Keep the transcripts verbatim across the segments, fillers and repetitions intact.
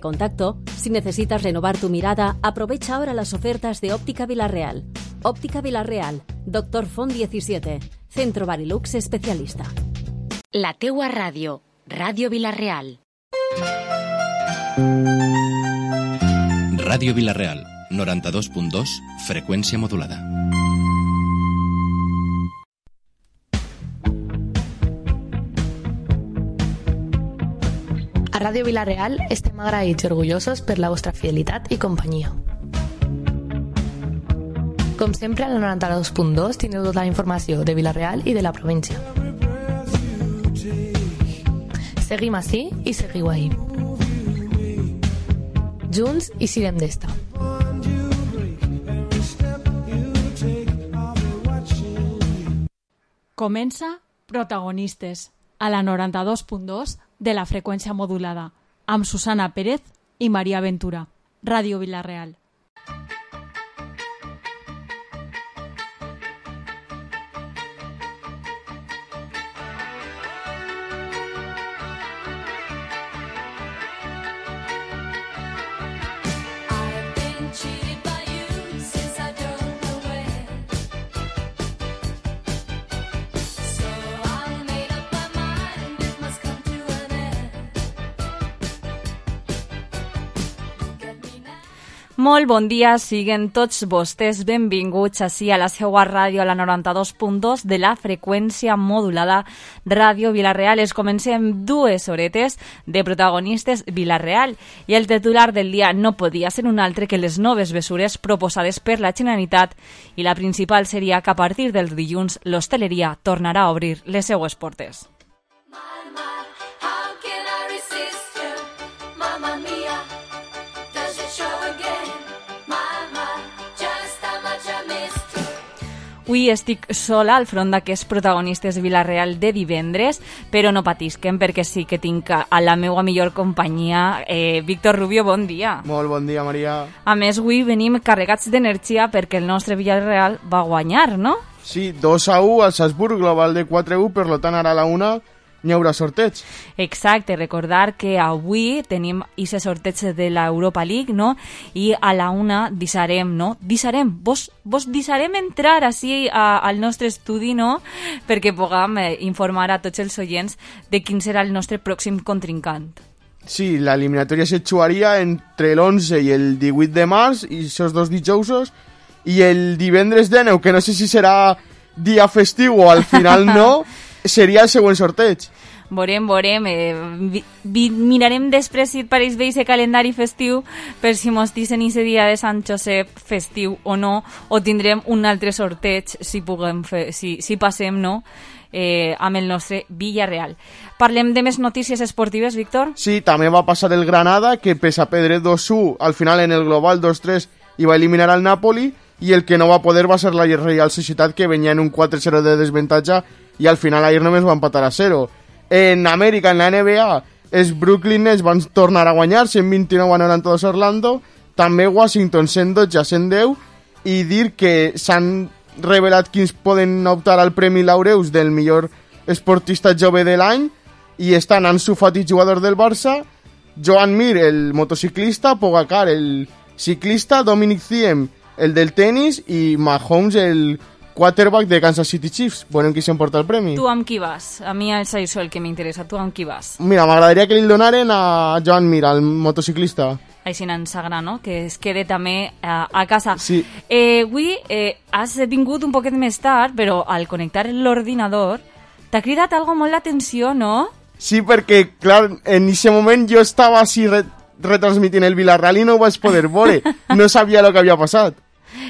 Contacto. Si necesitas renovar tu mirada, aprovecha ahora las ofertas de Óptica Vilarreal. Óptica Vilarreal, Doctor Font diecisiete, Centro Barilux Especialista. La teua ràdio, Ràdio Vilarreal. Ràdio Vilarreal, noranta-dos punt dos, freqüència modulada. A Ràdio Vilarreal estem agraïts i orgullosos per la vostra fidelitat i companyia. Com sempre, a la noranta-dos punt dos tindreu tota la informació de Vilarreal i de la província. Seguim ací i seguiu ahí. Junts i sirem d'esta. Comença Protagonistes, a la noranta-dos punt dos de la freqüència modulada, amb Susana Pérez i Maria Ventura. Ràdio Vilarreal. Molt bon dia, siguen tots vostès benvinguts ací a la seua ràdio, a la noranta-dos punt dos de la freqüència modulada Ràdio Vilarreal. Es comencem dues horetes de Protagonistes Vilarreal i el titular del dia no podia ser un altre que les noves mesures proposades per la Generalitat, i la principal seria que a partir del dilluns l'hostaleria tornarà a obrir les seues portes. Avui estic sola al front d'aquests Protagonistes Vilarreal de divendres, però no patisquen perquè sí que tinc a la meva millor companyia, eh, Víctor Rubio, bon dia. Molt bon dia, Maria. A més, avui venim carregats d'energia perquè el nostre Villarreal va guanyar, no? Sí, dos a u al Salzburg, global de quatre a u, per tant ara a la una n'hi haurà sorteig. Exacte, recordar que avui tenim aquest sorteig de l'Europa League, no? I a la una deixarem, no? Deixarem, vos, vos deixarem entrar així a, al nostre estudi, no? Perquè puguem eh, informar a tots els oients de quin serà el nostre pròxim contrincant. Sí, l'eliminatòria se jugaria entre l'onze i el divuit de març, i aquests dos dijousos, i el divendres dinou, que no sé si serà dia festiu o al final no, seria el següent sorteig. Veurem, veurem. Eh, vi, vi, mirarem després si et pareix bé aquest calendari festiu per si mos dicen aquest dia de Sant Josep festiu o no, o tindrem un altre sorteig si puguem fer, si, si passem, no? Eh, amb el nostre Villarreal. Parlem de més notícies esportives, Víctor? Sí, també va passar el Granada, que pese a perdre dos a u, al final en el global dos tres i va eliminar al Napoli, i el que no va poder va ser la Real Societat, que venia en un quatre zero de desventatge i al final ahir només va empatar a zero. En Amèrica, en la N B A, els Brooklyn Nets van tornar a guanyar cent vint-i-nou a noranta-dos a Orlando, també Washington cent dotze a cent deu, i dir que s'han revelat quins poden optar al Premi Laureus del millor esportista jove de l'any, i estan Ansu Fati, jugador del Barça, Joan Mir, el motociclista, Pogacar, el ciclista, Dominic Thiem, el del tenis, i Mahomes, el quarterback de Kansas City Chiefs. Veurem qui s'emporta el premi. Tu amb qui vas? A mi és això el que m'interessa. Tu amb qui vas? Mira, m'agradaria que li donaren a Joan Mir, el motociclista. Així ens agrada, no? Que es quede també a, a casa. Sí. Eh, avui eh, has vingut un poquet més tard, però al connectar l'ordinador t'ha cridat algo molt l'atenció, no? Sí, perquè, clar, en aquest moment jo estava així re retransmitint el Vilarreal i no ho vaig poder veure. No sabia el que havia passat.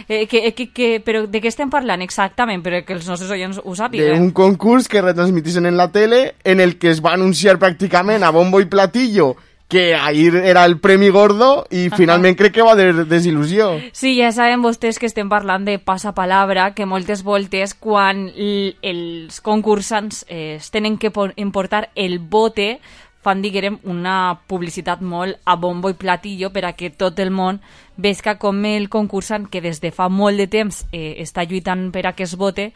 Eh, que, que, que, però de què estem parlant exactament? Però que els nostres oients ho sàpiguen. Un concurs que retransmitissin en la tele, en el que es va anunciar pràcticament a bombo i platillo que ahir era el Premi Gordo, i finalment crec que va de desil·lusió. Sí, ja saben vostès que estem parlant de passapalabra, que moltes voltes quan els concursants eh, es tenen que importar el bote, fan, diguem, una publicitat molt a bombo i platillo per a que tot el món vesca com el concursant, que des de fa molt de temps eh, està lluitant per a que es vote,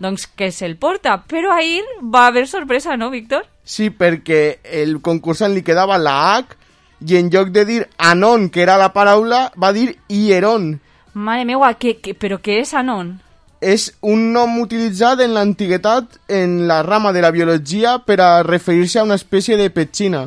doncs que se'l porta. Però ahir va haver sorpresa, no, Víctor? Sí, perquè el concursant li quedava la H i en lloc de dir anon, que era la paraula, va dir hieron. Mare meua, que, que, però què és anon? És un nom utilitzat en l'antiguitat en la rama de la biologia per a referir-se a una espècie de petxina.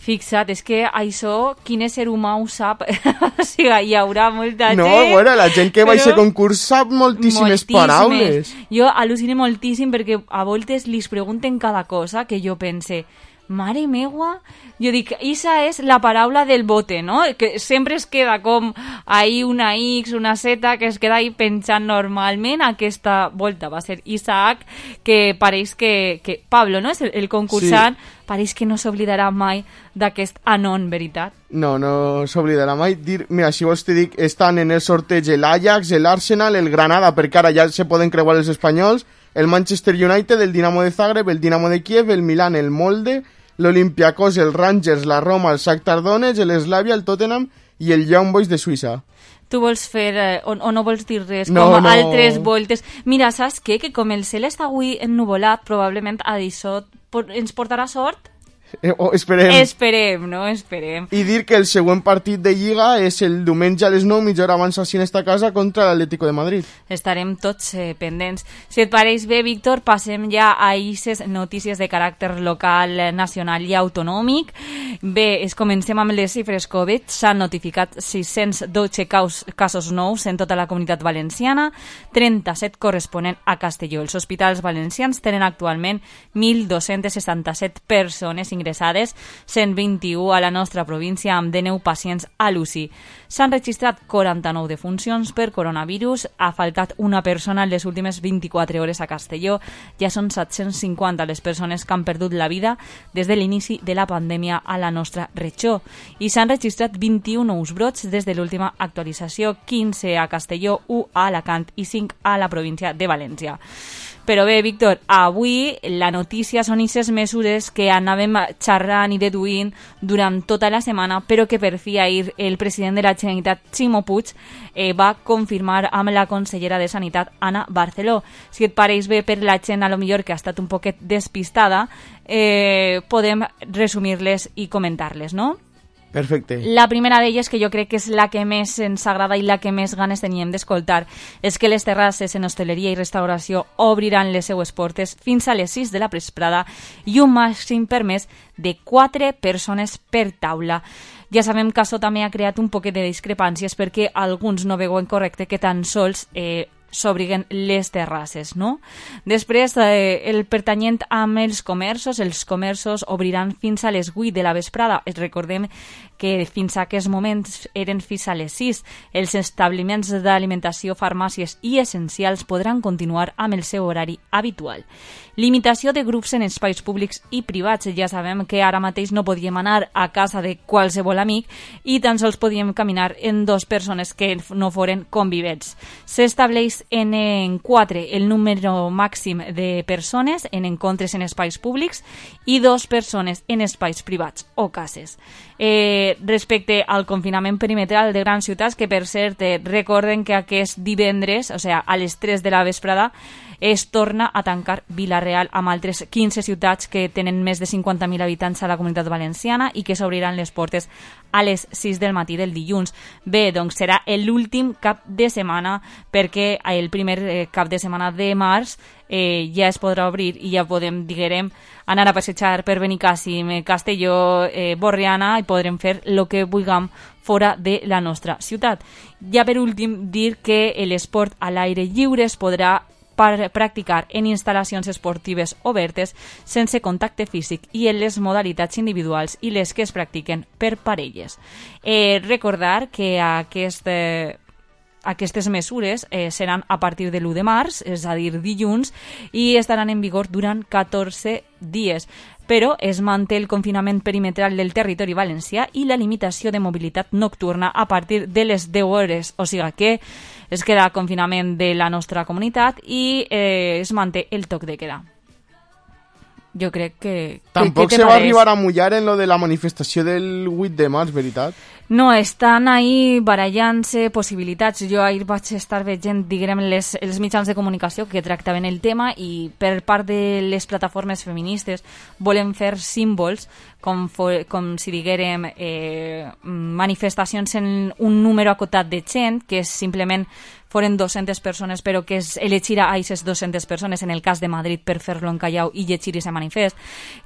Fixa't, és que això, quin ésser humà ho sap? O sigui, hi haurà molta gent... No, bueno, la gent que va a però... aquest concurs sap moltíssimes, moltíssimes paraules. Jo al·lucino moltíssim perquè a voltes li pregunten cada cosa que jo pense... Mare meua, jo dic, isa és la paraula del bote, no? Que sempre es queda com ahí una X, una Z, que es queda ahí penjant normalment. Aquesta volta va ser Isaac, que pareix que, que Pablo, no? És el, el concursant, sí. Pareix que no s'oblidarà mai d'aquest anon, veritat? No, no s'oblidarà mai. Dir, mira, si vols te dic, estan en el sorteig l'Ajax, l'Arsenal, el Granada, perquè ara ja se poden creuar els espanyols, el Manchester United, el Dinamo de Zagreb, el Dinamo de Kiev, el Milan, el Molde, l'Olympiacos, el Rangers, la Roma, el Shakhtar Donetsk, l'Slavia, el Tottenham i el Young Boys de Suïssa. Tu vols fer, eh, o, o no vols dir res, no, com no. altres voltes. Mira, saps què? Que com el cel està avui ennuvolat, probablement a d'això ens portarà sort? Eh, oh, esperem. Esperem, no? Esperem. I dir que el següent partit de Lliga és el diumenge a les nou, mitja hora abans així en esta casa, contra l'Atlético de Madrid. Estarem tots eh, pendents. Si et pareix bé, Víctor, passem ja a aquestes notícies de caràcter local, nacional i autonòmic. Bé, es comencem amb les xifres Covid. S'han notificat sis-cents dotze caus, casos nous en tota la comunitat valenciana, trenta-set corresponent a Castelló. Els hospitals valencians tenen actualment mil dos-cents seixanta-set persones ingressades, cent vint-i-u a la nostra província amb dinou pacients a l'U C I. S'han registrat quaranta-nou defuncions per coronavirus, ha faltat una persona en les últimes vint-i-quatre hores a Castelló, ja són set-cents cinquanta les persones que han perdut la vida des de l'inici de la pandèmia a la nostra regió, i s'han registrat vint-i-u nous brots des de l'última actualització, quinze a Castelló, u a Alacant i cinc a la província de València. Però bé, Víctor, avui la notícia són aquestes mesures que anàvem xerrant i deduint durant tota la setmana, però que per fi ahir el president de la Generalitat, Ximo Puig, eh, va confirmar amb la consellera de Sanitat, Ana Barceló. Si et pareix bé per la gent, a lo millor que ha estat un poquet despistada, eh, podem resumir-les i comentar-les, no? Perfecte. La primera d'elles, que jo crec que és la que més ens agrada i la que més ganes teníem d'escoltar, és que les terrasses en hostaleria i restauració obriran les seues portes fins a les sis de la vesprada i un màxim permès de quatre persones per taula. Ja sabem que això també ha creat un poquet de discrepàncies perquè alguns no veuen correcte que tan sols eh, s'obriguen les terrasses, no? Després, eh, el pertanyent amb els comerços, els comerços obriran fins a les vuit de la vesprada. Recordem que fins a aquests moments eren fins a les sis. Els establiments d'alimentació, farmàcies i essencials podran continuar amb el seu horari habitual. Limitació de grups en espais públics i privats. Ja sabem que ara mateix no podíem anar a casa de qualsevol amic i tan sols podíem caminar en dues persones que no foren convivents. S'estableix en, en quatre el número màxim de persones en encontres en espais públics i dos persones en espais privats o cases. Eh, respecte al confinament perimetral de grans ciutats, que per cert eh, recorden que aquest divendres, o sigui, a les tres de la vesprada, es torna a tancar Vila-real amb altres quinze ciutats que tenen més de cinquanta mil habitants a la comunitat valenciana i que s'obriran les portes a les sis del matí del dilluns. Bé, doncs serà l'últim cap de setmana, perquè el primer eh, cap de setmana de març eh, ja es podrà obrir i ja podem, diguem, anar a passejar per Benicàssim, Castelló, eh, Borriana, i podrem fer el que vulguem fora de la nostra ciutat. Ja per últim, dir que l'esport a l'aire lliure es podrà per practicar en instal·lacions esportives obertes sense contacte físic i en les modalitats individuals i les que es practiquen per parelles. Eh, recordar que aquest, eh, aquestes mesures eh, seran a partir de l'u de març, és a dir, dilluns, i estaran en vigor durant catorze dies. Però es manté el confinament perimetral del territori valencià i la limitació de mobilitat nocturna a partir de les deu hores, o sigui que es queda confinament de la nostra comunitat i eh, es manté el toc de queda. jo crec que... Tampoc que se va arribar a mullar en lo de la manifestació del vuit de març, veritat? No, estan ahí barallant-se possibilitats. Jo ahir vaig estar veient, diguem, les, els mitjans de comunicació que tractaven el tema i per part de les plataformes feministes volen fer símbols com, for, com si diguérem eh, manifestacions en un número acotat de gent, que és simplement foren dues-centes persones, però que es elegir a aquestes dues-centes persones, en el cas de Madrid, per fer-lo en Callao i llegir aquest manifest,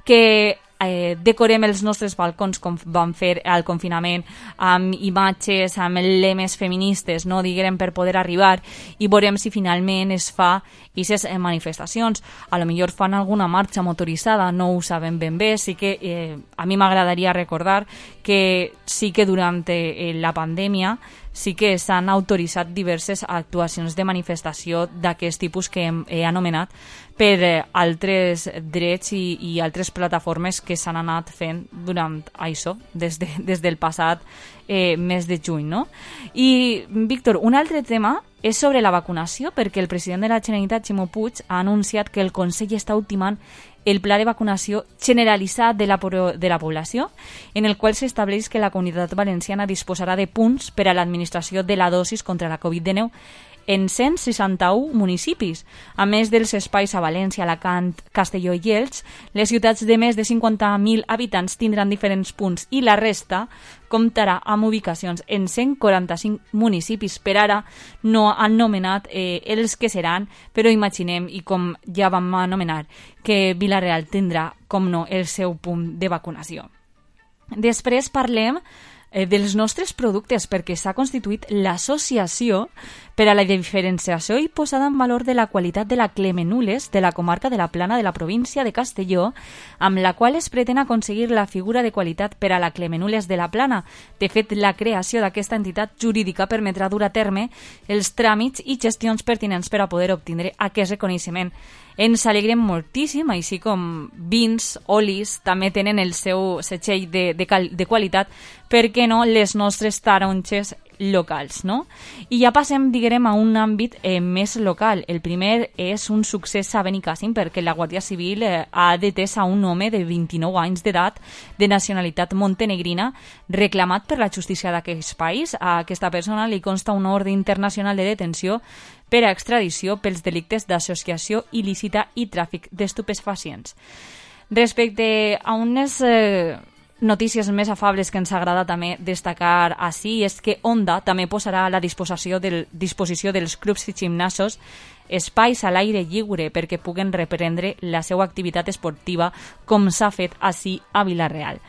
que eh, decorem els nostres balcons com vam fer al confinament, amb imatges, amb lemes feministes, no diguem, per poder arribar, i veurem si finalment es fa aquestes manifestacions. A lo millor fan alguna marxa motoritzada, no ho sabem ben bé. Sí que eh, a mi m'agradaria recordar que sí que durant eh, la pandèmia sí que s'han autoritzat diverses actuacions de manifestació d'aquest tipus que hem, he anomenat per eh, altres drets i, i altres plataformes que s'han anat fent durant això, des, de, des del passat eh, mes de juny, no? I, Víctor, un altre tema és sobre la vacunació, perquè el president de la Generalitat, Ximo Puig, ha anunciat que el Consell està ultimant el pla de vacunació generalitzat de la, de la població, en el qual s'estableix que la Comunitat Valenciana disposarà de punts per a l'administració de la dosis contra la covid dinou en cent seixanta-u municipis. A més dels espais a València, Alacant, Castelló i Elx, les ciutats de més de cinquanta mil habitants tindran diferents punts i la resta comptarà amb ubicacions en cent quaranta-cinc municipis. Per ara no han nomenat eh, els que seran, però imaginem, i com ja vam anomenar, que Vila-real tindrà, com no, el seu punt de vacunació. Després parlem eh, dels nostres productes, perquè s'ha constituït l'associació per a la diferenciació i posada en valor de la qualitat de la Clemenules de la comarca de la Plana de la província de Castelló, amb la qual es pretén aconseguir la figura de qualitat per a la Clemenules de la Plana. De fet, la creació d'aquesta entitat jurídica permetrà dur a terme els tràmits i gestions pertinents per a poder obtindre aquest reconeixement. Ens alegrem moltíssim, així com vins, olis, també tenen el seu setxell de, de, cal, de qualitat, per què no les nostres taronges locals, no? I ja passem, diguem, a un àmbit eh, més local. El primer és un succés a Benicàssim, perquè la Guàrdia Civil eh, ha detès a un home de vint-i-nou anys d'edat de nacionalitat montenegrina reclamat per la justícia d'aquest país. A aquesta persona li consta una ordre internacional de detenció per a extradició pels delictes d'associació il·lícita i tràfic d'estupefacients. Respecte a unes eh, notícies més afables que ens agrada també destacar així, és que Honda també posarà a la disposició, del, disposició dels clubs i gimnasos espais a l'aire lliure perquè puguen reprendre la seva activitat esportiva com s'ha fet així a Vila-real.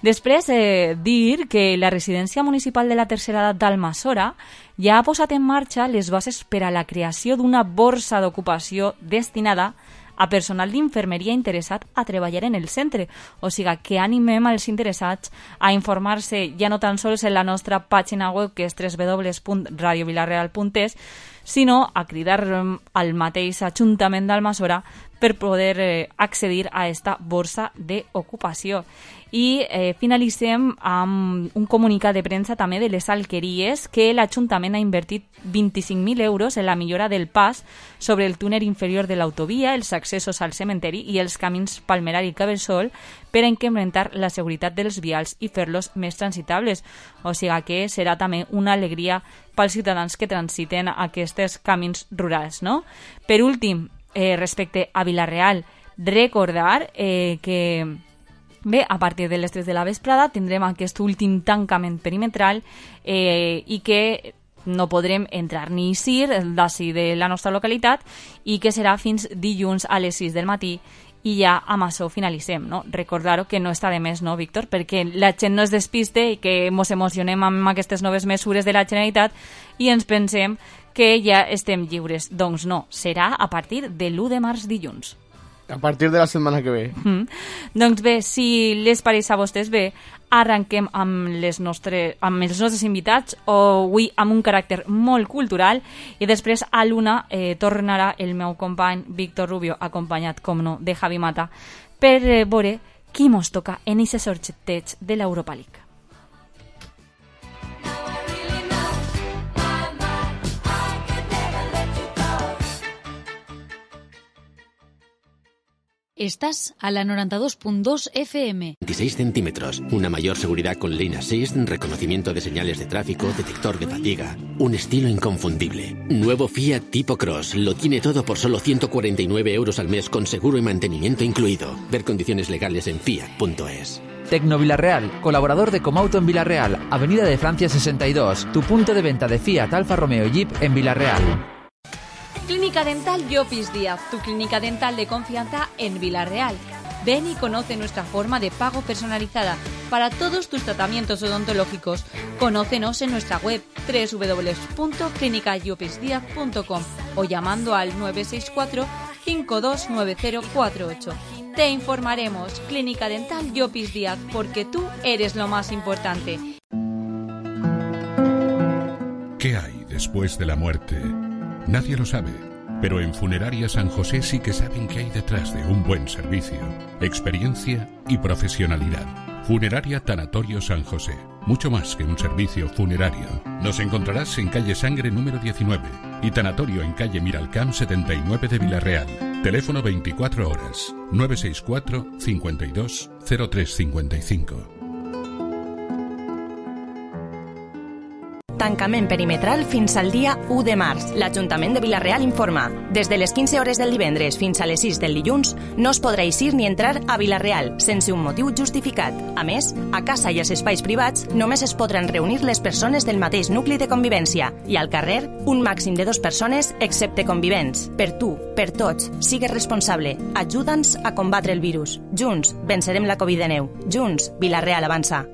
Després, eh, dir que la residència municipal de la tercera edat d'Almassora ja ha posat en marxa les bases per a la creació d'una borsa d'ocupació destinada a personal d'infermeria interessat a treballar en el centre. O sigui, que animem als interessats a informar-se ja no tan sols en la nostra pàgina web, que és w w w punt radio vilareal punt es, sinó a cridar al mateix Ajuntament d'Almassora per poder eh, accedir a esta borsa d'ocupació. I eh, finalitzem amb un comunicat de premsa també de les alqueries, que l'Ajuntament ha invertit vint-i-cinc mil euros en la millora del pas sobre el túnel inferior de l'autovia, els accessos al cementeri i els camins Palmerar i Cabeçol per a incrementar la seguretat dels vials i fer-los més transitables. O sigui que serà també una alegria pels ciutadans que transiten aquests camins rurals, no? Per últim, eh, respecte a Vila-real, recordar eh, que bé, a partir de les tres de la vesprada tindrem aquest últim tancament perimetral eh, i que no podrem entrar ni eixir d'ací de la nostra localitat i que serà fins dilluns a les sis del matí i ja amb això finalitzem, no? Recordar-ho que no està de més, no, Víctor? Perquè la gent no es despiste i que ens emocionem amb aquestes noves mesures de la Generalitat i ens pensem que ja estem lliures. Doncs no, serà a partir de l'u de març dilluns. A partir de la setmana que ve. Mm. Doncs bé, si les pareix a vostès bé, arrenquem amb, les nostres, amb els nostres invitats, o avui amb un caràcter molt cultural, i després a l'una eh, tornarà el meu company Víctor Rubio, acompanyat, com no, de Javi Mata, per eh, veure qui mos toca en aquest sorteig de l'Europa League. Estás a la noventa y dos punto dos F M. veintiséis centímetros, una mayor seguridad con Lane Assist, reconocimiento de señales de tráfico, detector de fatiga. Un estilo inconfundible. Nuevo Fiat Tipo Cross. Lo tiene todo por solo ciento cuarenta y nueve euros al mes con seguro y mantenimiento incluido. Ver condiciones legales en fiat punto es. Tecno Vilarreal, colaborador de Comauto en Vilarreal, Avenida de Francia sesenta y dos, tu punto de venta de Fiat, Alfa Romeo y Jeep en Vilarreal. Clínica Dental Llopis Díaz, tu clínica dental de confianza en Vilarreal. Ven y conoce nuestra forma de pago personalizada para todos tus tratamientos odontológicos. Conócenos en nuestra web doble u doble u doble u punto clínica llopis díaz punto com o llamando al nueve seis cuatro, cinco dos nueve cero cuatro ocho. Te informaremos. Clínica Dental Llopis Díaz, porque tú eres lo más importante. ¿Qué hay después de la muerte? Nadie lo sabe, pero en Funeraria San José sí que saben qué hay detrás de un buen servicio, experiencia y profesionalidad. Funeraria Tanatorio San José, mucho más que un servicio funerario. Nos encontrarás en calle Sangre número diecinueve y Tanatorio en calle Miralcamp setenta y nueve de Vilarreal. Teléfono veinticuatro horas, nueve seis cuatro, cincuenta y dos, cero tres cincuenta y cinco. Tancament perimetral fins al dia u de març. L'Ajuntament de Vilarreal informa. Des de les quinze hores del divendres fins a les sis del dilluns no es podrà eixir ni entrar a Vilarreal sense un motiu justificat. A més, a casa i als espais privats només es podran reunir les persones del mateix nucli de convivència i al carrer un màxim de dues persones excepte convivents. Per tu, per tots, sigues responsable. Ajuda'ns a combatre el virus. Junts vencerem la Covid diecinueve. Junts, Vilarreal avança.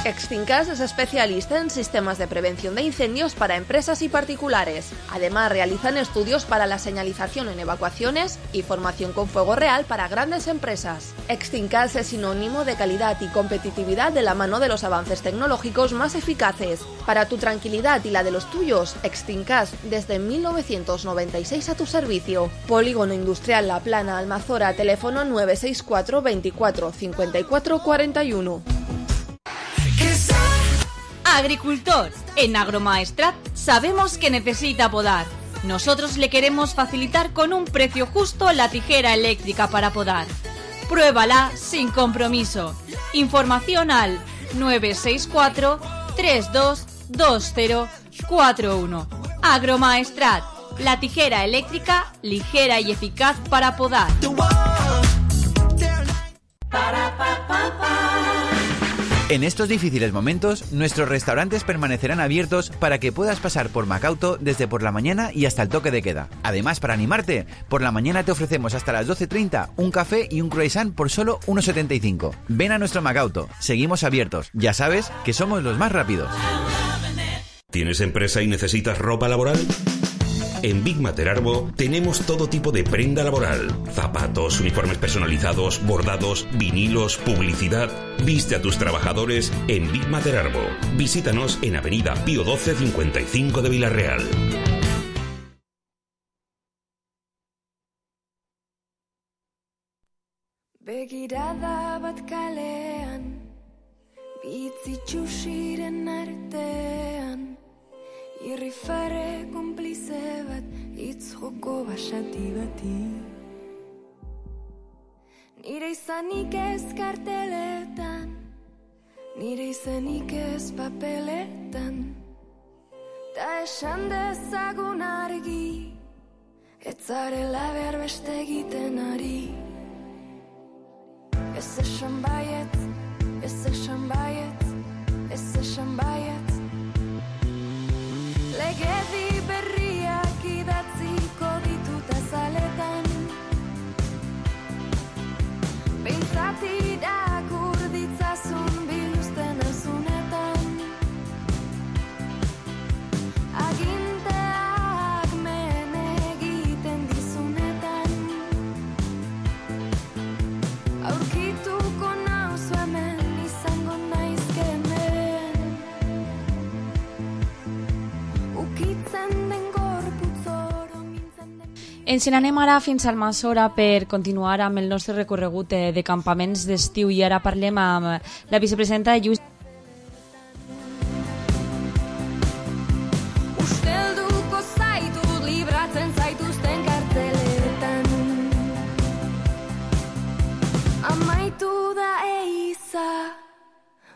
Extincas es especialista en sistemas de prevención de incendios para empresas y particulares. Además, realizan estudios para la señalización en evacuaciones y formación con fuego real para grandes empresas. Extincas es sinónimo de calidad y competitividad de la mano de los avances tecnológicos más eficaces. Para tu tranquilidad y la de los tuyos, Extincas desde mil novecientos noventa y seis a tu servicio. Polígono Industrial La Plana, Almazora, teléfono nueve seis cuatro, veinticuatro, cincuenta y cuatro cuarenta y uno. Agricultor, en Agromaestrat sabemos que necesita podar. Nosotros le queremos facilitar con un precio justo la tijera eléctrica para podar. Pruébala sin compromiso. Información al nueve seis cuatro, tres dos dos cero cuatro uno. Agromaestrat, la tijera eléctrica ligera y eficaz para podar. En estos difíciles momentos, nuestros restaurantes permanecerán abiertos para que puedas pasar por Macauto desde por la mañana y hasta el toque de queda. Además, para animarte, por la mañana te ofrecemos hasta las doce treinta un café y un croissant por solo uno setenta y cinco. Ven a nuestro Macauto, seguimos abiertos. Ya sabes que somos los más rápidos. ¿Tienes empresa y necesitas ropa laboral? En Big Mater Arbo tenemos todo tipo de prenda laboral. Zapatos, uniformes personalizados, bordados, vinilos, publicidad. Viste a tus trabajadores en Big Mater Arbo. Visítanos en Avenida Pío doce cincuenta y cinco de Vilarreal. Begirada bat kalean, bitzitxusiren artean. Irrifare konplize bat, hitz joko basati bati. Nire izanik ez karteletan, nire izanik ez papeletan. Ta esan dezagun argi, ez zarela behar beste egiten ari. Ez esan baiet, ez esan baiet, ez esan baiet. Legedi berriak idatziko ditut azaletan. Behintzat irakur ditzazun biluzten azunetan. Aginteak men egiten dizunetan. Aurkituko nauzu hemen, izango naizke hemen. Ens n'anem ara fins al Almassora per continuar amb el nostre recorregut de campaments d'estiu i ara parlem amb la vicepresidenta de Lluís. Ustelduko zaitut libratzen zaituzten karteletan.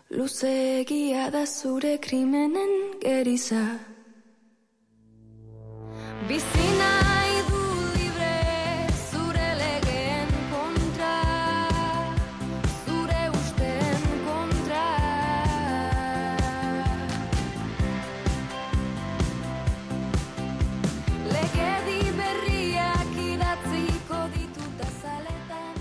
luzeegia da zure krimenen geriza. Bizi nahi du libre zure legeen kontra, zure usten kontra. Legedi berriak idatziko ditut azaletan.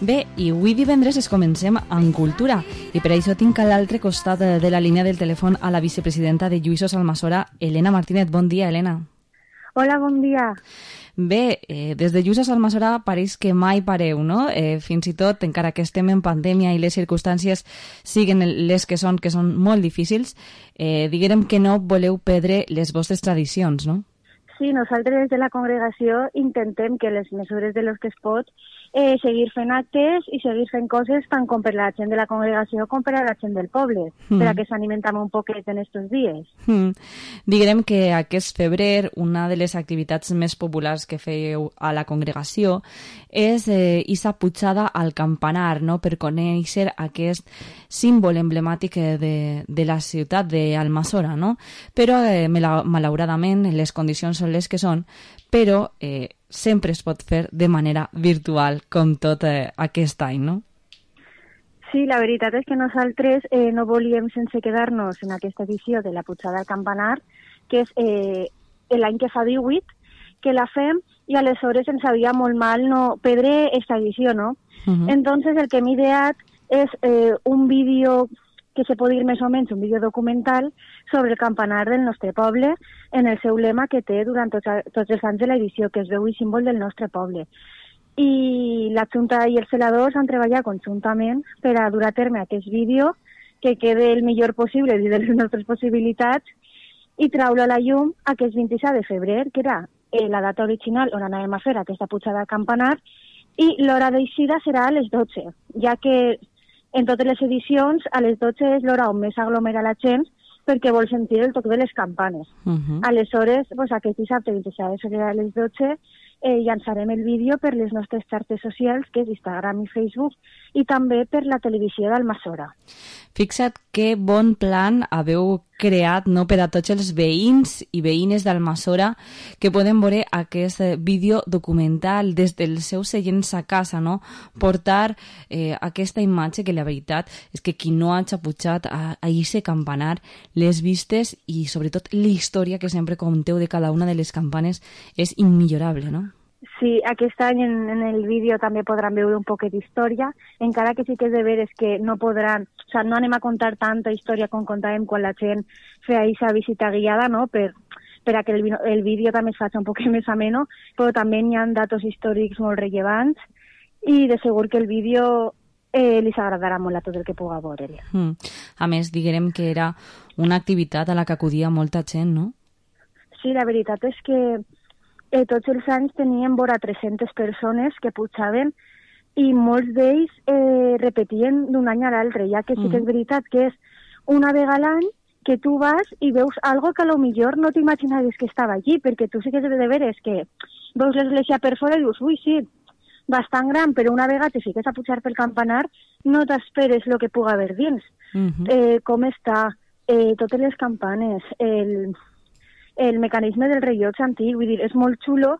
Bé, i avui divendres es comencem en cultura i per això tinc a l'altre costat de la línia del telèfon a la vicepresidenta de Lluïsos Almassora, Elena Martínez. Bon dia, Elena. Hola, bon dia. Bé, eh, des de Lluïsos Almassora pareix que mai pareu, no? Eh, fins i tot, encara que estem en pandèmia i les circumstàncies siguen les que són, que són molt difícils, eh, diguem que no voleu perdre les vostres tradicions, no? Sí, nosaltres des de la congregació intentem que les mesures de los que es pot eh, seguir fent actes i seguir fent coses tant com per la gent de la congregació com per a la gent del poble, mm. per a que s'animem també un poquet en estos dies. Mm. Diguem que aquest febrer una de les activitats més populars que fèieu a la congregació és eh, issa pujada al campanar, no?, per conèixer aquest símbol emblemàtic de, de la ciutat d'Almassora, no? Però eh, malauradament les condicions són les que són, però eh, sempre es pot fer de manera virtual, com tot eh, aquest any, no? Sí, la veritat és que nosaltres eh, no volíem sense quedar-nos en aquesta edició de la pujada al campanar, que és eh, l'any que fa divuit, que la fem, i aleshores ens sabia molt mal no perdre aquesta edició, no? Uh-huh. Entonces el que hem ideat és eh, un vídeo que se pot dir més o menys un vídeo documental sobre el campanar del nostre poble en el seu lema que té durant tots, tots els anys de l'edició, que es veu i símbol del nostre poble. I la Junta i els celadors han treballat conjuntament per a dur a terme aquest vídeo que quede el millor possible dins de les nostres possibilitats i traure a la llum aquest vint-i-set de febrer, que era eh, la data original on anàvem a fer aquesta pujada al campanar, i l'hora d'eixida serà a les dotze, ja que en totes les edicions, a les dotze és l'hora on més aglomera la gent perquè vol sentir el toc de les campanes. Uh-huh. Aleshores, pues, aquest dissabte vint-i-set de febrer a les dotze eh, llançarem el vídeo per les nostres xarxes socials, que és Instagram i Facebook, i també per la televisió d'Almassora. Fixa't que bon plan haveu creat, no, per a tots els veïns i veïnes d'Almassora que poden veure aquest vídeo documental des dels seus seients a casa, no? Portar eh, aquesta imatge que la veritat és que qui no hagi pujat a, a ese campanar, les vistes i sobretot la història que sempre conteu de cada una de les campanes és immillorable, no? Sí, aquest any en, en el vídeo també podran veure un poquet d'història, encara que sí que és de veres que no podran, o sea, no anem a contar tanta història com contàvem quan la gent feia aquesta visita guiada, no?, per, per a que el, el vídeo també es faci un poquet més ameno, però també hi ha datos històrics molt rellevants i de segur que el vídeo eh, li agradarà molt a tot el que puga veure. Mm. A més, diguem que era una activitat a la que acudia molta gent, no? Sí, la veritat és que Eh, tots els anys teníem vora tres-centes persones que pujaven i molts d'ells eh, repetien d'un any a l'altre, ja que sí que és veritat que és una vegada a l'any que tu vas i veus algo que a lo millor no t'imaginaves que estava allí, perquè tu sí que és de veres que veus l'església per fora i dius, ui, sí, bastant gran, però una vegada te fiques a pujar pel campanar no t'esperes el que puga haver dins. Uh-huh. eh, com està, eh, totes les campanes, el... el mecanisme del rellotge antic, vull dir, és molt xulo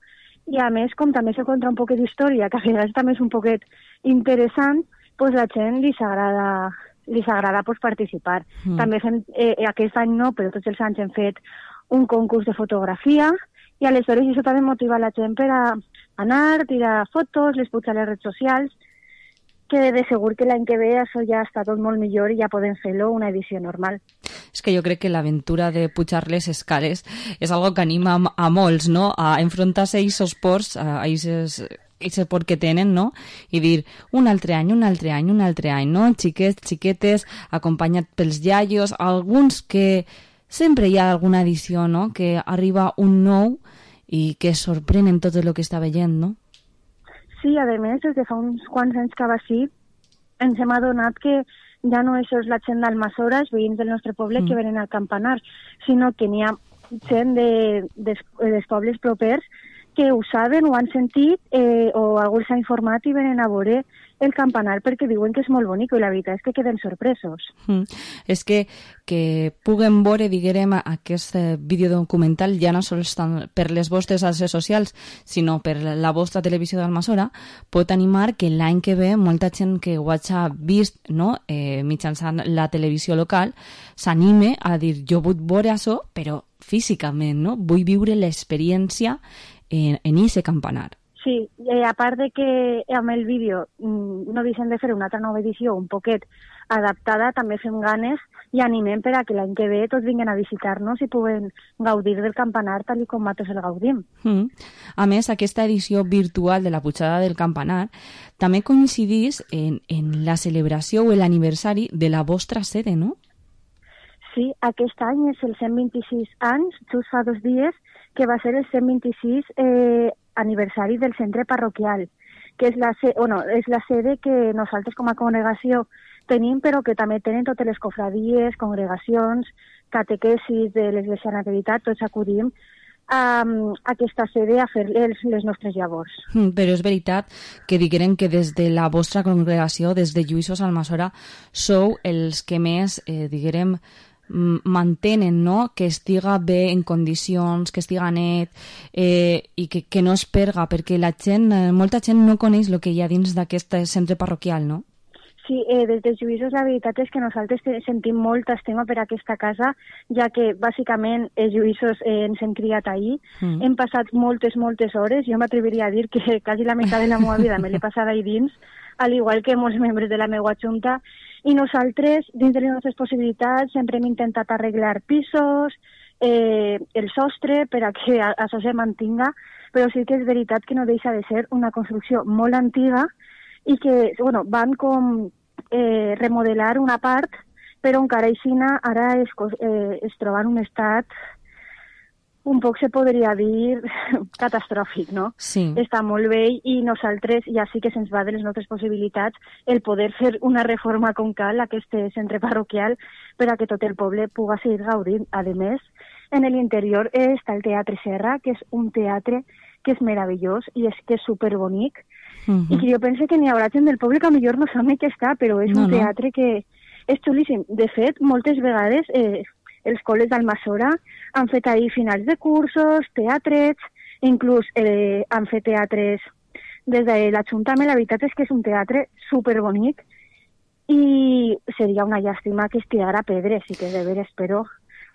i a més, com també se contra un poquet d'història, que a vegades també és un poquet interessant, pues la gent li s'agrada li s'agrada pues, participar. Mm. També fem, eh, aquest any no, però tots els anys hem fet un concurs de fotografia i aleshores això també motiva la gent per a anar, tirar fotos, les pujar a les redes socials, que de segur que l'any que ve això ja està tot molt millor i ja podem fer-lo una edició normal. És que jo crec que l'aventura de pujar les escales és algo que anima a molts, no?, a enfrontar-se a aquests ports, a aquest port que tenen, no?, i dir un altre any, un altre any, un altre any, no?, xiquets, xiquetes, acompanyat pels iaios, alguns que sempre hi ha alguna edició, no?, que arriba un nou i que sorprèn en tot el que està veient, no? Sí, a més, des de fa uns quants anys que va així, ens hem adonat que ja no és la gent d'Almassora, els veïns del nostre poble, mm. que venen al campanar, sinó que n'hi ha gent de, de, dels pobles propers que ho saben, ho han sentit, eh, o algú els ha informat i venen a veure el campanar perquè diuen que és molt bonic i la veritat és que queden sorpresos. Mm. És que que puguen veure, diguem, aquest videodocumental ja no sols per les vostres xarxes socials, sinó per la vostra televisió d'Almassora, pot animar que l'any que ve molta gent que ho hagi vist, no, eh, mitjançant la televisió local s'anime a dir, jo vull veure això, però físicament, no? Vull viure l'experiència en aquest campanar. Sí, eh, a part de que amb el vídeo mm, no deixem de fer una altra nova edició un poquet adaptada, també fem ganes i animem per a que l'any que ve tots vinguin a visitar-nos i puguen gaudir del campanar tal com nosaltres el gaudim. Mm. A més, aquesta edició virtual de la pujada del campanar també coincidís en, en la celebració o l'aniversari de la vostra sede, no? Sí, aquest any és el cent vint-i-sis anys, just fa dos dies, que va ser el cent vint-i-sis eh, aniversari del centre parroquial, que és la, bueno, és la sede que nosaltres com a congregació tenim, però que també tenen totes les cofradies, congregacions, catequesis de l'Església Nativitat, tots acudim a, a aquesta sede a fer les, les nostres llavors. Mm, però és veritat que diguem que des de la vostra congregació, des de Lluïsos Almassora, sou els que més, eh, diguem, mantenen, no?, que estiga bé en condicions, que estiga net eh, i que, que no es perga, perquè la gent, eh, molta gent no coneix el que hi ha dins d'aquest centre parroquial, no? Sí, eh, des de Lluïsos la veritat és que nosaltres sentim molta estima per aquesta casa, ja que bàsicament els Lluïsos eh, ens hem criat ahir, mm. hem passat moltes, moltes hores, jo m'atreviria a dir que quasi la meitat de la meva vida me l'he passada ahí dins, al igual que molts membres de la meva junta, i nosaltres, dins de les nostres possibilitats, sempre hem intentat arreglar pisos, eh, el sostre, per a que això se mantinga, però sí que és veritat que no deixa de ser una construcció molt antiga i que, bueno, van com eh, remodelar una part, però encara així ara es, eh, es troba en un estat un poc se podria dir catastròfic, no? Sí. Està molt vell i nosaltres ja sí que se'ns va de les nostres possibilitats el poder fer una reforma com cal a aquest centre parroquial per a que tot el poble pugui seguir gaudint. A més, en l'interior està el Teatre Serra, que és un teatre que és meravellós i és que és superbonic, uh-huh. i que jo penso que n'hi haurà gent del poble que millor no sap ni què està, però és no, un teatre no. que és xulíssim. De fet, moltes vegades eh, els col·les d'Almassora han fet ahir finals de cursos, teatrets, inclús eh, han fet teatres des de l'Ajuntament. La veritat és que és un teatre superbonic i seria una llàstima que es tirara pedres, i que de veres, però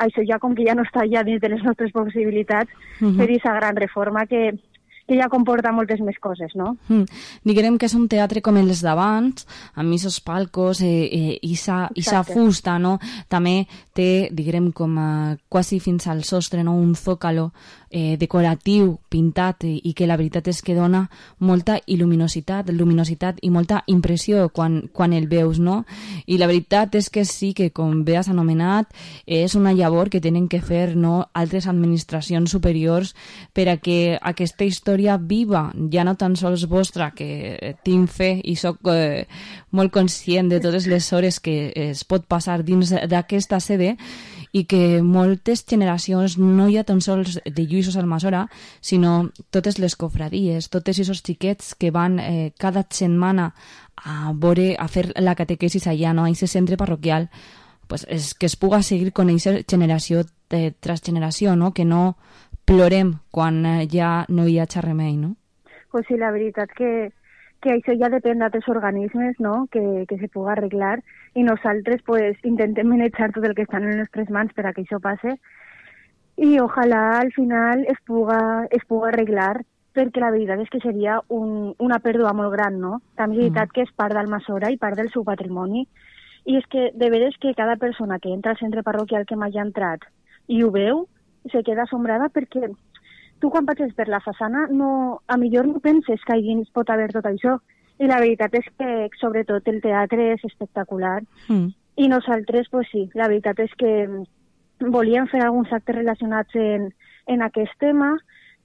això ja com que ja no està ja dins de les nostres possibilitats, uh-huh. fer aquesta gran reforma que, que ja comporta moltes més coses, no? Mm. Diguem que és un teatre com els d'abans, amb aquests palcos eh, eh, i sa fusta, no? També té, diguem, com a, quasi fins al sostre, no? Un zócalo eh, decoratiu, pintat, eh, i que la veritat és que dona molta il·luminositat, luminositat i molta impressió quan, quan el veus, no? I la veritat és que sí que, com bé has anomenat, és una llavor que tenen que fer, no?, altres administracions superiors per a que aquesta història viva, ja no tan sols vostra, que tinc fe i sóc eh, molt conscient de totes les hores que es pot passar dins d'aquesta sede, i que moltes generacions, no hi ha tan sols de Lluïsos Almassora, sinó totes les cofradies, tots aquests xiquets que van eh, cada setmana a veure, a fer la catequesis allà, no?, a aquest centre parroquial, pues és que es puga seguir conèixer generació de, tras generació, no?, que no plorem quan ja no hi ha remei, no? Pues sí, la veritat que, que això ja depèn d'altres organismes, no?, que, que se pugui arreglar, i nosaltres pues, intentem manejar tot el que està en les nostres mans per a que això passe, i ojalà al final es puga, es puga arreglar, perquè la veritat és que seria un, una pèrdua molt gran, no? També és veritat mm. que és part d'Almassora i part del seu patrimoni, i és que de veres que cada persona que entra al centre parroquial que m'hagi entrat i ho veu, se queda assombrada perquè tu quan passes per la façana no, a millor no penses que allà pot haver tot això, i la veritat és que sobretot el teatre és espectacular, mm. i nosaltres, pues sí, la veritat és que volíem fer alguns actes relacionats en, en aquest tema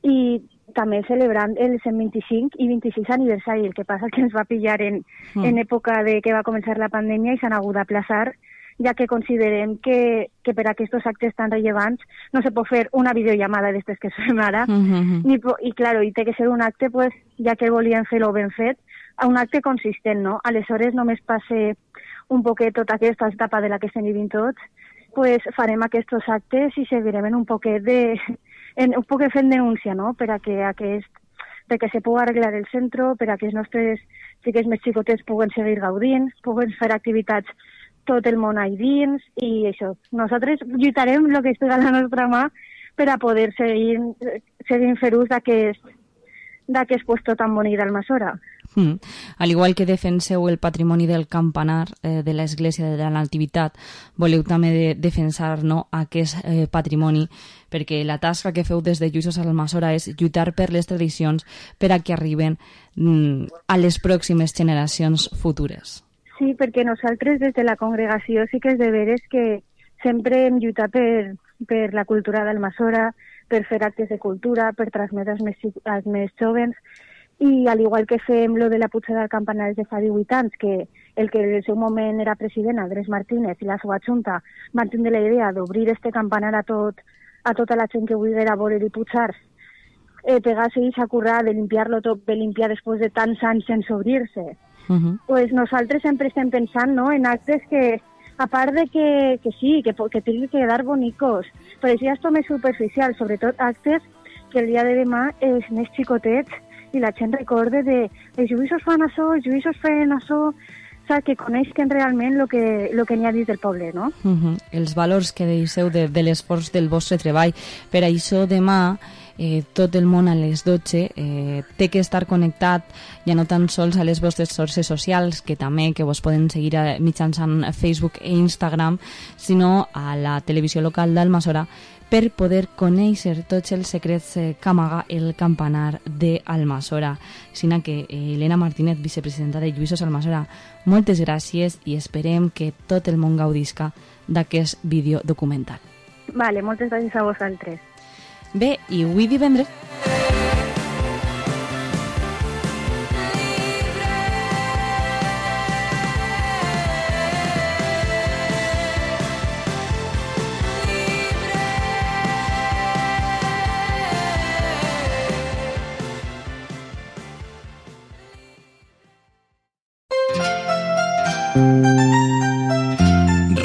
i també celebrant el cent vint-i-cinc i vint-i-sis aniversari. El que passa que ens va pillar en, mm. en època de que va començar la pandèmia i s'han hagut d'aplaçar, ja que considerem que, que per a aquests actes tan rellevants no se pot fer una videollamada d'estes que fem ara, Mm-hmm. ni, i claro, i té que ser un acte, pues, ja que volien fer-lo ben fet, a un acte consistent, no? Aleshores només passe un poquet tota aquesta etapa de la que estem vivint tots, pues farem aquests actes i seguirem en un poquet de... En, un poquet fent denúncia, no?, per a que aquest perquè se pugui arreglar el centre, per a que els nostres xiquets més xicotets puguen seguir gaudint, puguen fer activitats tot el món ahí dins, i això. Nosaltres lluitarem el que estigui a la nostra mà per a poder seguir, seguir fer ús d'aquest d'aquest puesto tan bonic d'Almassora. Mm. Al igual que defenseu el patrimoni del campanar eh, de l'Església de la Nativitat, voleu també de defensar, no, aquest eh, patrimoni, perquè la tasca que feu des de Lluïsos Almassora és lluitar per les tradicions per a que arriben mm, a les pròximes generacions futures. Sí, perquè nosaltres des de la congregació sí que és de veres que sempre hem lluitat per, per la cultura d'Almassora, per fer actes de cultura, per transmetre als més, als més jovens, i al igual que fem lo de la pujada del campanar de fa divuit anys, que el que en el seu moment era president, Andrés Martínez, i la seva junta van tindre la idea d'obrir este campanar a, tot, a tota la gent que volguera voler i pujar, eh, pegar-se i s'acurrar de limpiar-lo tot, de limpiar després de tants anys sense obrir-se. Uh-huh. Pues nosaltres sempre estem pensant, no?, en actes que, a part de que, que sí, que, que tingui que quedar bonicos, però això ja és tot més superficial, sobretot actes que el dia de demà els més xicotets i la gent recorde de els lluïsos fan això, els lluïsos fan això, saps, que coneixen realment el que, lo que n'hi ha dins del poble, no? Uh-huh. Els valors que deixeu de, de l'esforç del vostre treball. Per això demà eh, tot el món a les dotze eh, té que estar connectat ja no tan sols a les vostres xarxes socials, que també que vos poden seguir a, mitjançant Facebook i Instagram, sinó a la televisió local d'Almassora, per poder conèixer tots els secrets eh, que amaga el campanar d'Almassora. Sina que eh, Elena Martínez, vicepresidenta de Lluïsos Almassora, moltes gràcies i esperem que tot el món gaudisca d'aquest vídeo documental. Vale, moltes gràcies a vosaltres. Bé, i avui divendres...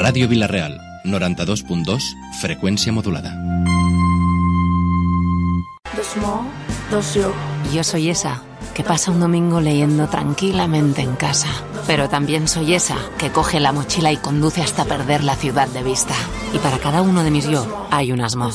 Ràdio Vila-real, noranta-dos punt dos, frecuencia modulada. Dos mo, dos yo. Yo soy esa que pasa un domingo leyendo tranquilamente en casa. Pero también soy esa que coge la mochila y conduce hasta perder la ciudad de vista. Y para cada uno de mis yo hay unas mo.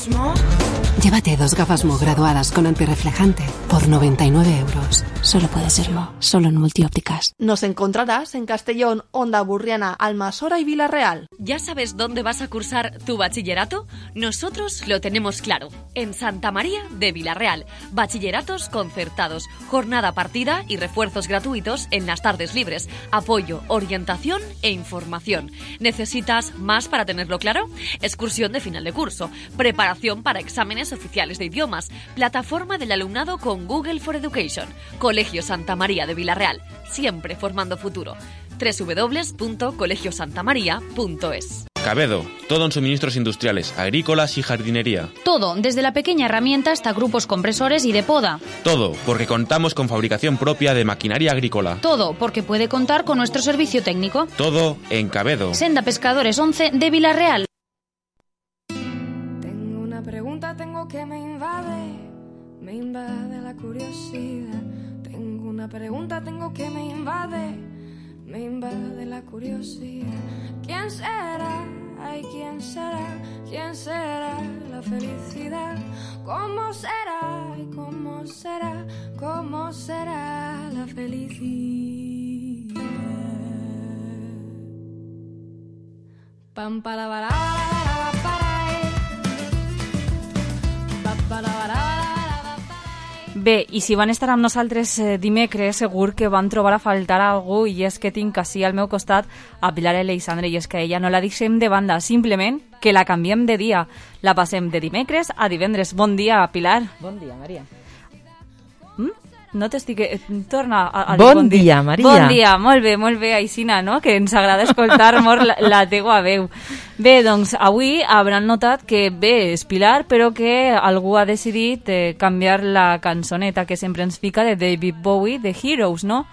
Llévate dos gafas Mo graduadas con antirreflejante por noventa y nueve euros. Solo puede ser Mo, solo en Multiópticas. Nos encontrarás en Castellón, Onda Burriana, Almassora y Vila-real. ¿Ya sabes dónde vas a cursar tu bachillerato? Nosotros lo tenemos claro. En Santa María de Vila-real. Bachilleratos concertados, jornada partida y refuerzos gratuitos en las tardes libres. Apoyo, orientación e información. ¿Necesitas más para tenerlo claro? Excursión de final de curso. Preparación para exámenes oficiales de idiomas, plataforma del alumnado con Google for Education, Colegio Santa María de Vila-real, siempre formando futuro. doble u doble u doble u punto colegio santa maría punto es. Cabedo, todo en suministros industriales, agrícolas y jardinería. Todo, desde la pequeña herramienta hasta grupos compresores y de poda. Todo, porque contamos con fabricación propia de maquinaria agrícola. Todo, porque puede contar con nuestro servicio técnico. Todo en Cabedo. Senda Pescadores once de Vila-real. Tengo que me invade, me invade la curiosidad. Tengo una pregunta, tengo que me invade, me invade la curiosidad. ¿Quién será? Ay, ¿quién será? ¿Quién será la felicidad? ¿Cómo será? Ay, ¿cómo será? ¿Cómo será la felicidad? Pam para para para para. Bé, i si van estar amb nosaltres eh, dimecres, segur que van trobar a faltar algú, i és que tinc així al meu costat a Pilar Aleixandre, i és que ella no la deixem de banda, simplement que la canviem de dia. La passem de dimecres a divendres. Bon dia, Pilar. Bon dia, Maria. Mm? No t'estic... Torna a, a bon, bon dia, dia, Maria. Bon dia, molt bé, molt bé, Aixina, no? Que ens agrada escoltar molt la, la teua veu. Bé, doncs, avui hauran notat que bé és Pilar, però que algú ha decidit eh, canviar la cançoneta que sempre ens fica de David Bowie, de Heroes, no?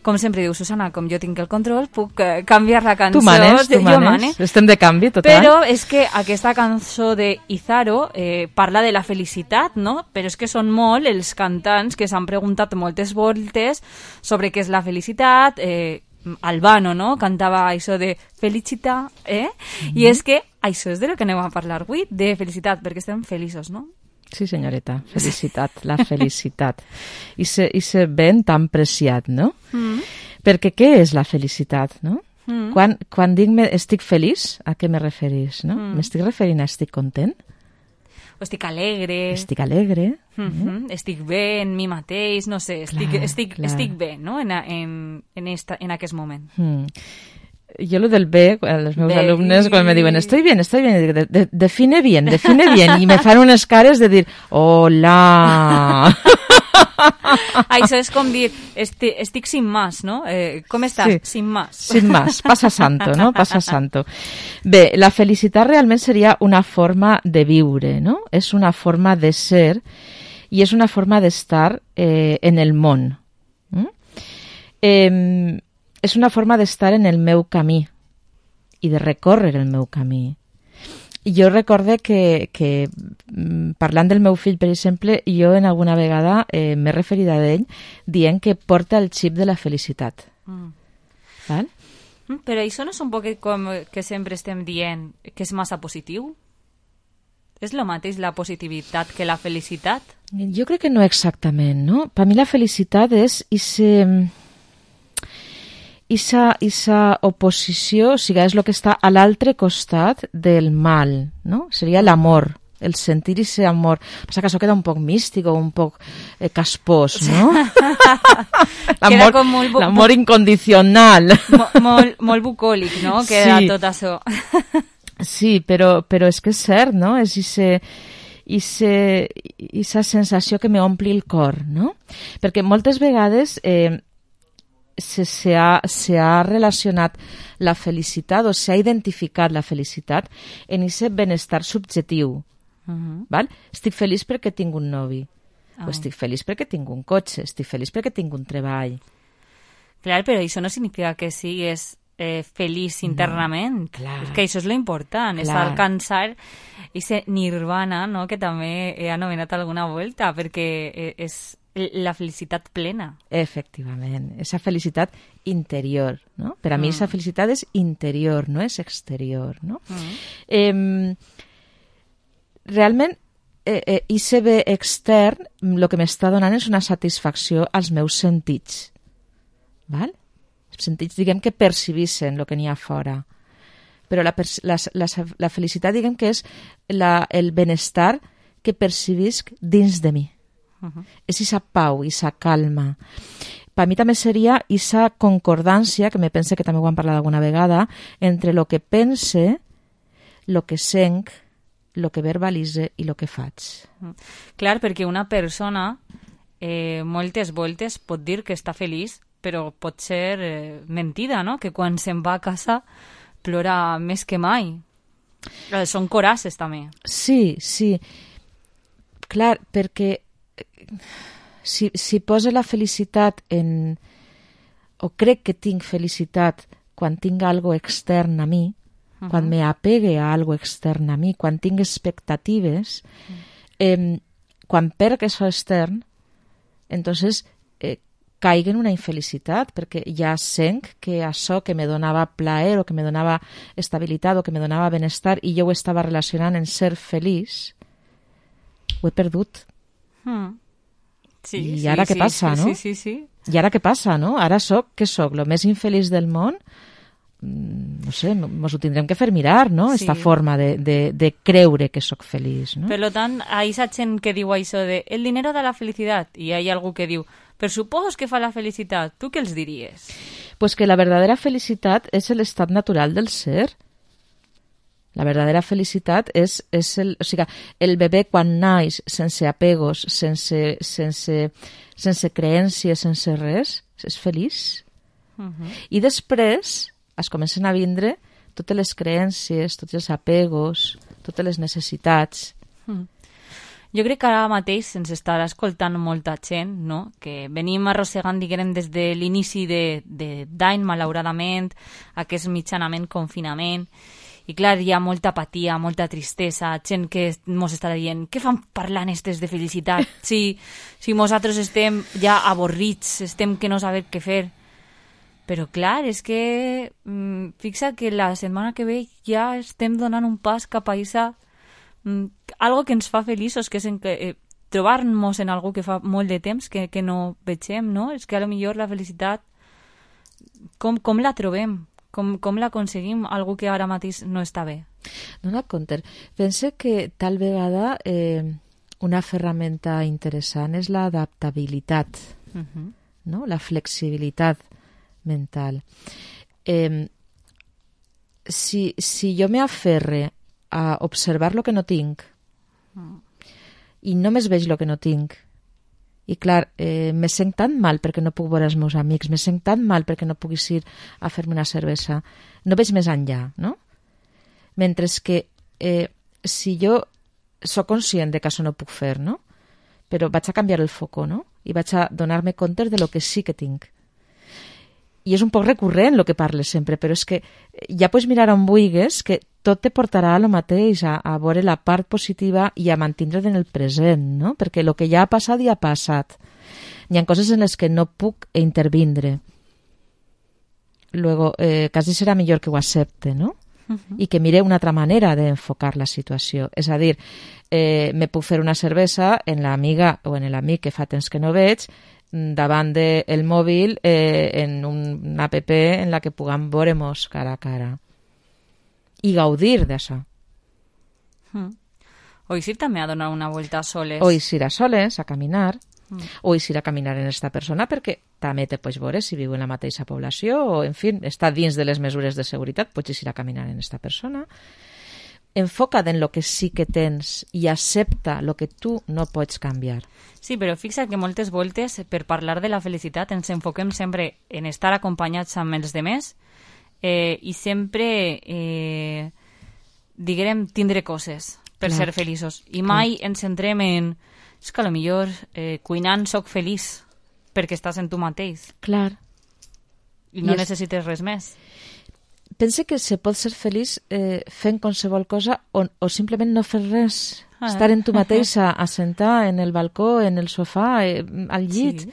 Com sempre diu Susana, com jo tinc el control, puc eh, canviar la cançó. Tu manes, tu manes. manes. Estem de canvi, total. Però és que aquesta cançó de Izaro eh, parla de la felicitat, no? Però és que són molt els cantants que s'han preguntat moltes voltes sobre què és la felicitat. Eh, Albano, no? Cantava això de felicitat, eh? Mm-hmm. I és que això és de lo que anem a parlar avui, de felicitat, perquè estem feliços, no? Sí, senyoreta, felicitat, la felicitat. I se, i se ben tan preciat, no? Mm. Perquè què és la felicitat, no? Mm. Quan, quan dic me, estic feliç, a què me referís, no? Mm. M'estic referint a estic content? O estic alegre. Estic alegre. Mm-hmm. Mm. Estic bé en mi mateix, no sé, estic, clar, estic, clar. estic bé, no? En, en, en, esta, en aquest moment. Mm. Jo lo del bé, els meus bé. alumnes, quan me diuen estoy bien, estoy bien, de, de, define bien, define bien, i me fan unes cares de dir, hola. Això és com dir, estic, estic sin más, no? Eh, com estàs? Sí. Sin más. Sin más, pasa santo, no? Pasa santo. Bé, la felicitat realment seria una forma de viure, no? És una forma de ser i és una forma d'estar eh, en el món. Mm? Eh, és una forma d'estar en el meu camí i de recórrer el meu camí. I jo recorde que, que parlant del meu fill, per exemple, jo en alguna vegada eh, m'he referit a ell dient que porta el xip de la felicitat. Mm. Val? Però això no és un poc com que sempre estem dient que és massa positiu? És el mateix la positivitat que la felicitat? Jo crec que no exactament, no? Per mi la felicitat és ese... Issa, issa oposició, o sigui, és el que està a l'altre costat del mal, no? Seria l'amor, el sentir ese amor. Passa que això queda un poc místic o un poc eh, caspós, no? L'amor bu- l'amor incondicional. Mo, molt, molt bucòlic, no? Queda sí. Tot això. Sí, però, però és que és cert, no? És ese... Ise, esa sensació que m'ompli el cor, no? Perquè moltes vegades... Eh, Se, se, ha, se ha relacionat la felicitat o s'ha identificat la felicitat en aquest benestar subjectiu. Uh-huh. Val? Estic feliç perquè tinc un novi. Oh. O estic feliç perquè tinc un cotxe. Estic feliç perquè tinc un treball. Clar, però això no significa que sigues eh, feliç internament. No, clar. Que això és lo important, clar. És alcançar aquest nirvana, no? Que també he anomenat alguna volta, perquè és la felicitat plena. Efectivament, esa felicitat interior, no? Per a mm. mi esa felicitat és interior, no és exterior, no? Mm. Eh, realment, eh, eh, I C B extern, el que m'està donant és una satisfacció als meus sentits, val? Els sentits, diguem, que percibissen el que n'hi ha fora. Però la, la, la, la felicitat, diguem, que és la, el benestar que percibisc dins de mi. Uh-huh. És esa pau, esa calma. Per mi també seria esa concordància, que me pense que també ho hem parlat alguna vegada, entre el que pense, el que sent, el que verbalitze i el que faig. Uh-huh. Clar, perquè una persona eh, moltes voltes pot dir que està feliç, però pot ser eh, mentida, no? Que quan se'n va a casa plora més que mai. Eh, són coraces també. Sí, sí. Clar, perquè Si, si posa la felicitat en... o crec que tinc felicitat quan tinc algo extern a mi, uh-huh. quan me apegue a algo extern a mi, quan tinc expectatives, uh-huh. eh, quan perc això extern, entonces eh, caic en una infelicitat, perquè ja sent que això que me donava plaer o que me donava estabilitat o que me donava benestar i jo ho estava relacionant en ser feliç, ho he perdut. Hmm. Sí, I sí, ara què sí, passa, sí, no? Sí, sí, sí. I ara què passa, no? Ara soc, què soc? Lo més infeliç del món? No sé, mos ho tindrem que fer mirar, no? Sí. Esta forma de, de, de creure que soc feliç, no? Per tant, hi ha gent que diu això de el dinero da la felicitat, i hi ha algú que diu per supos que fa la felicitat. Tu què els diries? Pues que la verdadera felicitat és l'estat natural del ser. La verdadera felicitat és, és el, o sigui, el bebè quan naix sense apegos, sense, sense, sense creències, sense res, és feliç. Uh-huh. I després es comencen a vindre totes les creències, tots els apegos, totes les necessitats. Uh-huh. Jo crec que ara mateix ens estarà escoltant molta gent, no? Que venim arrossegant, diguem, des de l'inici de, de d'any, malauradament, aquest mitjanament confinament, i clar, hi ha molta apatia, molta tristesa, gent que ens estarà dient què fan parlant estes de felicitat? Si, si nosaltres estem ja avorrits, estem que no sabem què fer. Però clar, és que mm, fixa que la setmana que ve ja estem donant un pas cap a això, algo que ens fa feliços, que és en que, eh, trobar-nos en algú que fa molt de temps que, que no vegem, no? És que a lo millor la felicitat, com, com la trobem? Com, com l'aconseguim? Algú que ara mateix no està bé. Dona compte. Pense que tal vegada eh, una ferramenta interessant és l'adaptabilitat, uh-huh. no? La flexibilitat mental. Eh, si, si jo me aferre a observar lo que no tinc mm. i només veig lo que no tinc, i clar, eh, me sent tan mal perquè no puc veure els meus amics, me sent tan mal perquè no puc ir a fer-me una cervesa, no veig més enllà, no? Mentre que eh, si jo soc conscient de que això no puc fer, no? Però vaig a canviar el foco, no? I vaig a donar-me compte de lo que sí que tinc. I és un poc recurrent el que parles sempre, però és que ja pots mirar on vulguis, que tot te portarà a lo mateix, a, a veure la part positiva i a mantindre't en el present, no? Perquè el que ja ha passat, ja ha passat. Hi ha coses en les que no puc intervindre. Luego, eh, quasi serà millor que ho accepte, no? Uh-huh. I que mire una altra manera d'enfocar la situació. És a dir, eh, me puc fer una cervesa en l'amiga o en l'amic que fa temps que no veig, davant del mòbil eh, en un app en la que puguem veure-nos cara a cara i gaudir d'això. Mm. O eixir també a donar una volta a soles. O eixir a soles, a caminar, mm. o eixir a caminar en esta persona, perquè també te pots veure si viu en la mateixa població o, en fi, està dins de les mesures de seguretat, pots eixir a caminar en esta persona. Enfoca't en lo que sí que tens i accepta lo que tu no pots canviar. Sí, però fixa que moltes voltes per parlar de la felicitat ens enfoquem sempre en estar acompanyats amb els demés eh, i sempre eh, diguem tindre coses per Clar. ser feliços. I mai Clar. ens centrem en és que potser eh, cuinant soc feliç perquè estàs en tu mateix. Clar. I no I és... necessites res més. Pense que se pot ser feliç eh, fent qualsevol cosa o, o simplement no fer res. Ah, estar en tu mateixa, assentar en el balcó, en el sofà, eh, al llit, sí.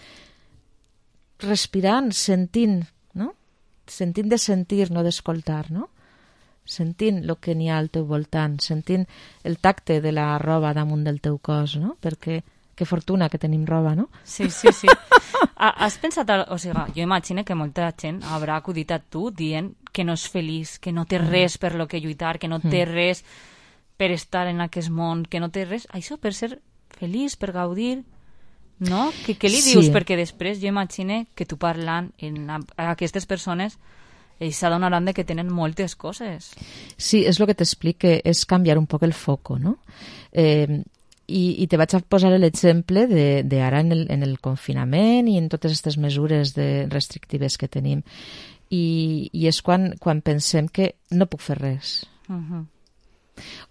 respirant, sentint, no? Sentint de sentir, no d'escoltar, no? Sentint el que n'hi ha al teu voltant, sentint el tacte de la roba damunt del teu cos, no? Perquè que fortuna que tenim roba, no? Sí, sí, sí. Has pensat, o sigui, jo imagino que molta gent haurà acudit a tu dient que no és feliç, que no té res per lo que lluitar, que no té res per estar en aquest món, que no té res... Això per ser feliç, per gaudir, no? Que, què li dius? Sí. Perquè després jo imagino que tu parlant en a, a aquestes persones ells s'adonaran de que tenen moltes coses. Sí, és el que t'explique, és canviar un poc el foco, no? Eh, i, i te vaig a posar l'exemple d'ara en, el, en el confinament i en totes aquestes mesures de restrictives que tenim. I, i és quan, quan pensem que no puc fer res. Uh-huh.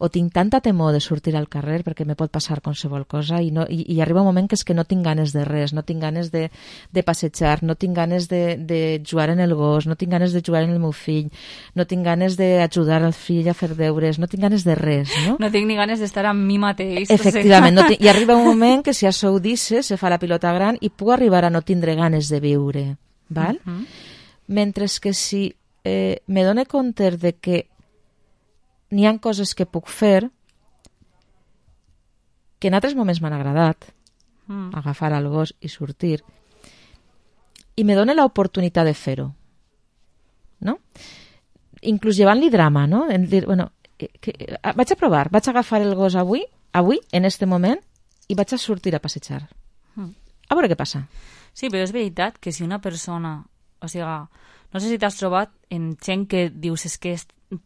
O tinc tanta temor de sortir al carrer perquè me pot passar qualsevol cosa i, no, i, i arriba un moment que és que no tinc ganes de res, no tinc ganes de, de passejar, no tinc ganes de, de jugar en el gos, no tinc ganes de jugar en el meu fill, no tinc ganes d'ajudar al fill a fer deures, no tinc ganes de res, no? No tinc ni ganes d'estar amb mi mateix. Efectivament, no tinc, i arriba un moment que si això ho dices, se fa la pilota gran i puc arribar a no tindre ganes de viure, val? Uh-huh. Mentre que si eh, me dono compte de que n'hi ha coses que puc fer que en altres moments m'han agradat, mm. agafar el gos i sortir, i me dona l'oportunitat de fer-ho, no? Inclús llevant-li drama, no? En dir, bueno, que, vaig a provar, vaig a agafar el gos avui, avui, en este moment, i vaig a sortir a passejar. Mm. A veure què passa. Sí, però és veritat que si una persona, o sigui, No sé si t'has trobat en gent que dius és que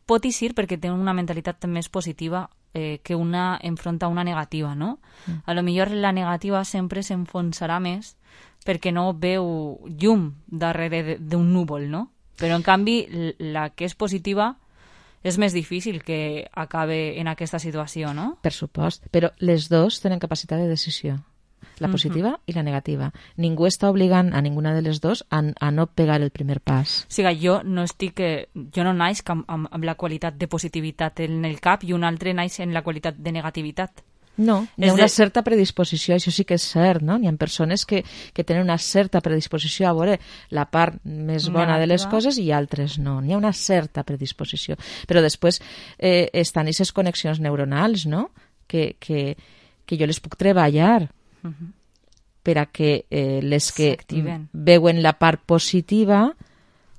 pot eixir perquè té una mentalitat més positiva eh, que una enfronta una negativa, no? Mm. A lo millor la negativa sempre s'enfonsarà més perquè no veu llum darrere d'un núvol, no? Però, en canvi, la que és positiva és més difícil que acabe en aquesta situació, no? Per supost, però les dos tenen capacitat de decisió, la positiva uh-huh. i la negativa. Ningú està obligant a ninguna de les dos a, a no pegar el primer pas. O sigui, jo no estic... Jo no naix amb, amb, amb la qualitat de positivitat en el cap i un altre naix en la qualitat de negativitat. No, hi ha una de... certa predisposició, això sí que és cert, no? Hi ha persones que, que tenen una certa predisposició a veure la part més bona de les coses i altres no. N'hi ha una certa predisposició. Però després eh, estan aquestes connexions neuronals, no? Que, que, que jo les puc treballar uh-huh. per a que eh, les que veuen la part positiva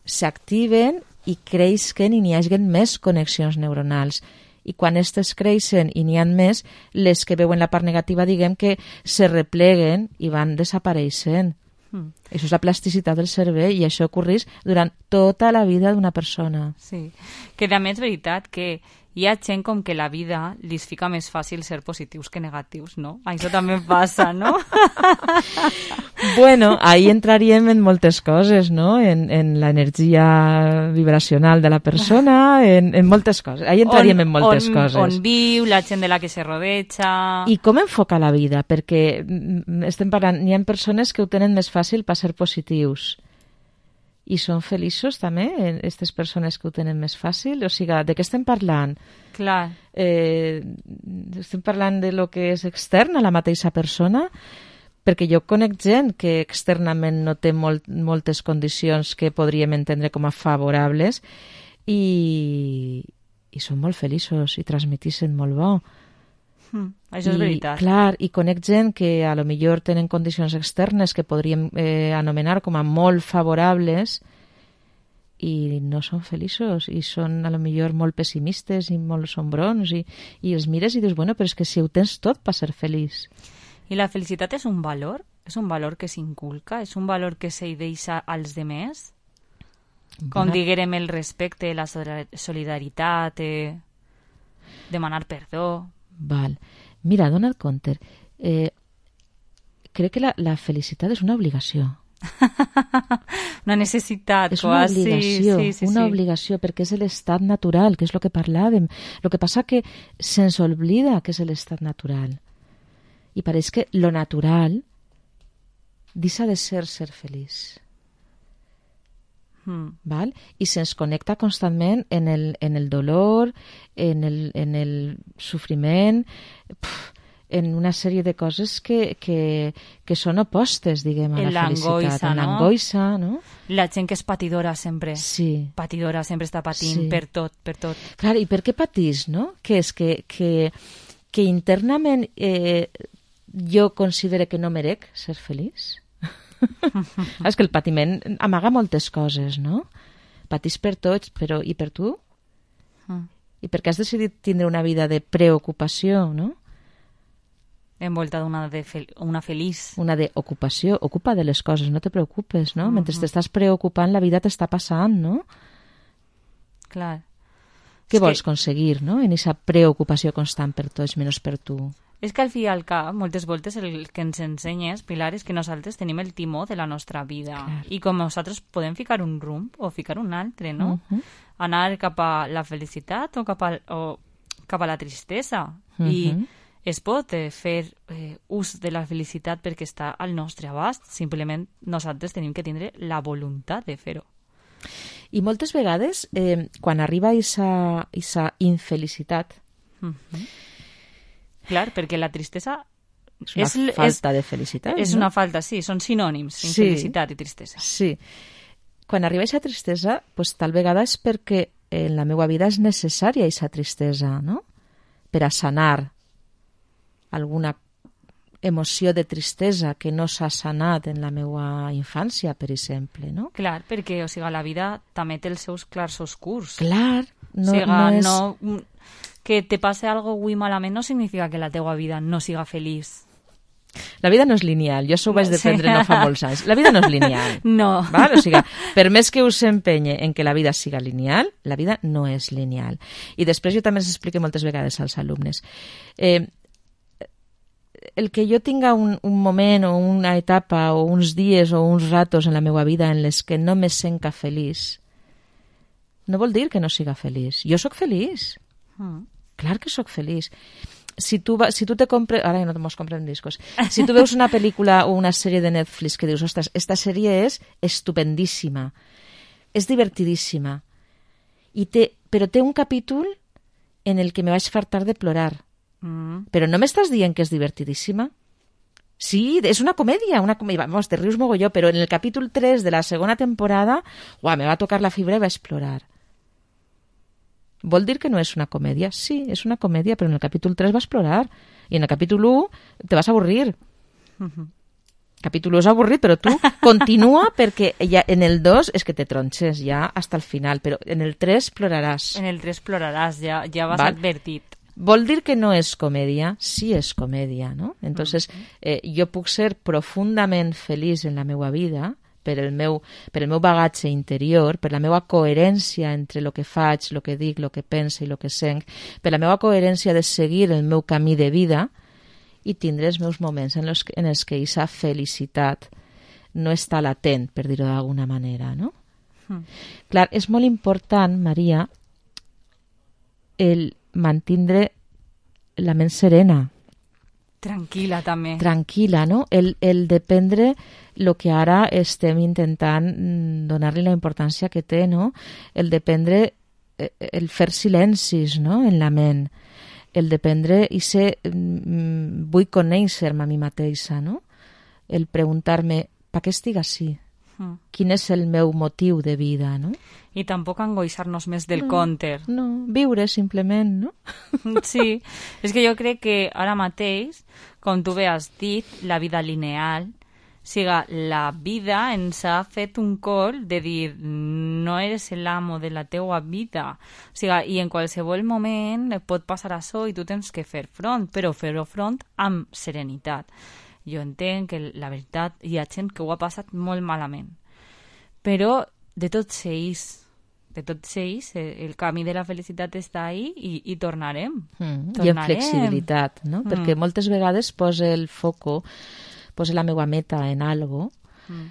s'activen i creixen i n'hi hagin més connexions neuronals. I quan aquestes creixen i n'hi ha més, les que veuen la part negativa, diguem que se repleguen i van desapareixent. Mm. Això és la plasticitat del cervell i això ocorreix durant tota la vida d'una persona. Sí, que també és veritat que hi ha gent com que la vida li fica més fàcil ser positius que negatius, no? Això també passa, no? Bueno, ahí entraríem en moltes coses, no? En, en l'energia vibracional de la persona, en, en moltes coses. Ahí entraríem on, en moltes on, coses. On viu, la gent de la que se rodeja... I com enfoca la vida? Perquè estem parlant, hi ha persones que ho tenen més fàcil per ser positius. I són feliços també, aquestes persones que ho tenen més fàcil? O sigui, de què estem parlant? Clar. Eh, estem parlant de lo que és extern a la mateixa persona? Perquè jo conec gent que externament no té molt, moltes condicions que podríem entendre com a favorables i, i són molt feliços i transmitissen molt bo. Mm, això és I, veritat. Clar, i conec gent que a lo millor tenen condicions externes que podríem eh, anomenar com a molt favorables i no són feliços i són a lo millor molt pessimistes i molt sombrons i, i els mires i dius, bueno, però és que si ho tens tot per ser feliç. I la felicitat és un valor? És un valor que s'inculca? És un valor que se deixa als demés? Com Bona. diguérem el respecte, la solidaritat, eh, demanar perdó... Val. Mira, Donald Conter, eh, crec que la, la felicitat és una obligació. Una necessitat, és una quasi. obligació, sí, sí, una sí. obligació, perquè és l'estat natural, que és el que parlàvem. El que passa que se'ns oblida que és l'estat natural. I pareix que lo natural deixa de ser ser feliç. Mm. Val? I se'ns connecta constantment en el, en el dolor, en el, en el sofriment, pf, en una sèrie de coses que, que, que són opostes, diguem, a en la felicitat. En no? l'angoixa, no? La gent que és patidora sempre. Sí. Patidora, sempre està patint sí. per tot, per tot. Clar, i per què patís, no? Que és que, que, que internament eh, jo considere que no merec ser feliç? És que el patiment amaga moltes coses, no? Patís per tots, però i per tu? Mm. I per què has decidit tindre una vida de preocupació, no? Envolta d'una de fel una feliç. Una d'ocupació. Ocupa de les coses, no te preocupes, no? Mm-hmm. Mentre t'estàs preocupant, la vida t'està passant, no? Clar. Què és vols que... aconseguir, no? En aquesta preocupació constant per tots, menys per tu. És que al fi i al cap, moltes voltes el que ens ensenyes, Pilar, és que nosaltres tenim el timó de la nostra vida. Clar. I com nosaltres podem ficar un rumb o ficar un altre, no? Uh-huh. Anar cap a la felicitat o cap a, o cap a la tristesa. Uh-huh. I es pot eh, fer eh, ús de la felicitat perquè està al nostre abast. Simplement nosaltres tenim que tindre la voluntat de fer-ho. I moltes vegades, eh, quan arriba aquesta infelicitat, uh-huh. Clar, perquè la tristesa... És una és, falta és, de felicitat. És no? una falta, sí, són sinònims, sí, infelicitat i tristesa. Sí. Quan arriba aquesta tristesa, pues, tal vegada és perquè en la meva vida és necessària aquesta tristesa, no? Per a sanar alguna emoció de tristesa que no s'ha sanat en la meva infància, per exemple, no? Clar, perquè, o sigui, la vida també té els seus clars oscurs. Clar, no, o sigui, no és... No... que te passe algo avui malament no significa que la teua vida no siga feliç. La vida no és lineal, jo això ho vaig aprendre no fa molts anys. La vida no és lineal. No. Val? O sigui, per més que us empenye en que la vida siga lineal, la vida no és lineal. I després jo també els explico moltes vegades als alumnes. Eh, el que jo tinga un, un moment o una etapa o uns dies o uns ratos en la meva vida en les que no me senca feliç, no vol dir que no siga feliç. Jo sóc feliç. Mm. Clar que sóc feliç. Si tu, va, si tu te compres... Ara ja no mos comprem discos. Si tu veus una pel·lícula o una sèrie de Netflix que dius, ostres, esta sèrie és estupendíssima, és divertidíssima, i té, però té un capítol en el que me vaig fartar de plorar. Mm. Però no m'estàs dient que és divertidíssima? Sí, és una comèdia, una comèdia. Vamos, te rius mogolló, però en el capítol tres de la segona temporada, uah, me va tocar la fibra i vaig plorar. Vol dir que no és una comèdia? Sí, és una comèdia, però en el capítol tres vas plorar. I en el capítol u te vas avorrir. Uh-huh. Capítol u és avorrit, però tu continua perquè ja en el dos és que te tronxes ja hasta el final, però en el tres ploraràs. En el tres ploraràs, ja, ja vas Val? advertit. Vol dir que no és comèdia? Sí és comèdia, no? Entonces, eh, jo puc ser profundament feliç en la meva vida per el meu, per el meu bagatge interior, per la meva coherència entre el que faig, el que dic, el que pense i el que sent, per la meva coherència de seguir el meu camí de vida i tindre els meus moments en els, en els que aquesta felicitat no està latent, per dir-ho d'alguna manera, no? Mm. Clar, és molt important, Maria, el mantindre la ment serena. Tranquil·la, també. Tranquil·la, no? El, el dependre el que ara estem intentant donar-li la importància que té, no? El dependre, el fer silencis, no?, en la ment. El dependre i ser, vull conèixer-me a mi mateixa, no? El preguntar-me, per què estic així? Mm. Quin és el meu motiu de vida, no? I tampoc angoixar-nos més del no, compte. No, viure simplement, no? Sí, és que jo crec que ara mateix, com tu bé has dit, la vida lineal, siga, la vida ens ha fet un col de dir no eres l'amo de la teua vida. O sigui, i en qualsevol moment pot passar això i tu tens que fer front, però fer-ho front amb serenitat. Jo entenc que la veritat hi ha gent que ho ha passat molt malament. Però de tots ells, de tots ells, el camí de la felicitat està ahí i, i tornarem. Mm, tornarem. I en flexibilitat, no? Mm. Perquè moltes vegades posa el foco, posa la meva meta en algo mm.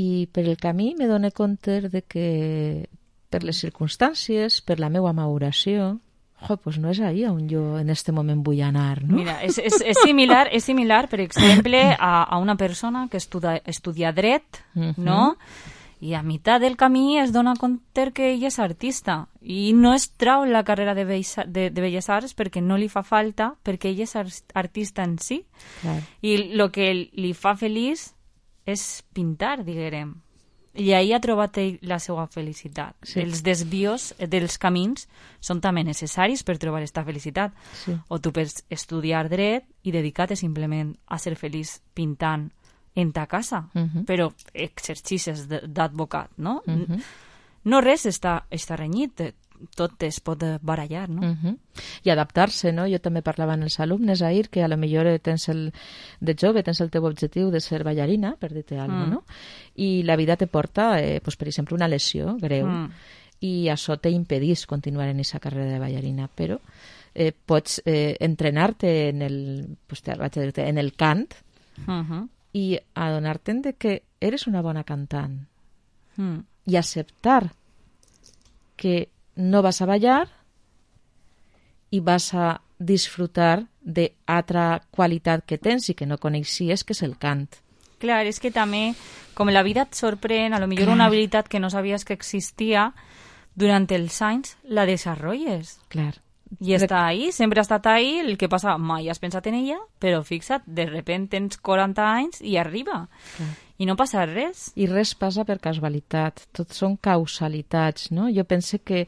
i per el camí me dono compte de que per les circumstàncies, per la meva maduració, jo, pues no és ahí on jo en este moment vull anar, no? Mira, és, és, és, similar, és similar, per exemple, a, a una persona que estudia, estudia dret, uh-huh. no? I a meitat del camí es dona compte que ell és artista i no es trau la carrera de, bella, de, de Belles Arts perquè no li fa falta, perquè ell és artista en si. Clar. I el que li fa feliç és pintar, diguem. I ahí ha trobat la seva felicitat. Sí. Els desvios dels camins són també necessaris per trobar aquesta felicitat. Sí. O tu pots estudiar dret i dedicar-te simplement a ser feliç pintant en ta casa, uh-huh. però exercicis d'advocat, no? Uh-huh. No res està, està renyit, tot es pot barallar, no? Uh-huh. I adaptar-se, no? Jo també parlava amb els alumnes ahir que a lo millor tens el, de jove tens el teu objectiu de ser ballarina, per dir-te alguna cosa, mm. no? I la vida te porta, eh, pues, per exemple, una lesió greu mm. i això t'impedís continuar en aquesta carrera de ballarina, però eh, pots eh, entrenar-te en el, pues, te, vaig a dir-te, en el cant uh-huh. i adonar-te'n de que eres una bona cantant mm. i acceptar que no vas a ballar i vas a disfrutar d'altra qualitat que tens i que no coneixies, que és el cant. Clar, és que també, com la vida et sorprèn, a lo millor Clar. Una habilitat que no sabies que existia, durant els anys la desenvolupes. Clar. I està ahí, sempre ha estat ahí, el que passa, mai has pensat en ella, però fixa't, de repente tens quaranta anys i arriba. Clar. I no passa res. I res passa per casualitat, tot són causalitats, no? Jo pense que,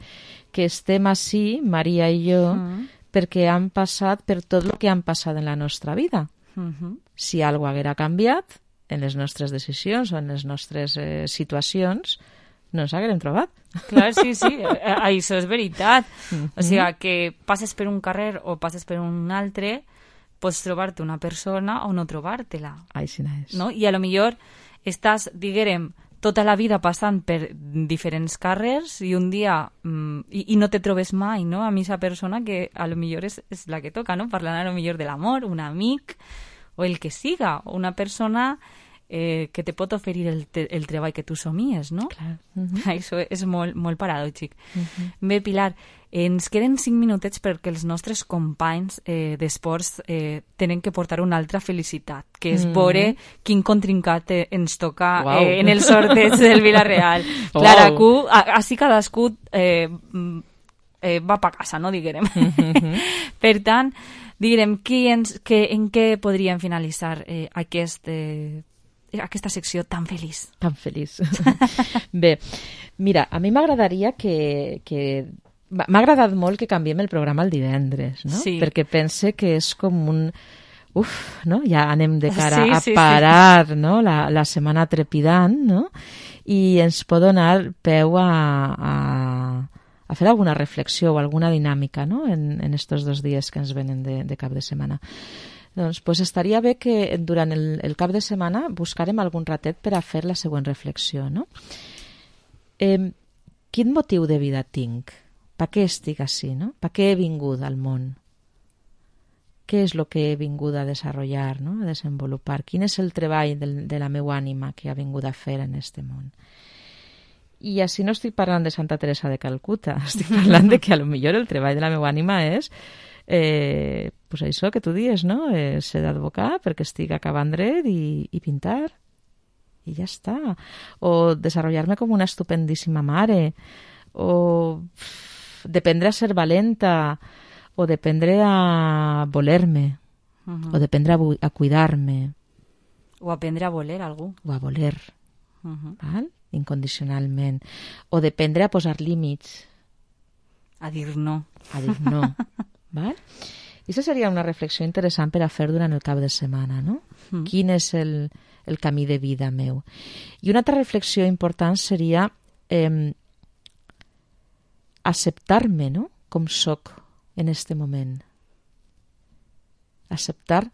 que estem així, Maria i jo, mm. perquè han passat per tot el que han passat en la nostra vida. Mm-hmm. Si alguna cosa haguera canviat en les nostres decisions o en les nostres eh, situacions, no ens haguérem trobat. Clar, sí, sí, això és veritat. Mm-hmm. O sigui, que passes per un carrer o passes per un altre, pots trobar-te una persona o no trobar-te-la. Així és. No? I a lo millor estàs, diguem, tota la vida passant per diferents carrers i un dia mm, i, i no te trobes mai, no? A mi esa persona que a lo millor és, és la que toca, no? Parlant a lo millor de l'amor, un amic o el que siga, una persona eh, que te pot oferir el, te, el treball que tu somies, no? Clar. Uh-huh. Això és molt, molt paradòxic. Uh-huh. Bé, Pilar, ens queden cinc minutets perquè els nostres companys eh, d'esports eh, tenen que portar una altra felicitat, que és Mm. veure quin contrincat eh, ens toca Uau. eh, en el sorteig del Villarreal. Uau. Clara, cu, a- així cadascú eh, mm, eh, va pa casa, no diguem. Mhm. Per tant, diguem, qui ens, que, en què podríem finalitzar eh, aquest, eh, aquesta secció tan feliç? Tan feliç. Bé, mira, a mi m'agradaria que... que... M'ha agradat molt que canviem el programa el divendres, no? Sí. Perquè pense que és com un... Uf, no? Ja anem de cara Sí, a sí, parar, no? La, la setmana trepidant, no? I ens pot donar peu a, a, a fer alguna reflexió o alguna dinàmica, no? En, en estos dos dies que ens venen de, de cap de setmana. Doncs pues estaria bé que durant el, el cap de setmana buscarem algun ratet per a fer la següent reflexió, no? Eh, quin motiu de vida tinc? Per què estic així, no? Per què he vingut al món? Què és el que he vingut a desenvolupar, no? A desenvolupar? Quin és el treball del, de la meva ànima que ha vingut a fer en este món? I així no estic parlant de Santa Teresa de Calcuta, estic parlant de que a lo millor el treball de la meva ànima és eh, pues això que tu dius, no? Eh, ser d'advocat perquè estic acabant dret i, i pintar. I ja està. O desenvolupar-me com una estupendíssima mare. O dependre a ser valenta. O dependre a voler-me. Uh-huh. O dependre a, a cuidar-me. O aprendre a voler algú. O a voler. Uh-huh. Val? Incondicionalment. O dependre a posar límits. A dir no. A dir no. Val? I això seria una reflexió interessant per a fer durant el cap de setmana, no? Mm. Quin és el, el camí de vida meu? I una altra reflexió important seria eh, acceptar-me, no?, com soc en este moment. Acceptar,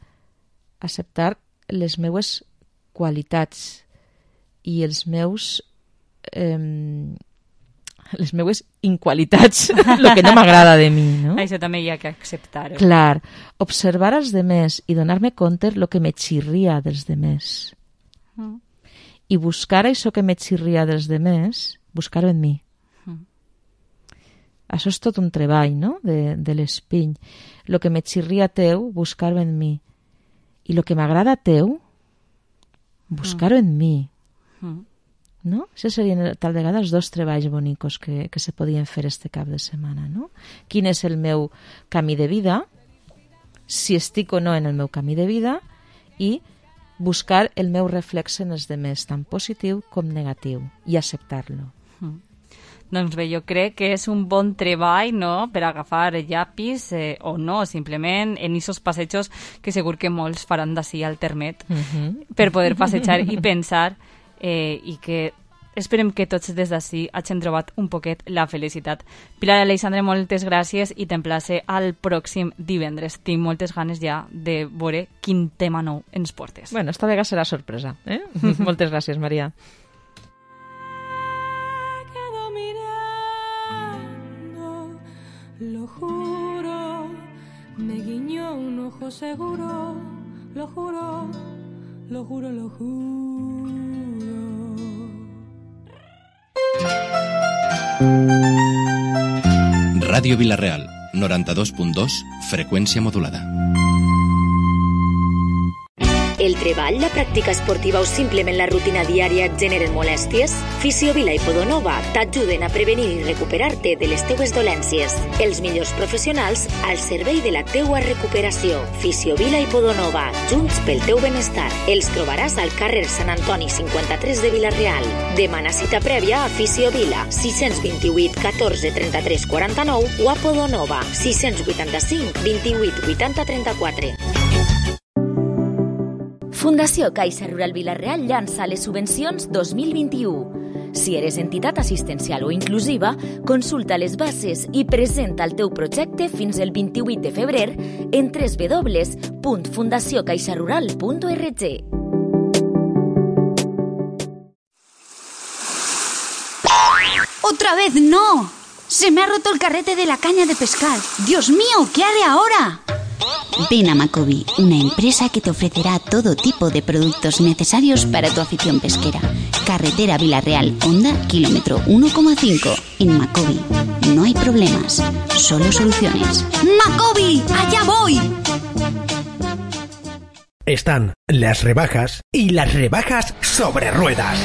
acceptar les meues qualitats i els meus... Eh, les meues inqualitats, el que no m'agrada de mi, no? Això també hi ha que acceptar-ho. Clar, observar els demés i donar-me compte el que me xirria dels demés. Mm. I buscar això que me xirria dels demés, buscar-ho en mi. Mm. Això és tot un treball, no?, de, de l'espiny. El que me xirria teu, buscar-ho en mi. I el que m'agrada teu, buscar-ho en mi. Mm. No? Això serien tal vegada els dos treballs bonicos que, que se podien fer este cap de setmana, no? Quin és el meu camí de vida, si estic o no en el meu camí de vida, i buscar el meu reflex en els demés, tant positiu com negatiu, i acceptar-lo. Mm. Doncs bé, jo crec que és un bon treball, no?, per agafar llapis eh, o no, simplement en aquests passejos que segur que molts faran d'ací al termet Uh-huh. per poder passejar i pensar eh, i que esperem que tots des d'ací hagin trobat un poquet la felicitat. Pilar Aleixandre, moltes gràcies i t'emplace al pròxim divendres. Tinc moltes ganes ja de veure quin tema nou ens portes. Bueno, esta vegada serà sorpresa, eh? Moltes gràcies, Maria. Quedo mirando, lo juro, me guiñó un ojo seguro, lo juro, lo juro, lo juro. Ràdio Vila-real, noranta-dos punt dos, freqüència modulada. El treball, la pràctica esportiva o simplement la rutina diària et generen molèsties? Fisiovila i Podonova t'ajuden a prevenir i recuperar-te de les teues dolències. Els millors professionals al servei de la teua recuperació. Fisiovila i Podonova, junts pel teu benestar. Els trobaràs al carrer Sant Antoni cinquanta-tres de Vila-real. Demana cita prèvia a Fisiovila, sis vint-i-vuit catorze trenta-tres quaranta-nou o a Podonova, sis vuitanta-cinc vint-i-vuit vuitanta trenta-quatre. Fundació Caixa Rural Vila-real llança les subvencions dos mil vint-i-u. Si eres entitat assistencial o inclusiva, consulta les bases i presenta el teu projecte fins el vint-i-vuit de febrer en w w w punt fundació caixa rural punt org. ¡Otra vez no! Se me ha roto el carrete de la caña de pescar. ¡Dios mío! ¿Qué haré ahora? Ven a Macobi, una empresa que te ofrecerá todo tipo de productos necesarios para tu afición pesquera. Carretera Vilarreal, Honda, kilómetro uno coma cinco. En Macobi no hay problemas, solo soluciones. ¡Macobi! ¡Allá voy! Están las rebajas y las rebajas sobre ruedas.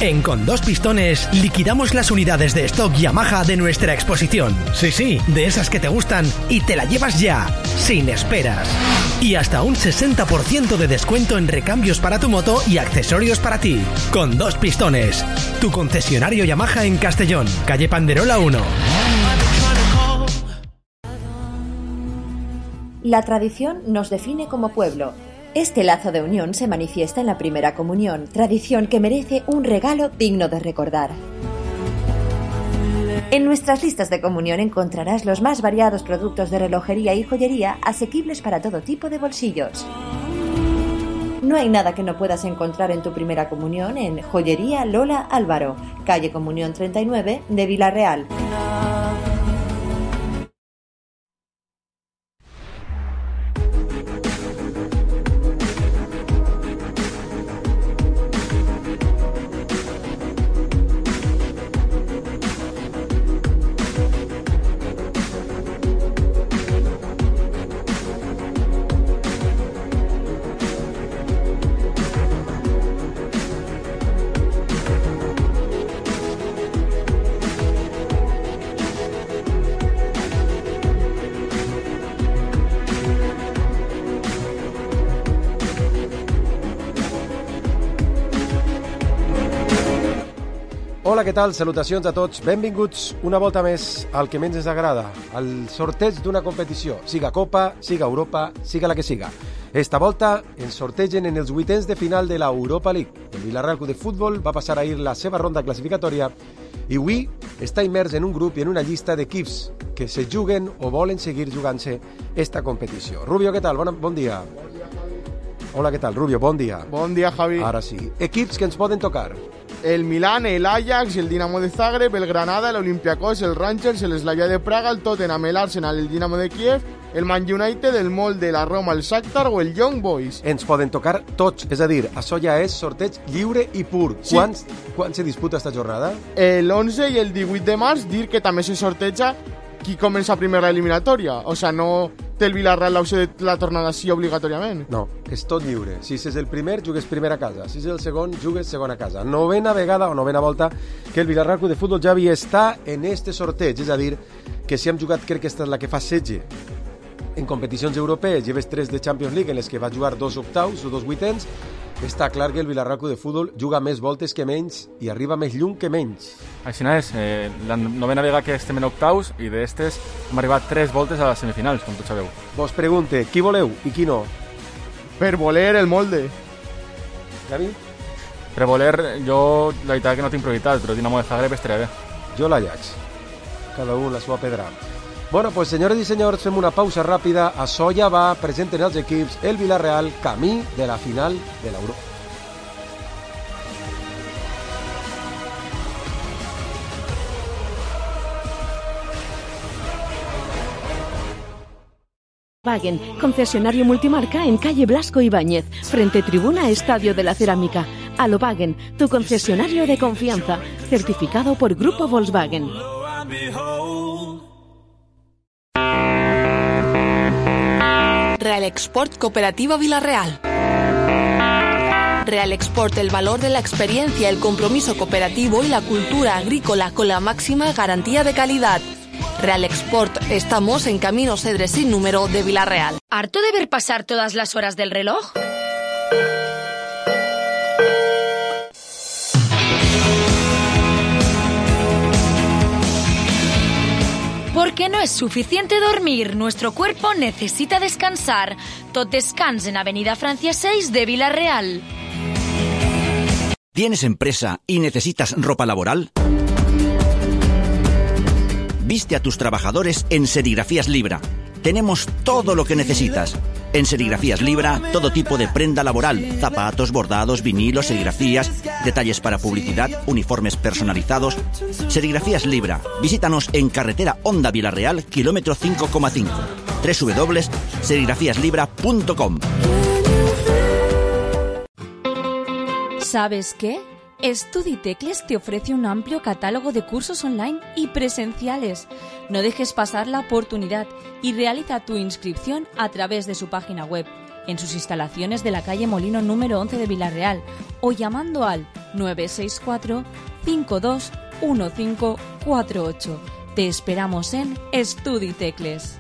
En Con Dos Pistones liquidamos las unidades de stock Yamaha de nuestra exposición. Sí, sí, de esas que te gustan y te la llevas ya, sin esperas. Y hasta un sesenta por ciento de descuento en recambios para tu moto y accesorios para ti. Con Dos Pistones, tu concesionario Yamaha en Castellón, calle Panderola uno. La tradición nos define como pueblo. Este lazo de unión se manifiesta en la primera comunión, tradición que merece un regalo digno de recordar. En nuestras listas de comunión encontrarás los más variados productos de relojería y joyería asequibles para todo tipo de bolsillos. No hay nada que no puedas encontrar en tu primera comunión en Joyería Lola Álvaro, calle Comunión treinta y nueve de Vilarreal. Hola, què tal? Salutacions a tots. Benvinguts una volta més al que menys ens agrada, al sorteig d'una competició, siga Copa, siga Europa, siga la que siga. Esta volta ens sortegen en els vuitens de final de l'Europa League. El Villarreal Club de Futbol va passar ahir la seva ronda classificatòria i avui està immers en un grup i en una llista d'equips que se juguen o volen seguir jugant-se esta competició. Rubio, què tal? Bon, bon dia. Hola, què tal? Rubio, bon dia. Bon dia, Javi. Ara sí. Equips que ens poden tocar. El Milán, el Ajax, el Dinamo de Zagreb, el Granada, el Olympiacos, el Rangers, el Slavia de Praga, el Tottenham, el Arsenal, el Dinamo de Kiev, el Man United, el Molde, la Roma, el Shakhtar o el Young Boys. Ens poden tocar tots, és a dir, això ja és sorteig lliure i pur. Sí. Quants, quan se disputa esta jornada? El onze i el divuit de març, dir que també se sorteja qui comença primer la eliminatòria. O sea, no té el Villarreal l'opció de la tornada sí obligatòriament. No, és tot lliure. Si és el primer, jugues primer a casa. Si és el segon, jugues segon a casa. Novena vegada o novena volta que el Villarreal Club de Futbol Javi està en este sorteig. És a dir, que si hem jugat, crec que esta és la que fa setze en competicions europees, lleves tres de Champions League en les que va jugar dos octaus o dos vuitens, està clar que el Villarreal Club de Futbol juga més voltes que menys i arriba més lluny que menys. Així és, eh, la novena vegada que estem en octaus i d'estes hem arribat tres voltes a les semifinals, com tots sabeu. Vos pregunte, qui voleu i qui no? Per voler el Molde. Javi? Per voler, jo la veritat que no tinc prioritat, però Dinamo de Zagreb estaria bé. Jo l'Ajax. Cada un la seva pedra. Bueno, pues senyores i senyors, fem una pausa ràpida. Això ja va, presenten els equips, el Villarreal, camí de la final de l'Euro. Wagen, concesionario multimarca en calle Blasco Ibáñez, frente tribuna Estadio de la Cerámica. Alowagen, tu concesionario de confianza, certificado por Grupo Volkswagen. Real Export Cooperativa Vilarreal. Real Export, el valor de la experiencia, el compromiso cooperativo y la cultura agrícola con la máxima garantía de calidad. Real Export, estamos en Camino Cedres sin número de Vilarreal. ¿Harto de ver pasar todas las horas del reloj? Porque no es suficiente dormir, nuestro cuerpo necesita descansar. Tot descans en Avenida Francia seis de Vilarreal. ¿Tienes empresa y necesitas ropa laboral? Viste a tus trabajadores en Serigrafías Libra. Tenemos todo lo que necesitas. En Serigrafías Libra, todo tipo de prenda laboral, zapatos, bordados, vinilos, serigrafías, detalles para publicidad, uniformes personalizados. Serigrafías Libra. Visítanos en carretera Honda Vilarreal, kilómetro cinco coma cinco. doble u doble u doble u punto serigrafías libra punto com. ¿Sabes qué? Studitecles te ofrece un amplio catálogo de cursos online y presenciales. No dejes pasar la oportunidad y realiza tu inscripción a través de su página web, en sus instalaciones de la calle Molino número once de Vilarreal o llamando al nueve seis cuatro, cinco dos uno cinco cuatro ocho. Te esperamos en Studitecles.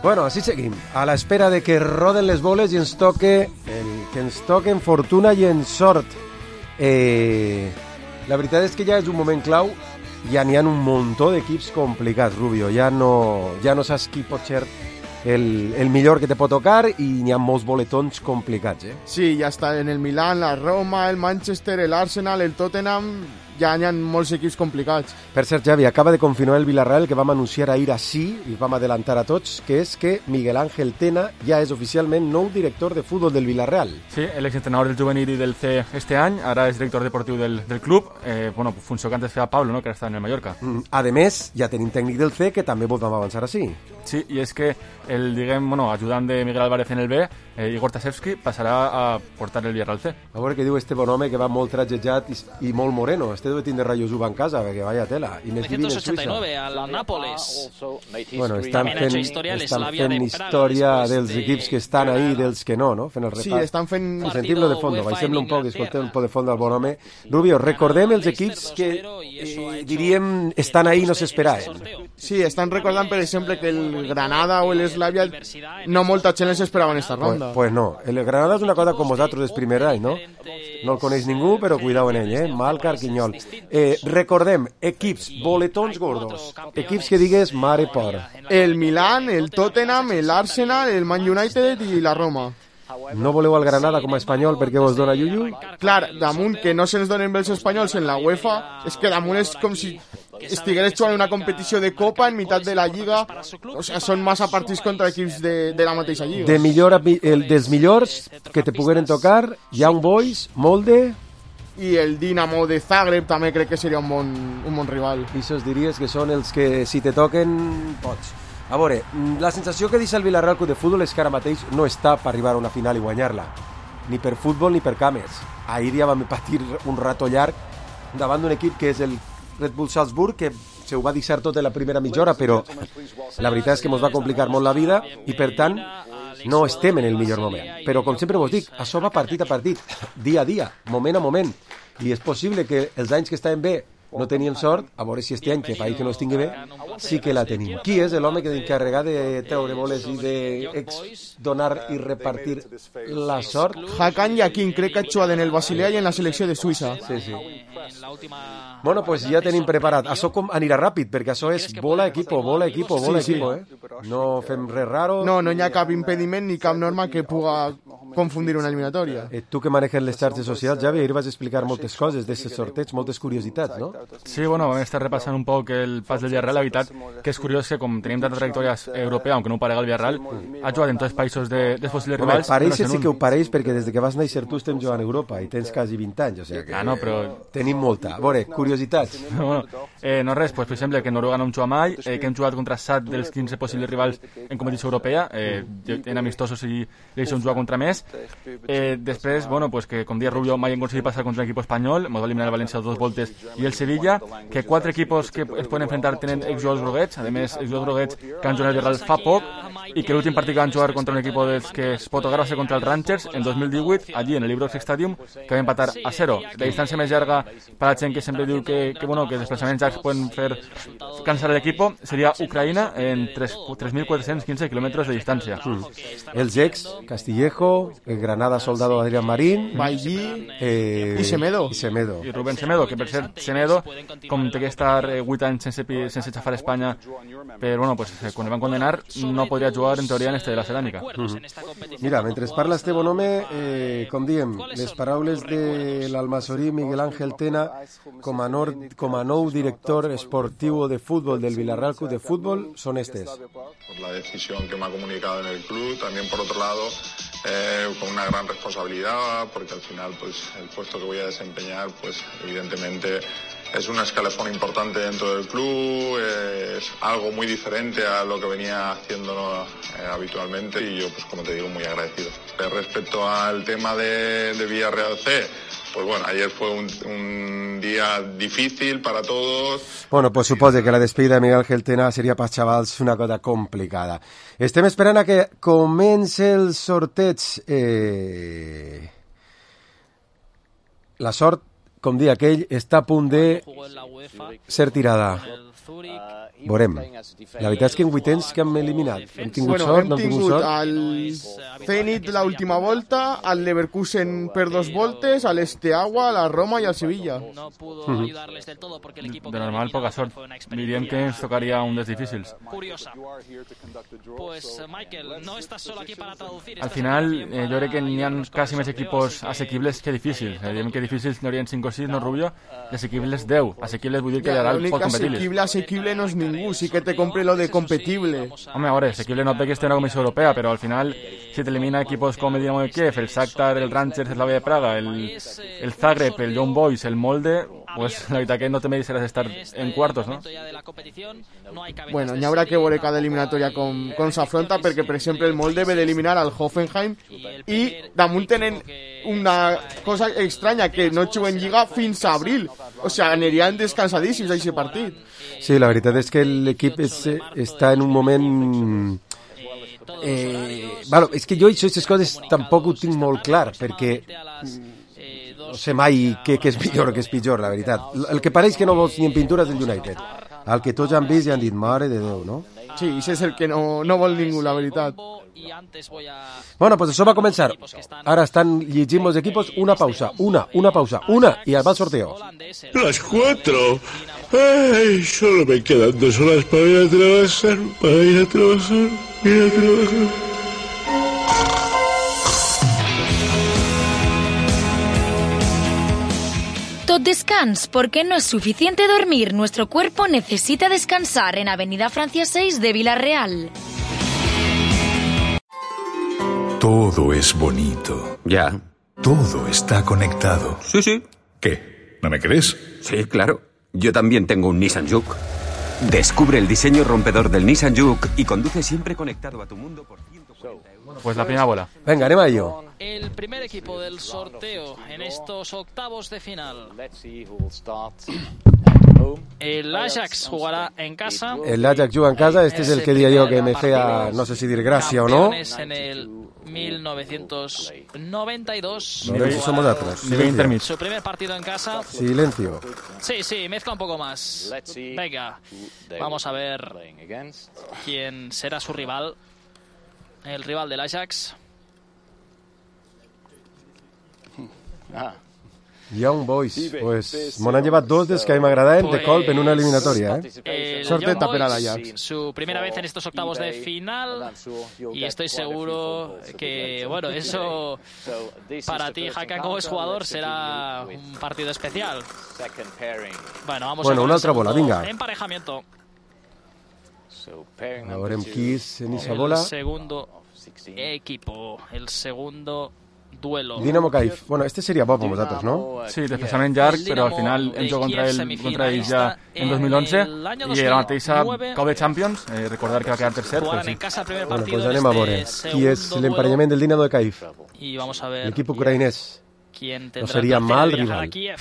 Bueno, així seguim, a l'espera de que roden les boles i ens toque el, que ens toquen fortuna i en sort. Eh, la veritat és que ja és un moment clau, ja n'hi ha un muntó d'equips complicats, Rubio, ja no, ja no saps qui pot ser el, el millor que te pot tocar i n'hi ha molts boletons complicats, eh? Sí, ja està en el Milan, la Roma, el Manchester, el Arsenal, el Tottenham... ja hi ha molts equips complicats. Per cert, Javi, acaba de confirmar el Villarreal que vam anunciar ahir així, i vam adelantar a tots, que és que Miguel Ángel Tena ja és oficialment nou director de futbol del Villarreal. Sí, el exentrenador del juvenil i del C este any, ara és director deportiu del, del club, eh, bueno, funció que antes feia Pablo, no?, que ara està en el Mallorca. Mm, a més, ja tenim tècnic del C, que també vos vam avançar així. Sí, i és que el, diguem, bueno, ajudant de Miguel Álvarez en el B, eh, Igor Tasevski, passarà a portar el Villarreal C. A veure què diu este bon home que va molt trajejat i, i molt moreno. Este debe tindre rayos uva en casa, perquè vaya tela. I més vivint en Suïssa. al Nápoles. Bueno, estan fent, estan fent història dels equips que estan ahí, dels que no, no? Fent el repàs. Sí, estan fent... Sentim-lo de fondo, baixem-lo un poc, escoltem un poc de fons del bon home. Rubio, recordem els equips que, eh, diríem, estan ahí i no s'esperaven. Sí, estan recordant, per exemple, que el Granada o el Slavia no molta gent les esperava en esta ronda. Pues, pues no, el Granada és una cosa com vosaltres del primer any, no? No el coneix ningú, però cuidao en ell, eh? Mal Carquinyol. Eh, recordem, equips, boletons gordos, equips que digues mare por. El Milan, el Tottenham, el Arsenal, el Man United i la Roma. No voleu al Granada com a espanyol perquè vos dona Yuyu? Clar, damunt que no se'ns donen bé els espanyols en la UEFA, és que damunt és com si estigués jugant una competició de Copa en meitat de la Lliga. O sigui, són massa partits contra equips de, de la mateixa Lliga. De millor, el, dels millors que te pogueren tocar, Young Boys, Molde... I el Dinamo de Zagreb també crec que seria un bon, un bon rival. I això diries que són els que, si te toquen, pots. A veure, la sensació que deixa el Villarreal Club de Futbol és que ara mateix no està per arribar a una final i guanyar-la. Ni per futbol ni per cames. Ahir ja vam patir un rato llarg davant d'un equip que és el Red Bull Salzburg, que se ho va deixar tot en la primera mitja hora, però la veritat és que ens va complicar molt la vida i, per tant, no estem en el millor moment. Però, com sempre vos dic, això va partit a partit, dia a dia, moment a moment. I és possible que els anys que estaven bé no teníem sort, a veure si este any, que país que no estigui bé, sí que la tenim. Qui és l'home que d'encarregar de treure boles i de donar i repartir la sort? Hakan Yakin, crec que ha jugat en el Basilea i en la selecció de Suïssa. Sí, sí. Bueno, pues ja tenim preparat. Això com anirà ràpid, perquè això és bola equipo, bola equipo, bola sí, equipo, sí. eh? No fem res raro. No, no hi ha cap impediment ni cap norma que puga confundir una eliminatòria. Eh, tu que manejes les xarxes socials, Javi, ahir vas explicar moltes coses d'aquest sorteig, moltes curiositats, no? Sí, bueno, vam estar repassant un poc el pas del Villarreal. La veritat que és curiós que, com tenim tantes trajectòries europea, aunque no ho parega el Villarreal, ha jugat en tots els països de, dels possibles Home, rivals. Pareix sí que ho pareix, perquè des de que vas néixer tu estem jugant a Europa i tens quasi vint anys, o sigui que ah, no, però... tenim molta. A veure, curiositats. Bueno, eh, no res, pues, per exemple, que Noruega no hem jugat mai, eh, que hem jugat contra set dels quinze possibles rivals en competició europea, eh, en amistosos i deixem jugar contra més, Eh, després, bueno, pues que com dia Rubio mai han aconseguit passar contra un equip espanyol, ens va eliminar el València dos voltes i el Sevilla, que quatre equipos que es poden enfrentar tenen exjugadors groguets, a més exjugadors groguets que han jugat al Real fa poc, i que l'últim partit que van jugar contra un equip dels que es pot tocar va ser contra els Rangers en dos mil divuit, allí en el Ibrox Stadium, que va empatar a zero. La distància més llarga per a la gent que sempre diu que, que, bueno, que els desplaçaments llargs poden fer cansar l'equip seria Ucraïna en tres mil quatre-cents quinze quilòmetres de distància. Mm. Els ex, Castillejo, el Granada soldado Adrián Marín, Bailly eh, i Semedo. I Semedo. I Rubén Semedo, que per cert, Semedo, com té que estar vuit anys sense, sense xafar a Espanya, però bueno, pues, quan el van condenar no podria jugar en teoria en este de la ceràmica. Mm-hmm. Mira, mentre parla este bon home, eh, com diem, les paraules de l'almasorí Miguel Ángel Tena com a, nord, com a nou director esportiu de fútbol del Villarreal Club de Fútbol són estes. Por la decisión que me ha comunicado en el club, también por otro lado eh, con una gran responsabilidad, porque al final pues el puesto que voy a desempeñar pues evidentemente es un escalafón importante dentro del club, eh, es algo muy diferente a lo que venía haciendo eh, habitualmente y yo pues como te digo muy agradecido. Eh, respecto al tema de, de Villarreal C, pues bueno, ayer fue un, un día difícil para todos. Bueno, pues suposo que la despedida de Miguel Ángel Tena seria per xavals una cosa complicada. Estem esperant a que comenci el sorteig. Eh... La sort, com dir aquell, està a punt de ser tirada. Veurem. La veritat és que en vuitens que hem eliminat. Hem tingut bueno, sort, hem no hem tingut sort. Al Zenit l'última volta, al Leverkusen per dos voltes, al Steaua, a la Roma i al Sevilla. De normal, poca sort. Diríem que ens tocaria un dels difícils. Al final, eh, jo crec que n'hi ha quasi més equipos assequibles que difícils. Eh, diríem que difícils n'hi haurien cinc o sis, no, Rubio? I assequibles deu. Assequibles vull dir que ja, l'únic pot competir-les. assequible, assequible no és ningú, sí que te compre lo de competible. Home, a veure, assequible no té que esté una comissió europea, però al final, si t'elimina equipos com el Dinamo de Kiev, el Shakhtar, el Rangers, el Slavia de Praga, el, el Zagreb, el Young Boys, el Molde, pues la veritat que no te mereixeràs estar en cuartos, no? Bueno, n'hi haurà que veure cada eliminatòria com, com s'afronta, perquè, per exemple, el Molde ve d'eliminar al Hoffenheim i damunt tenen una cosa estranya, que no juguen Lliga fins a abril. O sigui, anirien descansadíssims a aquest partit. Sí, la veritat és que l'equip és, està en un moment... Eh, bueno, és que jo aquestes coses tampoc ho tinc molt clar, perquè no sé mai què, què és millor o què és pitjor, la veritat. El que pareix que no vols ni en pintura és el United. El que tots han vist i han dit, mare de Déu, no? Sí, això és el que no, no vol ningú, la veritat. Bueno, pues això va començar. Ara estan llegint els equipos. Una pausa, una, una pausa, una, y al va el sorteo. Las cuatro. Ay, solo me quedan dos horas para ir a trabajar, para ir a trabajar, ir a trabajar. Tot descans, porque no es suficiente dormir. Nuestro cuerpo necesita descansar en Avenida Francia seis de Villarreal. Todo es bonito. Ya. Todo está conectado. Sí, sí. ¿Qué? ¿No me crees? Sí, claro. Yo también tengo un Nissan Juke. Descubre el diseño rompedor del Nissan Juke y conduce siempre conectado a tu mundo por ciento cuarenta euros. Pues la primera bola. Venga, anem a ello. El primer equipo del sorteo en estos octavos de final. El Ajax jugará en casa. El Ajax juga en casa. Este es el que diría yo que me fea, no sé si dir gracia o no. En el mil novecientos noventa y dos. No, si somos atrás. Silencio. Su primer partido en casa. Silencio. Sí, sí, mezcla un poco más. Venga, vamos a ver quién será su rival. El rival del Ajax. Ah. Young Boys, pues me han llevat dos dels que a mi m'agradaven de colp en una eliminatòria, eh? Sorteta per a l'Ajax. Su primera vez en estos octavos de final y estoy seguro que, bueno, eso para ti, Hakan, como es jugador, será un partido especial. Bueno, vamos bueno, a una altra bola, vinga. Emparejamiento. A veure qui és en esa bola. El segundo equipo, el segundo duelo. Dinamo Kyiv. Bueno, este seria bo per vosaltres, no? Sí, desplaçament llarg, però al final hem jugat contra, el, contra ells ja en dos mil onze i la mateixa Cup de Champions, eh, recordar que va quedar tercer. Jugaran sí. en casa el primer Bueno, partido pues anem a veure qui és l'emparellament del Dinamo de Kyiv. Y vamos a ver L'equip ucraïnès. quién No tendrá seria el placer mal de viajar rival. a Kiev.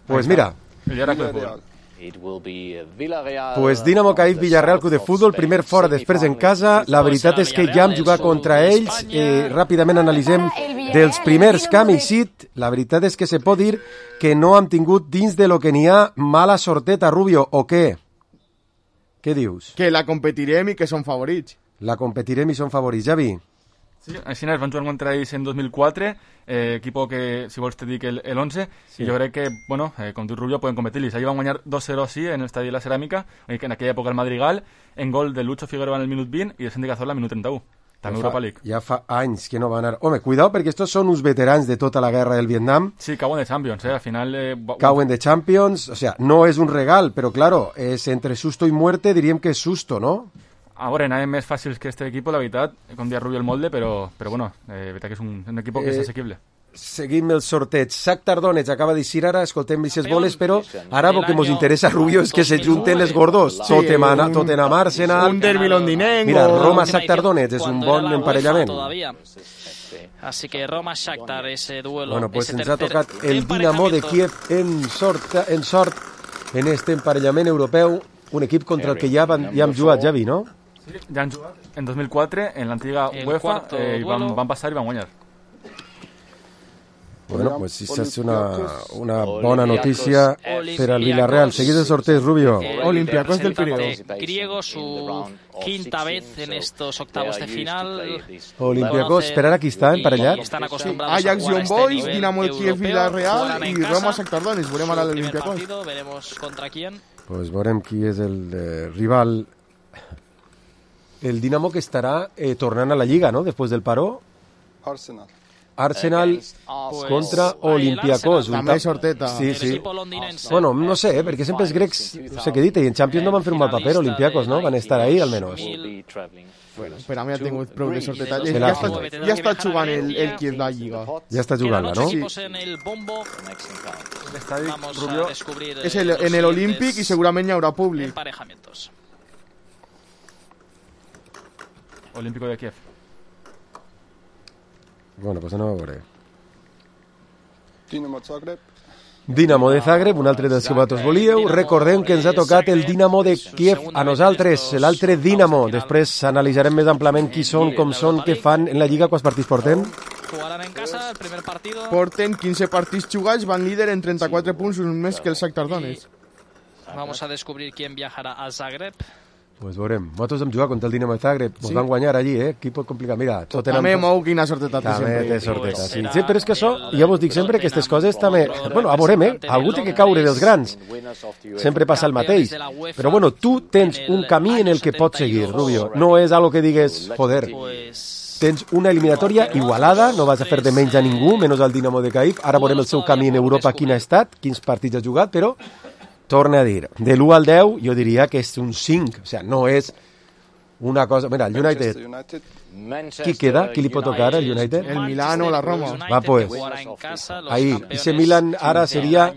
Pues mira, El Heracle de Futbol. pues Dinamo Kyiv, Villarreal Club de Futbol, primer fora, després en casa. La veritat és que ja hem jugat contra ells. Eh, ràpidament analitzem dels primers que hem eixit. La veritat és que se pot dir que no hem tingut dins de lo que n'hi ha mala sorteta, Rubio, o què? Què dius? Que la competirem i que són favorits. La competirem i són favorits, Javi. Sí, així es van jugar contra ells en dos mil quatre, eh, equipo que, si vols te dic, el, el once, sí. I jo crec que, bueno, eh, com diu Rubio, poden competir-los. Ahir van guanyar dos cero sí en l'estadi de la Ceràmica, en aquella època el Madrigal, en gol de Lucho Figueroa en el minut vint i de Santi Cazorla al minut trenta-u. També Ja Europa fa, League. ja fa anys que no van anar... Home, cuidao, perquè estos són uns veterans de tota la guerra del Vietnam. Sí, cauen de Champions, eh? Al final... Eh, cauen de Champions, o sea, no és un regal, però claro, és entre susto i muerte, diríem que és susto, no? A veure, anaven més fàcils que este equipo, la veritat, com dia Rubio el molde, però, però bueno, eh, veritat que és un, un equip que Eh, és assequible. Seguim el sorteig. Shakhtar Donetsk acaba d'eixir ara, escoltem aquestes boles, però ara el que ens interessa, Rubio, és que se junten les gordos. Sí, Tottenham, un- Tottenham Arsenal. un derbi londinenc Mira, o- Roma-Shakhtar Donetsk és un Cuando bon era la UEFA emparellament. todavía. Así que Roma-Shakhtar, ese duelo. Bueno, pues ese ens ha tercer tocat el Dinamo de Kiev en sort, en sort en este emparellament europeu, un equip contra el que ja, van, ja hem jugat, Javi, no? Sí, ja han jugat en dos mil quatre, en l'antiga El UEFA, cuarto eh, i van, duelo. van passar i van guanyar. Bueno, pues esta és una, una bona notícia per al Villarreal. Seguid el sorteig, Rubio. Olympiacos del Pireo. Griego, su quinta vez en estos octavos de final. Olympiacos, esperar aquí està emparellat. Están acostumbrados Ajax a jugar a Young este Boys, nivel Dinamo de Kiev, europeo, Villarreal jugarán en i casa. Roma Shakhtar Donetsk. Veurem ara El primer l'Olympiacos. partido, veremos contra quién. Pues veurem qui és el eh, rival. El Dinamo que estarà eh, tornant a la Lliga, no?, després del paró. Arsenal. Arsenal Pues, contra ahí el Olympiacos. Arsenal. Un També tap- sorteta. Sí, El sí. equipo londinense. Bueno, no sé, eh, perquè sempre els grecs, no sé què dit, i en Champions no van fer un mal paper, Olympiacos, no? Van estar ahí, almenys. Bueno, per a mi ha tingut prou de sorteta. Sí, Ja, la- està, ja està jugant el, el Kiev la Lliga. Ja està jugant-la, no? Equipos en el bombo. L'estadi, Vamos Rubio, a descubrir És eh, el, los en el Olímpic i siguientes segurament hi haurà públic. emparejamientos. Olímpico de Kiev. Bueno, pues anem a veure. Dinamo Zagreb. Dinamo de Zagreb, un altre dels que vosaltres volíeu. Recordem que ens ha tocat el Dinamo de Kiev a nosaltres, l'altre Dinamo. Després analitzarem més amplament qui són, com són, què fan en la Lliga, quants partits portem. Jugarán en casa el primer partido. Porten quinze partits jugats, van líder en trenta-quatre punts, un més que el Shakhtar Donetsk. Vamos a descubrir quién viajará a Zagreb. Pues veurem. Vosaltres hem jugat contra el Dinamo de Zagreb. Ens van guanyar allí, eh? Aquí pot complicar. Mira, Tottenham... També mou quina sorteta té També sempre. té sorteta, sí. Sí, però és que això, ja vos dic sempre que aquestes coses també... Bueno, a veurem, eh? Algú té que caure dels grans. Sempre passa el mateix. Però bueno, tu tens un camí en el que pots seguir, Rubio. No és algo que digues, joder, tens una eliminatòria igualada, no vas a fer de menys a ningú, menys al Dinamo de Kyiv. Ara veurem el seu camí en Europa, quin ha estat, quins partits ha jugat, però torne a dir, de l'u al deu jo diria que és un cinc, o sigui, no és una cosa... Mira, el United, qui queda? Qui li pot tocar al United? El Milano, la Roma. Va, pues, ahí, ese Milan ara seria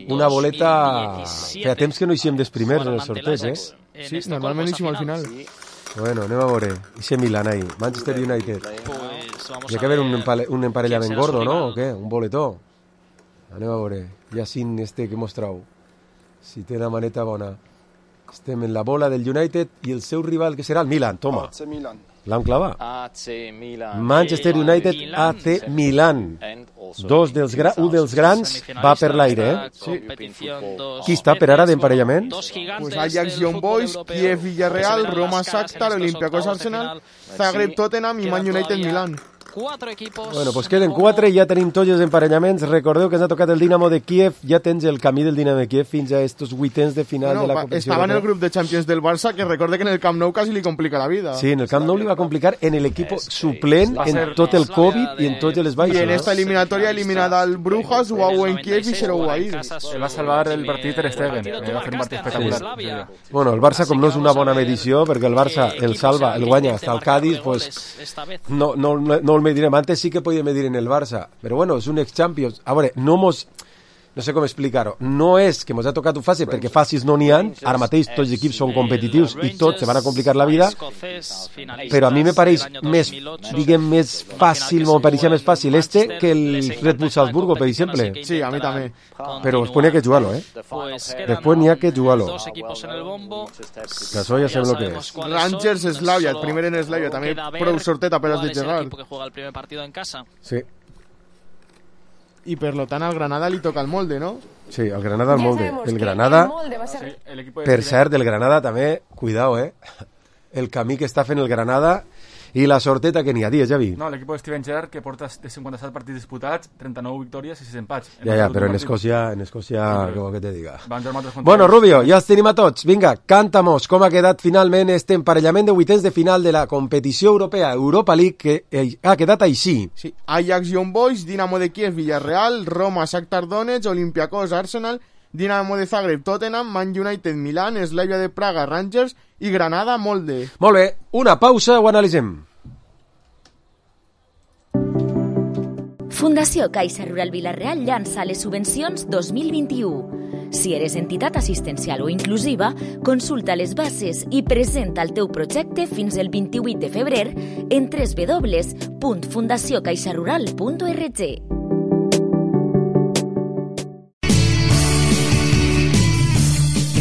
una boleta... Feia temps que no hiciem dels primers en el sorteig, eh? Sí, normalment hicim al final. Bueno, anem a veure, ese Milan ahí, Manchester United. Hi ha que haver un, empale, un emparellament gordo, no? O què? Un boletó. Anem a veure, ja sin este que mostrau. Si té la maneta bona. Estem en la bola del United i el seu rival, que serà el Milan. Toma, A C Milan. l'han clavat. A C Milan. Manchester United, A C Milan. Dos dels gra un dels grans va per l'aire, eh? Sí. Qui està per ara d'emparellament? Pues Ajax Young Boys, Kiev Villarreal, Roma Shakhtar, Olympiacos Arsenal, Zagreb Tottenham i Man United Milan. quatre equipos. Bueno, pues queden quatre i ja tenim tots els emparellaments. Recordeu que ens ha tocat el Dinamo de Kiev, ja tens el camí del Dinamo de Kiev fins a estos vuitens de final bueno, de la competició. Estava en el grup de Champions del Barça, que recorde que en el Camp Nou quasi li complica la vida. Sí, en el Camp Nou li va complicar en el equipo suplent, en tot el Covid i en tots els baixos. I en esta eliminatòria eliminada al Brujas, u a u en Kiev i zero a u ahí. El va salvar el partit Ter Stegen, va fer un partit espectacular. Sí. Bueno, el Barça, com no és una bona medició, perquè el Barça el salva, el guanya hasta el Cádiz, pues no, no, no, no el medirem. Antes sí que podia medir en el Barça, però bueno, és un ex-Champions. A veure, no mos... No sé com explicar-ho. No és que mos ha tocat un fàcil, perquè fàcils no n'hi ha. Ara mateix tots els equips són competitius i tots se van a complicar la vida. Però a mi me pareix més, diguem, més fàcil, me pareixia més fàcil este que el Red Bull Salzburgo, per exemple. Sí, a mi també. Però després n'hi ha que jugar-lo, eh? Després n'hi ha que jugar-lo. Que això ja sabem el que és. Rangers, Slavia, el primer en Slavia, també prou sorteta per als de Gerard. Sí. I per lo tant al Granada li toca el molde, no? Sí, el Granada al molde. El Granada, per cert, el Granada també, cuidao, eh? El camí que està fent el Granada i la sorteta que n'hi ha, dies, Javi. No, l'equip de Steven Gerrard, que porta de cinquanta-set partits disputats, trenta-nou victòries i sis empats. Ja, ja, però en Escòcia, en Escòcia, què vol que te diga? Bueno, Rubio, ja els tenim a tots. Vinga, canta-mos com ha quedat finalment este emparellament de vuitens de final de la competició europea Europa League, que ha quedat així. Sí, Ajax Young Boys, Dinamo de Kiev, Villarreal, Roma, Shakhtar Donetsk, Olympiacos, Arsenal, Dinamo de Zagreb, Tottenham, Man United, Milán, Slavia de Praga, Rangers i Granada, Molde. Molt bé, una pausa, ho analitzem. Fundació Caixa Rural Vila-real llança les subvencions dos mil vint-i-u. Si eres entitat assistencial o inclusiva, consulta les bases i presenta el teu projecte fins el vint-i-vuit de febrer en w w w punt fundació caixa rural punt org.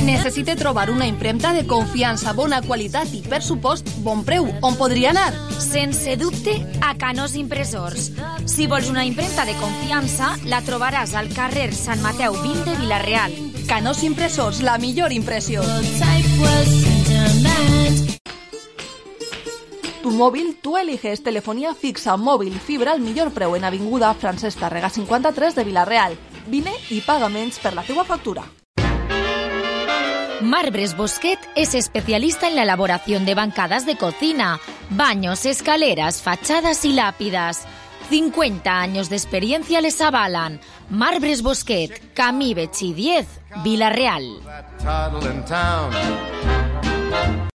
Necessite trobar una impremta de confiança, bona qualitat i, per supost, bon preu. On podria anar? Sense dubte, a Canós Impressors. Si vols una impremta de confiança, la trobaràs al carrer Sant Mateu vint de Vila-real. Canós Impressors, la millor impressió. Tu móvil, tú eliges telefonía fixa, móvil, fibra al millor preu en Avinguda Francesc Tàrrega cinquanta-tres de Vila-real. Vine i paga menys per la teua factura. Marbres Bosquet es especialista en la elaboración de bancadas de cocina, baños, escaleras, fachadas y lápidas. cincuenta años de experiencia les avalan. Marbres Bosquet, Camí Betxí diez, Vila-real.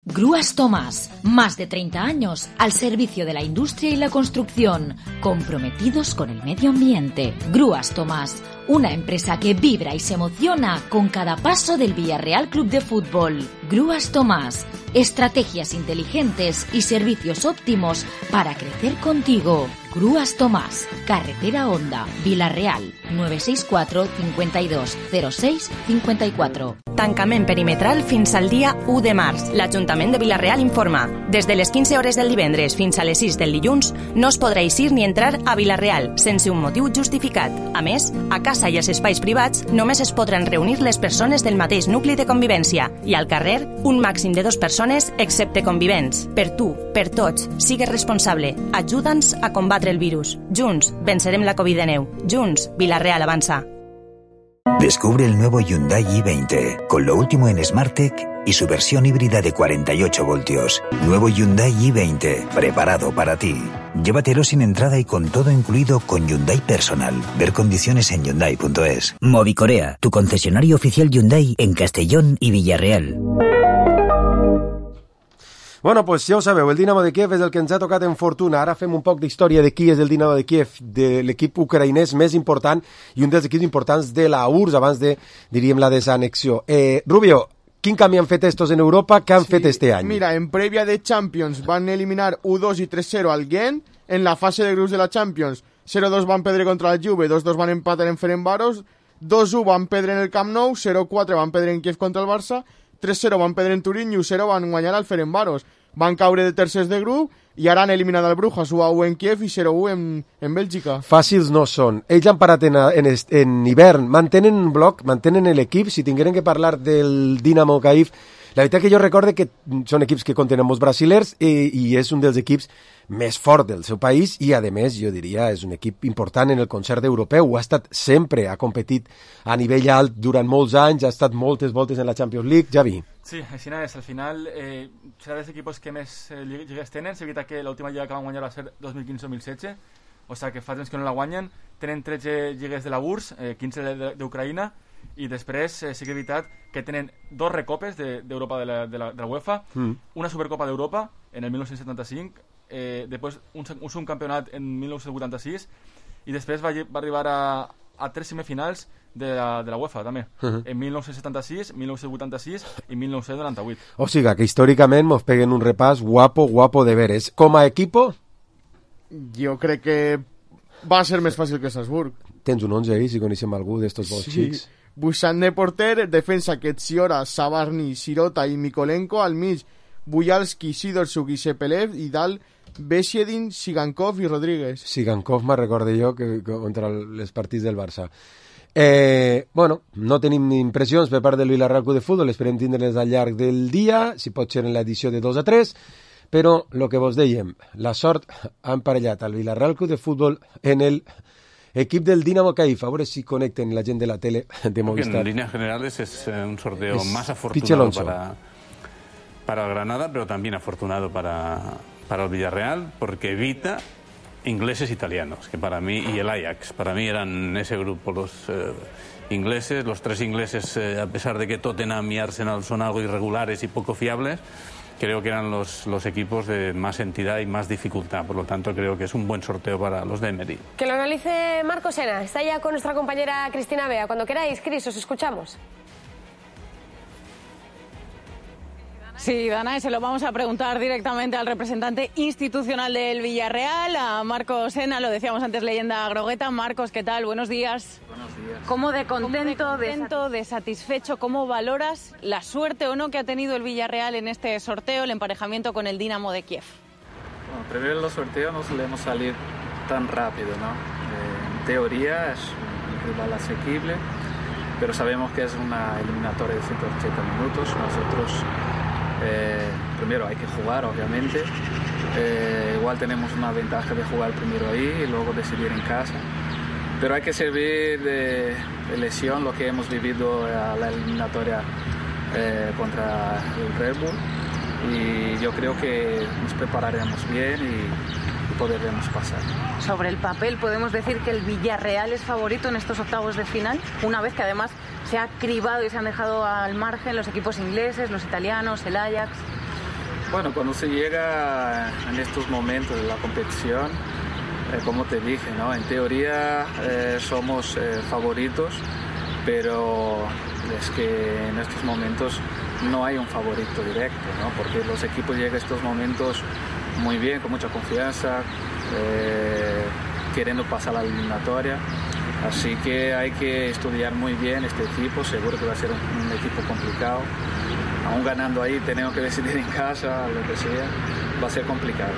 Grúas Tomás, más de treinta años al servicio de la industria y la construcción, comprometidos con el medio ambiente. Grúas Tomás, una empresa que vibra y se emociona con cada paso del Villarreal Club de Fútbol. Grúas Tomás, estrategias inteligentes y servicios óptimos para crecer contigo. Grúas Tomás, Carretera Honda, Vila-real, nueve seis cuatro, cincuenta y dos, cero seis, cincuenta y cuatro. Tancament perimetral fins al dia u de març. L'Ajuntament de Vila-real informa. Des de les quinze hores del divendres fins a les sis del dilluns no es podrà eixir ni entrar a Vila-real sense un motiu justificat. A més, a casa i als espais privats només es podran reunir les persones del mateix nucli de convivència i al carrer un màxim de dues persones excepte convivents. Per tu, per tots, sigues responsable. Ajuda'ns a combatre el virus. Junts vencerem la covid diecinueve. Junts, Vila-real avança. Descubre el nuevo Hyundai i veinte, con lo último en SmartTech y su versión híbrida de cuarenta y ocho voltios. Nuevo Hyundai i veinte, preparado para ti. Llévatelo sin entrada y con todo incluido con Hyundai Personal. Ver condiciones en hyundai punto es. Movicorea, tu concesionario oficial Hyundai en Castellón y Villarreal. Bueno, pues ja ho sabeu, el Dinamo de Kiev és el que ens ha tocat en fortuna. Ara fem un poc d'història de qui és el Dinamo de Kiev, de l'equip ucraïnès més important i un dels equips importants de la U R S S abans de, diríem, la desanexió. Eh, Rubio, quin canvi han fet estos en Europa? Què han sí, fet este any? Mira, en prèvia de Champions van eliminar u dos i tres cero al Gent. En la fase de grups de la Champions, zero dos van perdre contra la Juve, dos dos van empatar en Ferencváros, dos u van perdre en el Camp Nou, zero quatre van perdre en Kiev contra el Barça, tres cero van perdre en Turín i u zero van guanyar al Ferencváros. Van caure de tercers de grup i ara han eliminat el Brujas u a u en Kiev i zero u en, en Bèlgica. Fàcils no són. Ells han parat en, en, en hivern, mantenen un bloc, mantenen l'equip. Si tingueren que parlar del Dinamo Kiev, La veritat que jo recorde que són equips que contenen molts brasilers i, i és un dels equips més fort del seu país i, a més, jo diria, és un equip important en el concert europeu. Ha estat sempre, ha competit a nivell alt durant molts anys, ha estat moltes voltes en la Champions League. Javi. Sí, així és. Al final eh, serà dels equipos que més eh, lligues tenen. És veritat que l'última lliga que van guanyar va ser dos mil quinze dos mil setze, o sigui que fa temps que no la guanyen. Tenen tretze lligues de la U R S S, eh, quinze d'Ucraïna, i després eh, sí que és veritat que tenen dos recopes d'Europa de, de, la, de, la, de la UEFA, mm. una Supercopa d'Europa en el dinou setanta-cinc, eh, després un, un subcampionat en dinou vuitanta-sis, i després va, va arribar a, a tres semifinals de la, de la UEFA també, uh-huh. en dinou setanta-sis, dinou vuitanta-sis i dinou noranta-vuit. O sigui que històricament mos peguen un repàs guapo, guapo de veres. Com a equipo? Jo crec que va ser més fàcil que Salzburg. Tens un onze ahí, si coneixem algú d'estos bons sí. xics. Buixant de porter, defensa Ketsiora, Sabarny, Sirota i Mikolenko, al mig Bujalski, Sidorczuk i Sepelev, i dalt Besiedin, Sigankov i Rodríguez. Sigankov me'n recorde jo que, que contra els partits del Barça. Eh, bueno, no tenim impressions per part del Villarreal Club de Futbol, esperem tindre-les al llarg del dia, si pot ser en l'edició de dos a tres, però el que vos dèiem, la sort ha emparellat al Villarreal Club de Futbol en el equip del Dinamo Kyiv. A veure si conecten la gent de la tele de Movistar. En líneas generales es un sorteo es más afortunado para, para el Granada, pero también afortunado para, para el Villarreal, porque evita ingleses italianos, que para mí, y el Ajax, para mí eran ese grupo los eh, ingleses, los tres ingleses, eh, a pesar de que Tottenham y Arsenal son algo irregulares y poco fiables, creo que eran los, los equipos de más entidad y más dificultad. Por lo tanto, creo que es un buen sorteo para los de Emery. Que lo analice Marco Sena. Está ya con nuestra compañera Cristina Bea. Cuando queráis, Cris, os escuchamos. Sí, Danae, se lo vamos a preguntar directamente al representante institucional del Villarreal, a Marcos Sena, lo decíamos antes, leyenda grogueta. Marcos, ¿qué tal? Buenos días. Buenos días. ¿Cómo de contento, ¿Cómo de, contento de satisfecho, cómo valoras la suerte o no que ha tenido el Villarreal en este sorteo, el emparejamiento con el Dinamo de Kiev? Bueno, primero los sorteos no solemos salir tan rápido, ¿no? Eh, en teoría es un rival asequible, pero sabemos que es una eliminatoria de ciento ochenta minutos. Nosotros... Eh, primero hay que jugar, obviamente. Eh, igual tenemos una ventaja de jugar primero ahí y luego decidir en casa. Pero hay que servir de, de lección lo que hemos vivido a la eliminatoria eh, contra el Red Bull. Y yo creo que nos prepararemos bien y, y podremos pasar. Sobre el papel, ¿podemos decir que el Villarreal es favorito en estos octavos de final? Una vez que además se ha cribado y se han dejado al margen los equipos ingleses, los italianos, el Ajax. Bueno, cuando se llega en estos momentos de la competición, eh, como te dije, ¿no? En teoría eh, somos eh, favoritos, pero es que en estos momentos no hay un favorito directo, ¿no? Porque los equipos llegan a estos momentos muy bien, con mucha confianza, eh, queriendo pasar la eliminatoria. Así que hay que estudiar muy bien este equipo, seguro que va a ser un, un equipo complicado. Aún ganando ahí, tenemos que decidir en casa, lo que sea, va a ser complicado.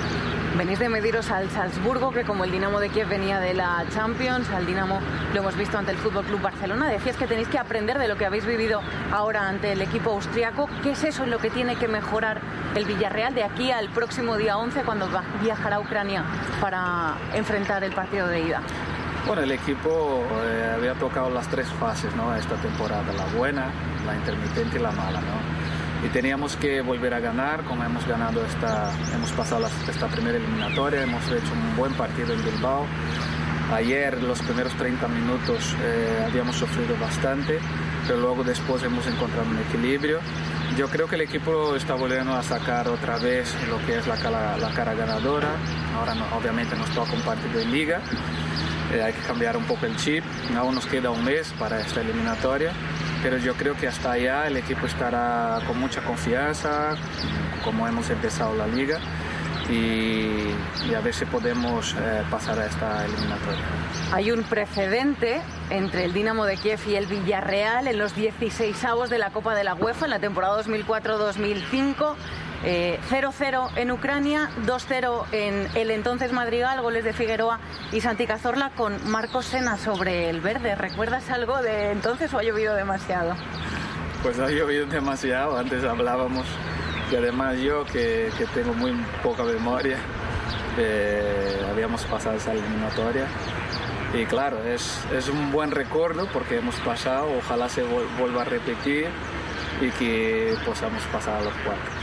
Venís de mediros al Salzburgo, que como el Dinamo de Kiev venía de la Champions, al Dinamo lo hemos visto ante el F C Barcelona. Decías que tenéis que aprender de lo que habéis vivido ahora ante el equipo austriaco. ¿Qué es eso en lo que tiene que mejorar el Villarreal de aquí al próximo día once, cuando va a viajar a Ucrania para enfrentar el partido de ida? Bueno, el equipo eh, había tocado las tres fases, ¿no? Esta temporada, la buena, la intermitente y la mala, ¿no? Y teníamos que volver a ganar, como hemos ganado esta, hemos pasado la, esta primera eliminatoria, hemos hecho un buen partido en Bilbao. Ayer, los primeros treinta minutos, eh, habíamos sufrido bastante, pero luego después hemos encontrado un equilibrio. Yo creo que el equipo está volviendo a sacar otra vez lo que es la cara, la cara ganadora. Ahora no, obviamente nos toca un partido de liga. Eh, hay que cambiar un poco el chip, aún nos queda un mes para esta eliminatoria, pero yo creo que hasta allá el equipo estará con mucha confianza, como hemos empezado la liga, y, y a ver si podemos eh, pasar a esta eliminatoria. Hay un precedente entre el Dinamo de Kiev y el Villarreal en los dieciseisavos de la Copa de la UEFA en la temporada dos mil cuatro dos mil cinco. Eh, cero cero en Ucrania, dos cero en el entonces Madrigal, goles de Figueroa y Santi Cazorla, con Marcos Sena sobre el verde. ¿Recuerdas algo de entonces o ha llovido demasiado? Pues ha llovido demasiado, antes hablábamos, y además yo que, que tengo muy poca memoria, eh, habíamos pasado esa eliminatoria. Y claro, es, es un buen recuerdo porque hemos pasado, ojalá se vuelva a repetir y que podamos pasar a los cuartos.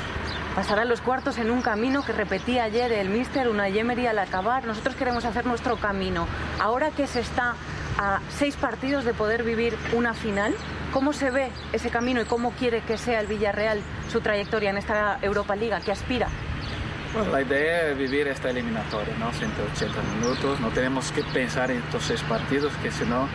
Pasar a los cuartos en un camino que repetía ayer el míster Unai Emery al acabar. Nosotros queremos hacer nuestro camino. Ahora que se está a seis partidos de poder vivir una final, ¿cómo se ve ese camino y cómo quiere que sea el Villarreal su trayectoria en esta Europa Liga? ¿Qué aspira? Bueno, la idea es vivir esta eliminatoria, ¿no? ciento ochenta minutos, no tenemos que pensar en estos seis partidos, que si no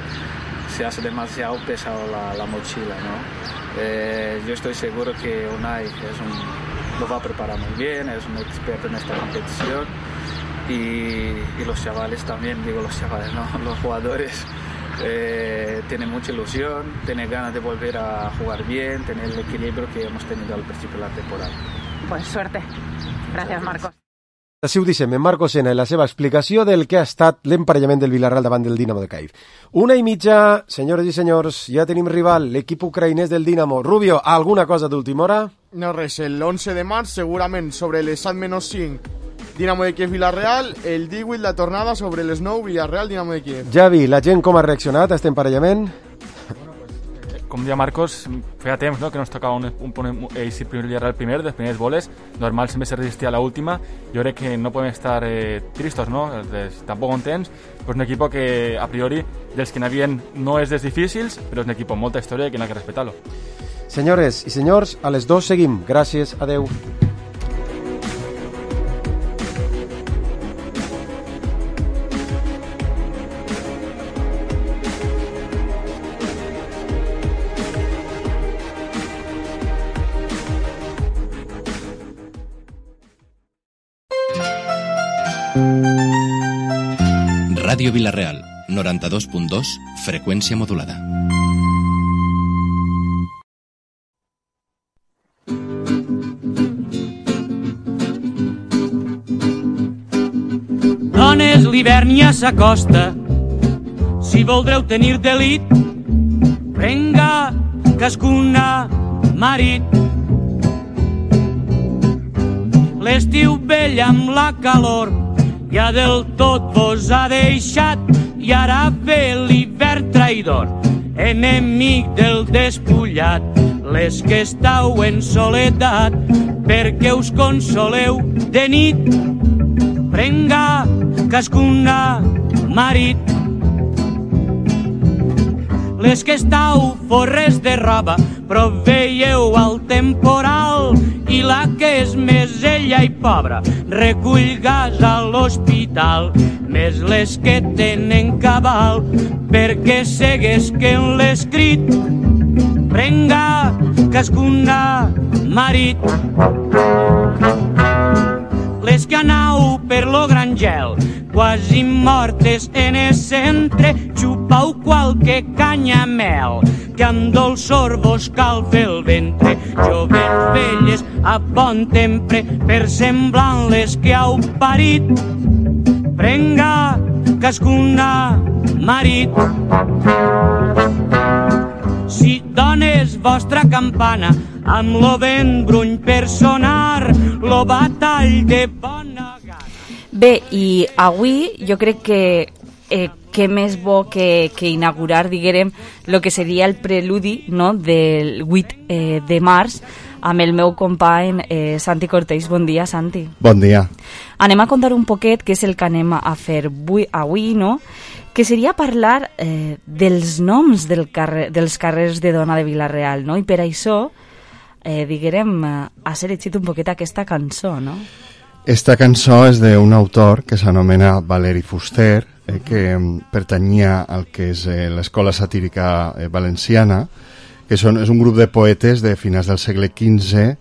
se hace demasiado pesado la, la mochila, ¿no? Eh, yo estoy seguro que Unai es un, lo va a preparar muy bien, es un experto en esta competición y, y los chavales también, digo los chavales, ¿no? Los jugadores eh, tienen mucha ilusión, tienen ganas de volver a jugar bien, tener el equilibrio que hemos tenido al principio de la temporada. Pues suerte. Gràcies, Marcos. Així ho deixem en Marcos Sena i la seva explicació del que ha estat l'emparellament del Villarreal davant del Dinamo de Kyiv. Una i mitja, senyores i senyors, ja tenim rival, l'equip ucraïnès del Dinamo. Rubio, alguna cosa d'última hora? No res, l'onze de març, segurament sobre les set menys cinc, Dinamo de Kiev Villarreal, el divuit la tornada sobre les nou Villarreal Dinamo de Kiev. Javi, la gent com ha reaccionat a aquest emparellament? Com dia Marcos, feia temps, ¿no?, que nos tocava un, un, un, ells el primer Villarreal primer, dels primers boles, normal sempre se resistia a la última. Jo crec que no podem estar eh, tristos, ¿no?, tampoc contents, pues un equipo que a priori dels que n'havien no és dels difícils, però és un equipo amb molta història i que n'ha que respetar-lo. Senyores i senyors, a les dos seguim. Gràcies, adeu. Ràdio Vilareal, noranta-dos punt dos, freqüència modulada. Dones, l'hivern ja s'acosta, si voldreu tenir delit, prenga cascuna marit. L'estiu vell amb la calor ja del tot vos ha deixat i ara ve l'hivern traïdor, enemic del despullat. Les que estàu en soledat, perquè us consoleu de nit, prenga cascuna marit. Les que estàu forres de roba, però veieu el temporal, i la que és més ella i pobra recull gas a l'hospital. Més les que tenen cabal perquè seguesquen l'escrit, prenga cascuna marit. Les que anau per lo gran gel, quasi mortes en el centre, xupau qualque canyamel, que amb dolçor vos calfa el ventre. Jovens velles a bon sempre, per semblant les que heu parit, prenga cascuna marit. Si dones vostra campana, amb lo vent bruny per sonar, lo batall de bona gana. Bé, i avui jo crec que eh, què més bo que, que inaugurar, diguem, el que seria el preludi, no?, del vuit eh, de març, amb el meu company eh, Santi Cortés. Bon dia, Santi. Bon dia. Anem a contar un poquet què és el que anem a fer avui, avui no?, que seria parlar eh, dels noms del carrer, dels carrers de Dona de Vilareal, no?, i per això, eh, diguem, ha seleccionat un poquet aquesta cançó, no? Esta cançó és d'un autor que s'anomena Valeri Fuster, eh, que pertanyia al que és eh, l'Escola Satírica eh, Valenciana, que són, és un grup de poetes de finals del segle quinze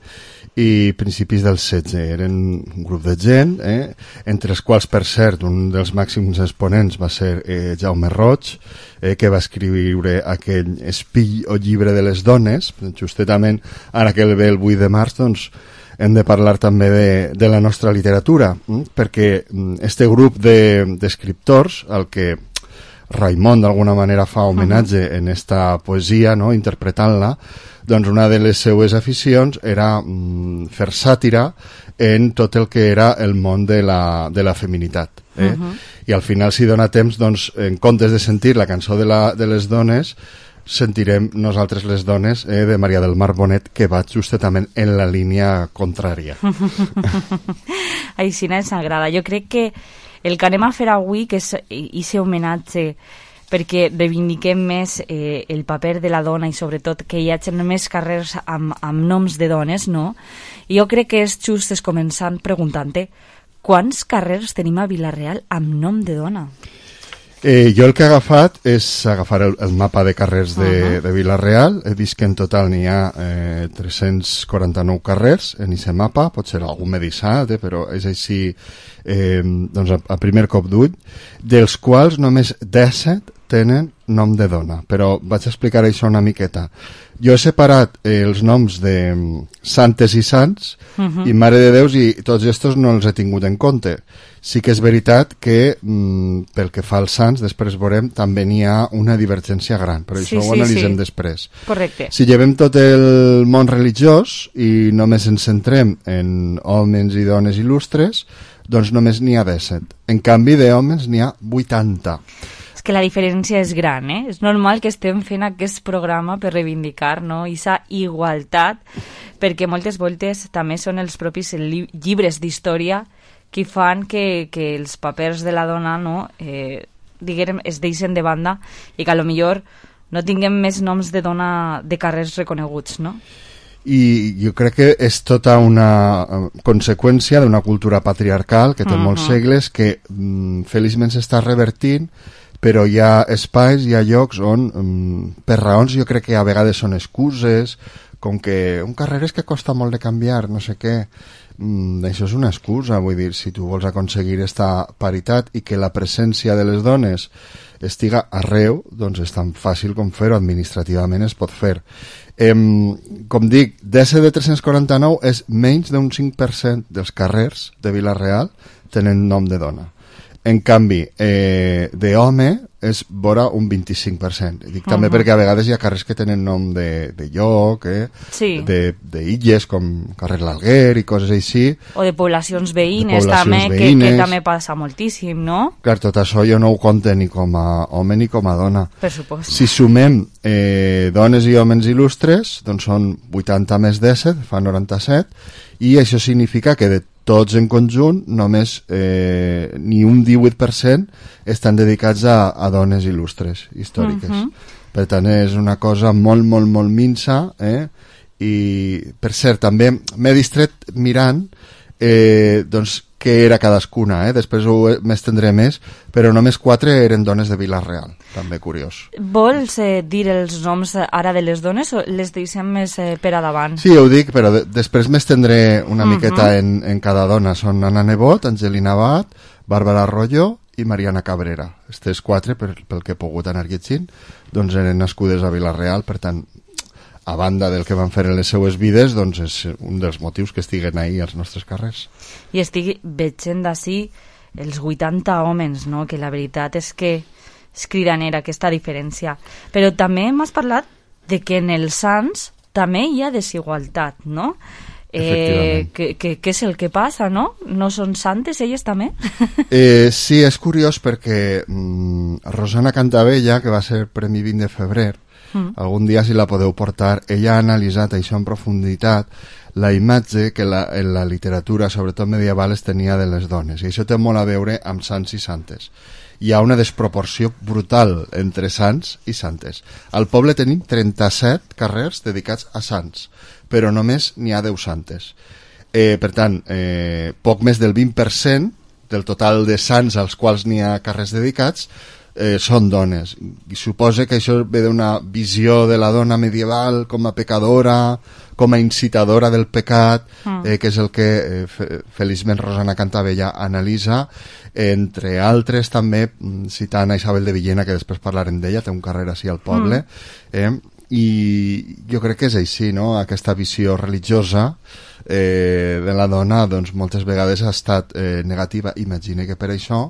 i principis del setze. Eren un grup de gent, eh, entre els quals, per cert, un dels màxims exponents va ser eh, Jaume Roig, eh, que va escriure aquell Espill o llibre de les dones. Justament, ara que ve el vuit de març, doncs, hem de parlar també de, de la nostra literatura, perquè este grup d'escriptors, el que Raimon d'alguna manera fa homenatge uh-huh. en esta poesia, no? Interpretant-la, doncs una de les seues aficions era mm, fer sàtira en tot el que era el món de la, de la feminitat. Eh? Uh-huh. I al final, si dona temps, doncs, en comptes de sentir la cançó de, la, de les dones, sentirem nosaltres les dones eh, de Maria del Mar Bonet, que va justament en la línia contrària. Així ens agrada. Jo crec que el que anem a fer avui, que és aquest homenatge perquè reivindiquem més eh, el paper de la dona i sobretot que hi hagi més carrers amb, amb noms de dones, no? Jo crec que és just es començant preguntant-te quants carrers tenim a Vila-real amb nom de dona? Eh, jo el que he agafat és agafar el, el mapa de carrers de, uh-huh. de Vila-real. He vist que en total n'hi ha eh, tres-cents quaranta-nou carrers en aquest mapa, pot ser algun medissat, eh, però és així eh, doncs a, a primer cop d'ull, dels quals només disset tenen nom de dona, però vaig explicar això una miqueta. Jo he separat eh, els noms de um, santes i sants uh-huh. i mare de Déus, i tots estos no els he tingut en compte. Sí que és veritat que mm, pel que fa als sants, després veurem, també n'hi ha una divergència gran, però sí, això sí, ho analitzem sí. després. Correcte. Si llevem tot el món religiós i només ens centrem en homes i dones il·lustres, doncs només n'hi ha disset. En canvi, d'homes n'hi ha vuitanta. Que la diferència és gran, eh? És normal que estem fent aquest programa per reivindicar, no?, aquesta igualtat, perquè moltes voltes també són els propis li- llibres d'història que fan que, que els papers de la dona, no?, eh, diguem, es deixen de banda i que a lo millor no tinguem més noms de dona de carrers reconeguts, no? I jo crec que és tota una conseqüència d'una cultura patriarcal que té uh-huh. molts segles, que mm, feliçment s'està revertint, però hi ha espais, hi ha llocs on, um, per raons, jo crec que a vegades són excuses, com que un carrer és que costa molt de canviar, no sé què. Mm, això és una excusa, vull dir, si tu vols aconseguir esta paritat i que la presència de les dones estiga arreu, doncs és tan fàcil com fer-ho, administrativament es pot fer. Eh, com dic, disset de tres-cents quaranta-nou és menys d'un cinc per cent dels carrers de Vila-real tenen nom de dona. En canvi, eh, d'home és vora un vint-i-cinc per cent. Dic també uh-huh. perquè a vegades hi ha carrers que tenen nom de, de lloc, eh? Sí. de, de illes, com carrer l'Alguer i coses així. O de poblacions veïnes, de poblacions també, veïnes. Que, que també passa moltíssim, no? Clar, tot això jo no ho compte ni com a home ni com a dona. Per supost. Si sumem eh, dones i homes il·lustres, doncs són vuitanta més disset, fa noranta-set, i això significa que de tots en conjunt, només eh, ni un divuit per cent estan dedicats a, a dones il·lustres històriques. Uh-huh. Per tant, és una cosa molt, molt, molt minsa, eh? I, per cert, també m'he distret mirant eh, doncs, què era cadascuna, eh? Després m'estendré més, però només quatre eren dones de Vila-real, també curiós. Vols eh, dir els noms ara de les dones o les deixem més eh, per a davant? Sí, ho dic, però de després m'estendré una uh-huh. miqueta en, en cada dona. Són Anna Nebot, Angelina Abad, Bàrbara Arroyo i Mariana Cabrera. Aquestes quatre, per, pel que he pogut anar llegint, doncs eren nascudes a Vila-real, per tant, a banda del que van fer en les seues vides, doncs és un dels motius que estiguen ahí als nostres carrers. I estic veient d'ací els vuitanta homes, no? Que la veritat és que és cridanera aquesta diferència. Però també m'has parlat de que en els sants també hi ha desigualtat, no? Eh, què és el que passa, no? No són santes, elles també? eh, sí, és curiós perquè mm, Rosana Cantabella, que va ser Premi vint de febrer, Mm. algun dia si la podeu portar, ella ha analitzat això en profunditat, la imatge que la, en la literatura, sobretot medieval, es tenia de les dones, i això té molt a veure amb sants i santes. Hi ha una desproporció brutal entre sants i santes. Al poble tenim trenta-set carrers dedicats a sants, però només n'hi ha deu santes. Eh, per tant, eh, poc més del vint per cent del total de sants als quals n'hi ha carrers dedicats Eh, són dones, i suposa que això ve d'una visió de la dona medieval com a pecadora, com a incitadora del pecat, mm. eh, que és el que eh, fe, feliçment Rosana Cantabella analitza, entre altres també citant a Isabel de Villena, que després parlarem d'ella, té un carrer així al poble, mm. eh, i jo crec que és així, no? Aquesta visió religiosa eh, de la dona doncs moltes vegades ha estat eh, negativa. Imagine que per això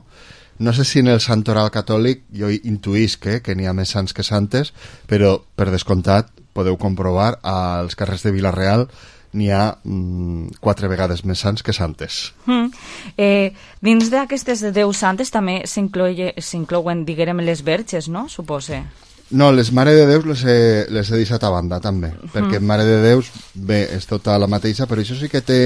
no sé si en el santoral catòlic jo intuïsc eh, que n'hi ha més sants que santes, però per descomptat podeu comprovar als carrers de Vila-real n'hi ha mm, quatre vegades més sants que santes. Mm. Eh, dins d'aquestes deu santes també s'inclouen, diguem, les verges, no? Supose. No, les Mare de Déus les he, les he deixat a banda també, mm. perquè Mare de Déus bé, és tota la mateixa, però això sí que té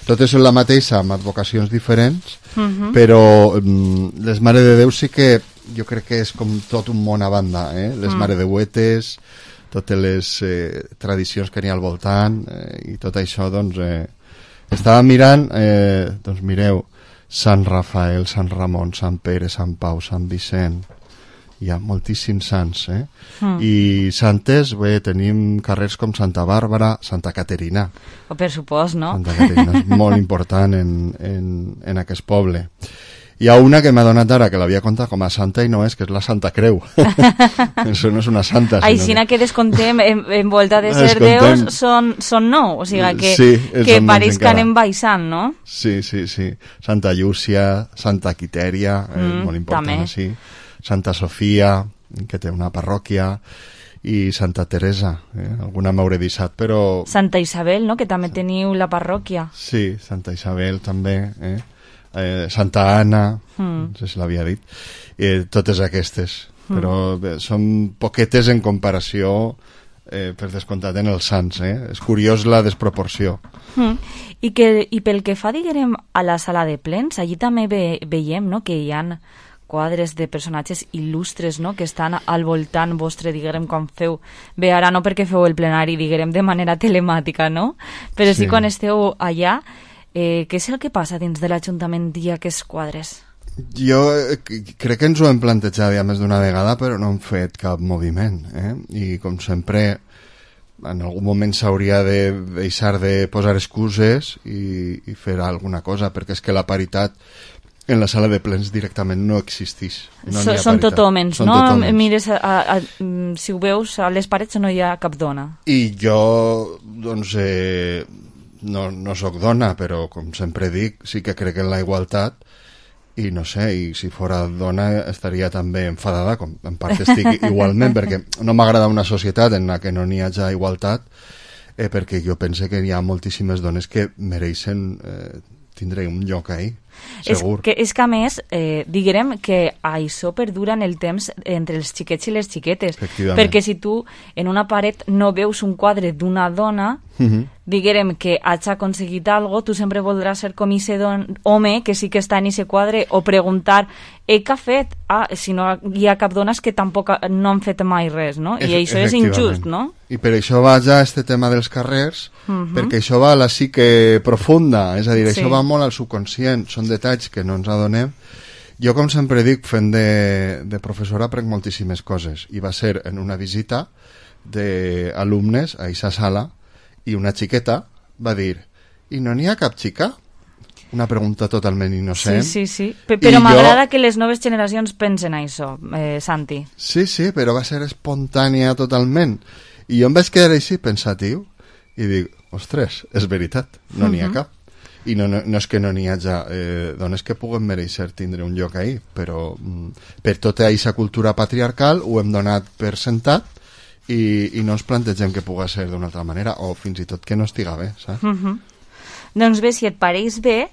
totes són la mateixa amb advocacions diferents, mm-hmm. però mm, les Mare de Déus sí que jo crec que és com tot un món a banda, eh? Les mm. Mare de Huetes, totes les eh, tradicions que n'hi ha al voltant eh, i tot això, doncs eh, estava mirant, eh, doncs mireu, Sant Rafael, Sant Ramon, Sant Pere, Sant Pau, Sant Vicent, hi ha moltíssims sants, eh? Mm. I santes, bé, tenim carrers com Santa Bàrbara, Santa Caterina. O per supost, no? Santa Caterina és molt important en, en, en aquest poble. Hi ha una que m'ha donat ara, que l'havia contat com a santa i no és, que és la Santa Creu. Això no és una santa. Aixina que descontem, en, en volta de ser déus, són, són nou, o sigui que, sí, que pareix que anem baixant, no? Sí, sí, sí. Santa Llúcia, Santa Quitèria, mm, és molt important, també. Sí. Santa Sofia, que té una parròquia, i Santa Teresa, eh? Alguna m'hauré deixat, però... Santa Isabel, no?, que també teniu la parròquia. Sí, Santa Isabel també, eh? Eh, Santa Anna, mm. no sé si l'havia dit, eh, totes aquestes, mm. però bé, són poquetes en comparació, eh, per descomptat, en els sants, eh? És curiós la desproporció. Mm. I, que, I pel que fa, diguem, a la sala de plens, allí també ve, veiem, no?, que hi ha quadres de personatges il·lustres, no?, que estan al voltant vostre, diguem, quan feu... Bé, ara no perquè feu el plenari, diguem, de manera telemàtica, no? Però sí, sí quan esteu allà, eh, què és el que passa dins de l'Ajuntament i aquests quadres? Jo crec que ens ho hem plantejat ja més d'una vegada, però no hem fet cap moviment, eh? I com sempre, en algun moment s'hauria de deixar de posar excuses i, i fer alguna cosa, perquè és que la paritat en la sala de plens directament no existeix. No so, són tot homes, no? Tot homes. Mires, a, a, a, si ho veus, a les parets no hi ha cap dona. I jo, doncs, eh, no, no sóc dona, però com sempre dic, sí que crec en la igualtat i no sé, i si fora dona estaria també enfadada, com en part estic igualment, perquè no m'agrada una societat en la que no n'hi hagi igualtat, eh, perquè jo pense que hi ha moltíssimes dones que mereixen eh, tindre un lloc ahí. Segur. És que, és que a més, eh, diguem que això perdura en el temps entre els xiquets i les xiquetes, perquè si tu en una paret no veus un quadre d'una dona, uh-huh. diguem que hagi aconseguit alguna cosa, tu sempre voldràs ser com ese don, home que sí que està en ese quadre, o preguntar eh, què ha fet? Ah, si no hi ha cap dones que tampoc no han fet mai res, no? I això és injust, no? I per això va ja este tema dels carrers, uh-huh. perquè això va a la psique profunda, és a dir, sí. Això va molt al subconscient, són detalls que no ens adonem. Jo, com sempre dic, fent de, de professora aprenc moltíssimes coses, i va ser en una visita d'alumnes a aquesta sala, i una xiqueta va dir, i no n'hi ha cap xica? Una pregunta totalment innocent. Sí, sí, sí. P però m'agrada jo... que les noves generacions pensen això, eh, Santi. Sí, sí, però va ser espontània totalment. I jo em vaig quedar així pensatiu i dic, ostres, és veritat, no n'hi ha uh-huh. cap. I no, no, no és que no n'hi hagi eh, dones que puguen mereixer tindre un lloc ahí, però mm, per tota aquesta cultura patriarcal ho hem donat per sentat i, i no ens plantegem que pugui ser d'una altra manera, o fins i tot que no estiga bé, saps? Uh-huh. Doncs bé, si et pareix bé,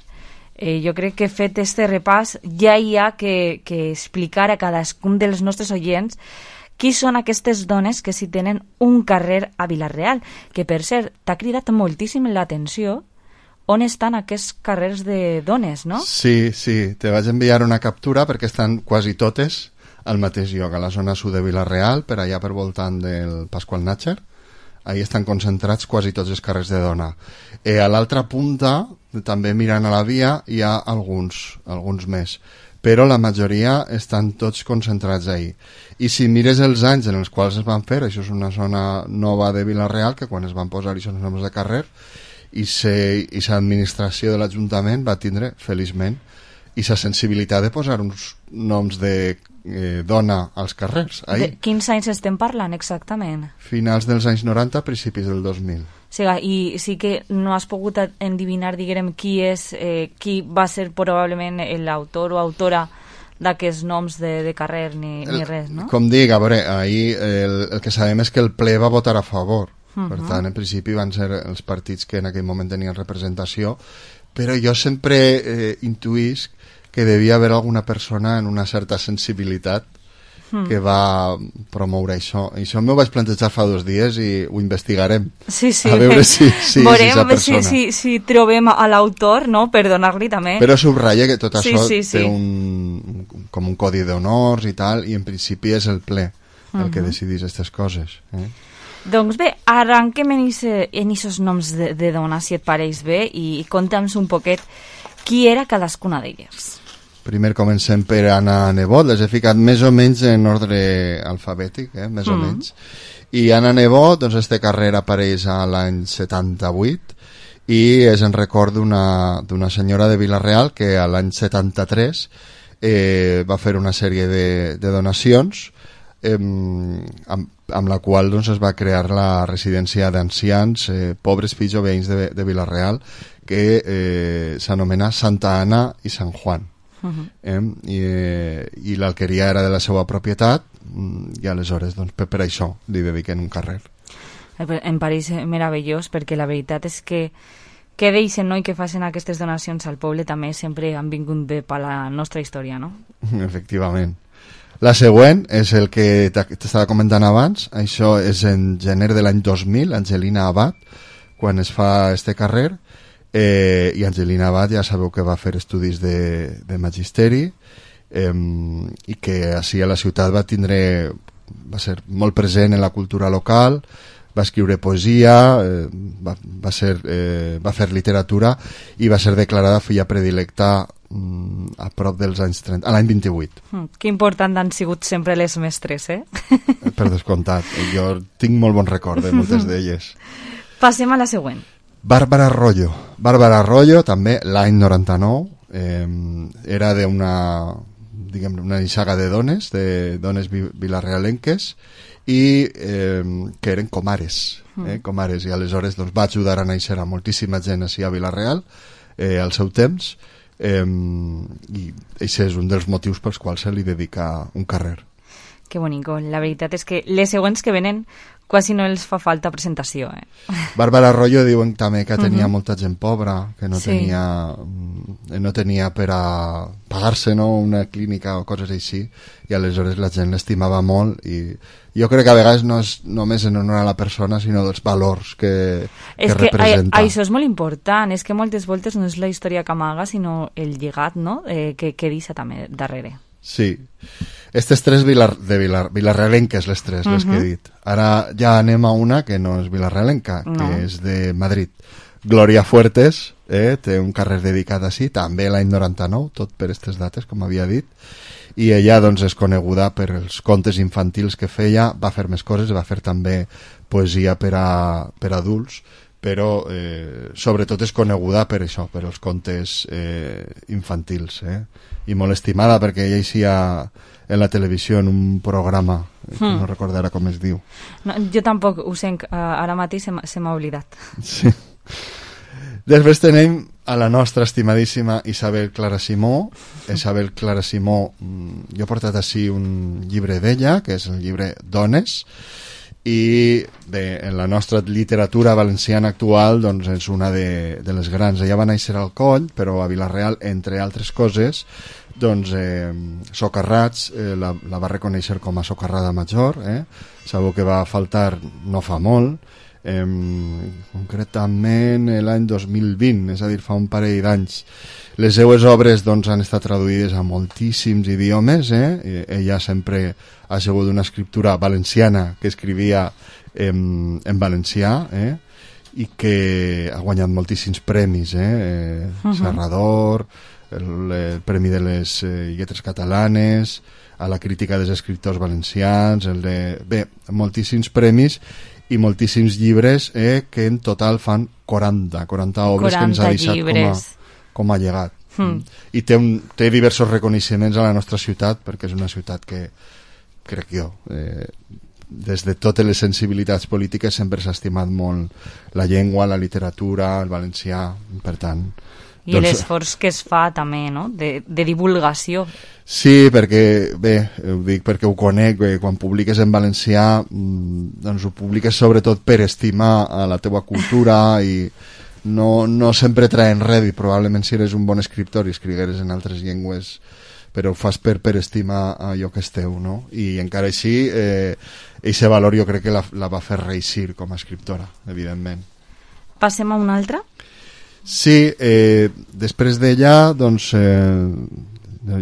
eh, jo crec que fet este repàs ja hi ha que, que explicar a cadascun dels nostres oients qui són aquestes dones que si tenen un carrer a Vila-real, que per cert t'ha cridat moltíssim l'atenció on estan aquests carrers de dones, no? Sí, sí, te vaig enviar una captura perquè estan quasi totes al mateix lloc, a la zona sud de Vila-real, per allà per voltant del Pasqual Natxer. Ahí estan concentrats quasi tots els carrers de dona. Eh, a l'altra punta, també mirant a la via, hi ha alguns, alguns més, però la majoria estan tots concentrats ahí. I si mires els anys en els quals es van fer, això és una zona nova de Vila-real, que quan es van posar hi són noms de carrer, i aquesta administració de l'Ajuntament va tindre, feliçment, i la sensibilitat de posar uns noms de eh, dona als carrers. De quins anys estem parlant exactament? Finals dels anys noranta, principis del dos mil. Sí, i sí que no has pogut endivinar, diguem, qui és, eh, qui va ser probablement l'autor o autora d'aquests noms de, de carrer ni, ni res, no? Com dic, a veure, ahir el, el que sabem és que el ple va votar a favor. Uh-huh. Per tant, en principi van ser els partits que en aquell moment tenien representació, però jo sempre eh, intuïsc que devia haver alguna persona en una certa sensibilitat mm. que va promoure això. I això m'ho vaig plantejar fa dos dies i ho investigarem. Sí, sí. A veure si, si Veurem, és aquesta persona. Si, si, si trobem a l'autor, no?, per donar-li també. Però subratlla que tot això sí, sí, té sí. un, com un codi d'honors i tal, i en principi és el ple el uh-huh. que decidís aquestes coses. Eh? Doncs bé, arranquem en aquests noms de, de dona, si et pareix bé, i conta'ns un poquet qui era cadascuna d'elles. Primer comencem per Anna Nebot, les he ficat més o menys en ordre alfabètic, eh? més mm. o menys. I Anna Nebot, doncs, aquesta carrera apareix a l'any setanta-vuit i és en record d'una senyora de Vila-real que a l'any setanta-tres eh, va fer una sèrie de, de donacions eh, amb, amb la qual doncs, es va crear la residència d'ancians, eh, pobres fills o veïns de, de Vila-real, que eh, s'anomena Santa Anna i Sant Juan. Uh-huh. eh? I, eh, i l'alqueria era de la seva propietat i aleshores doncs, per, per això li dediquen un carrer. Em pareix meravellós perquè la veritat és que que deixen, no?, i que facin aquestes donacions al poble també sempre han vingut bé per la nostra història, no? Efectivament. La següent és el que t'estava comentant abans, això és en gener de l'any dos mil, Angelina Abad, quan es fa este carrer. Eh, i Angelina Abad ja sabeu que va fer estudis de, de magisteri eh, i que així a la ciutat va tindre va ser molt present en la cultura local, va escriure poesia, eh, va, va, ser, eh, va fer literatura i va ser declarada filla predilecta mm, a prop dels anys trenta, a l'any vint-i-vuit. Mm, que important han sigut sempre les mestres, eh? Per descomptat, jo tinc molt bon record de moltes d'elles. Passem a la següent. Bàrbara Arroyo. Bàrbara Arroyo, també l'any noranta-nou, eh, era d'una diguem una nissaga de dones, de dones vilarrealenques, i eh, que eren comares, eh, comares, i aleshores doncs, va ajudar a néixer a moltíssima gent així a Vila-real eh, al seu temps, eh, i això és un dels motius pels quals se li dedica un carrer. Que bonico. La veritat és que les següents que venen quasi no els fa falta presentació. Eh? Bàrbara Arroyo diuen també que tenia uh-huh. molta gent pobra, que no, sí. tenia, no tenia per a pagar-se, no?, una clínica o coses així, i aleshores la gent l'estimava molt, i jo crec que a vegades no és només en honor a la persona, sinó dels valors que, que, que representa. A, això és molt important, és que moltes voltes no és la història que amaga, sinó el lligat, no?, eh, que, que deixa també darrere. Sí. Estes tres vilar, de vilar, vilarrealenques, les tres, uh-huh. les que he dit. Ara ja anem a una que no és vilarrealenca, no. que és de Madrid. Gloria Fuertes, eh, té un carrer dedicat així, també l'any noranta-nou, tot per aquestes dates, com havia dit, i ella doncs, és coneguda per els contes infantils que feia, va fer més coses, va fer també poesia per a, per a adults, però eh, sobretot és coneguda per això, per els contes eh, infantils, eh? I molt estimada perquè ella eixia en la televisió en un programa, que hmm. no recordarà com es diu. No, jo tampoc ho sé, ara mateix se m'ha oblidat. Sí. Després tenim a la nostra estimadíssima Isabel Clara Simó. Isabel Clara Simó, jo he portat així un llibre d'ella, que és el llibre Dones, i bé, en la nostra literatura valenciana actual doncs és una de, de les grans. Ella va néixer al Coll, però a Vila-real, entre altres coses, doncs eh, Socarrats eh, la, la va reconèixer com a socarrada major, eh? Sabeu que va faltar no fa molt, eh, concretament l'any dos mil vint, és a dir, fa un parell d'anys. Les seues obres doncs, han estat traduïdes a moltíssims idiomes, eh? Ella sempre ha sigut una escriptura valenciana que escrivia en, en valencià, eh? I que ha guanyat moltíssims premis, eh? eh uh-huh. Serrador, el, el Premi de les eh, Lletres Catalanes, a la crítica dels escriptors valencians, el de... bé, moltíssims premis i moltíssims llibres eh, que en total fan quaranta, quaranta obres quaranta que ens ha deixat llibres. com a com a llegat. Mm. I té, un, té diversos reconeixements a la nostra ciutat, perquè és una ciutat que, crec jo, eh, des de totes les sensibilitats polítiques sempre s'ha estimat molt la llengua, la literatura, el valencià, per tant, I doncs... l'esforç que es fa també, no?, de, de divulgació. Sí, perquè, bé, ho dic perquè ho conec, bé, quan publiques en valencià, doncs ho publiques sobretot per estimar a la teua cultura i no, no sempre traen res, i probablement si eres un bon escriptor i escrigueres en altres llengües, però ho fas per, per estimar allò que és teu, no? I encara així, eh, aquest valor jo crec que la, la va fer reeixir com a escriptora, evidentment. Passem a una altra? Sí, eh, després d'ella, doncs, eh,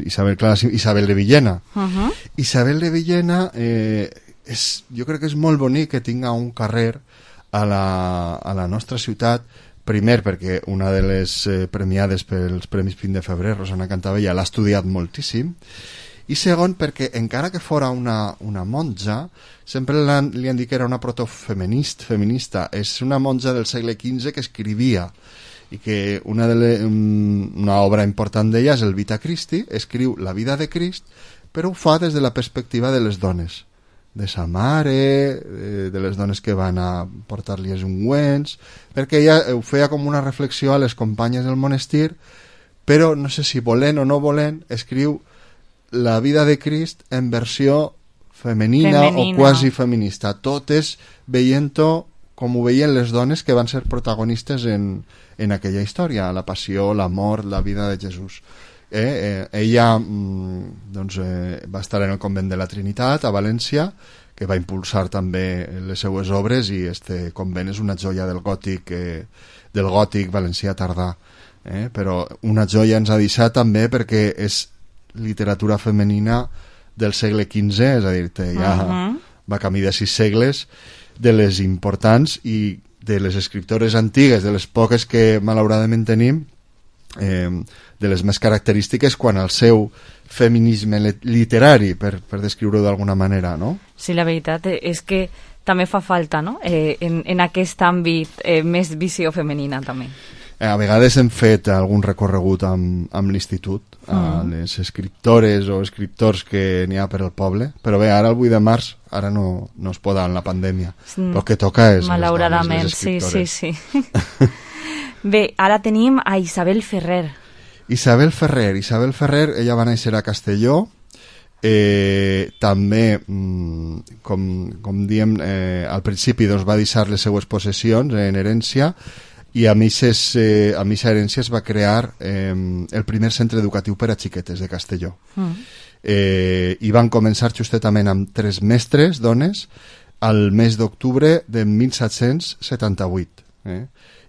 Isabel, clar, Isabel de Villena. Uh-huh. Isabel de Villena, eh, és, jo crec que és molt bonic que tinga un carrer a la, a la nostra ciutat. Primer, perquè una de les eh, premiades pels Premis Vint de Febrer, Rosana Cantabella, l'ha estudiat moltíssim. I segon, perquè encara que fora una, una monja, sempre han, li han dit que era una protofeminista, feminista. És una monja del segle quinze que escrivia, i que una, de le, una obra important d'ella és el Vita Christi, escriu la vida de Crist, però ho fa des de la perspectiva de les dones, de sa mare, de les dones que van a portar-li els ungüents, perquè ella ho feia com una reflexió a les companyes del monestir, però no sé si volent o no volent, escriu la vida de Crist en versió femenina, femenina. o quasi feminista, totes veient-ho com ho veien les dones que van ser protagonistes en, en aquella història, la passió, la mort, la vida de Jesús. Eh, eh, ella mm, doncs, eh, va estar en el convent de la Trinitat a València, que va impulsar també les seues obres, i este convent és una joia del gòtic, eh, del gòtic valencià tardà, eh, però una joia ens ha deixat també perquè és literatura femenina del segle quinze, és a dir, ja uh-huh. va camí de sis segles, de les importants i de les escriptores antigues, de les poques que malauradament tenim, eh, de les més característiques quan el seu feminisme literari, per, per descriure-ho d'alguna manera, no? Sí, la veritat és que també fa falta, no?, eh, en, en aquest àmbit eh, més visió femenina també. Eh, a vegades hem fet algun recorregut amb, amb l'institut, mm. a les escriptores o escriptors que n'hi ha per al poble, però bé, ara el vuit de març, ara no, no es pot en la pandèmia, mm. el que toca és malauradament, les, les sí, sí, sí. Bé, ara tenim a Isabel Ferrer. Isabel Ferrer. Isabel Ferrer, ella va néixer a Castelló, eh, també, mm, com, com diem, eh, al principi doncs, va deixar les seues possessions en herència, i a Misses, eh, a Missa Herència es va crear eh, el primer centre educatiu per a xiquetes de Castelló. Mm. Eh, i van començar justetament amb tres mestres, dones, al mes d'octubre de mil set-cents setanta-vuit. Eh?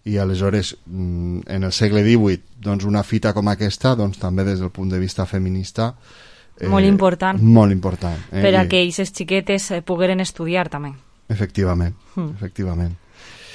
I aleshores, en el segle divuit, doncs una fita com aquesta, doncs també des del punt de vista feminista, eh, molt important. Molt important. Eh? Per a que aquestes xiquetes eh, pogueren estudiar també. Efectivament, mm. efectivament.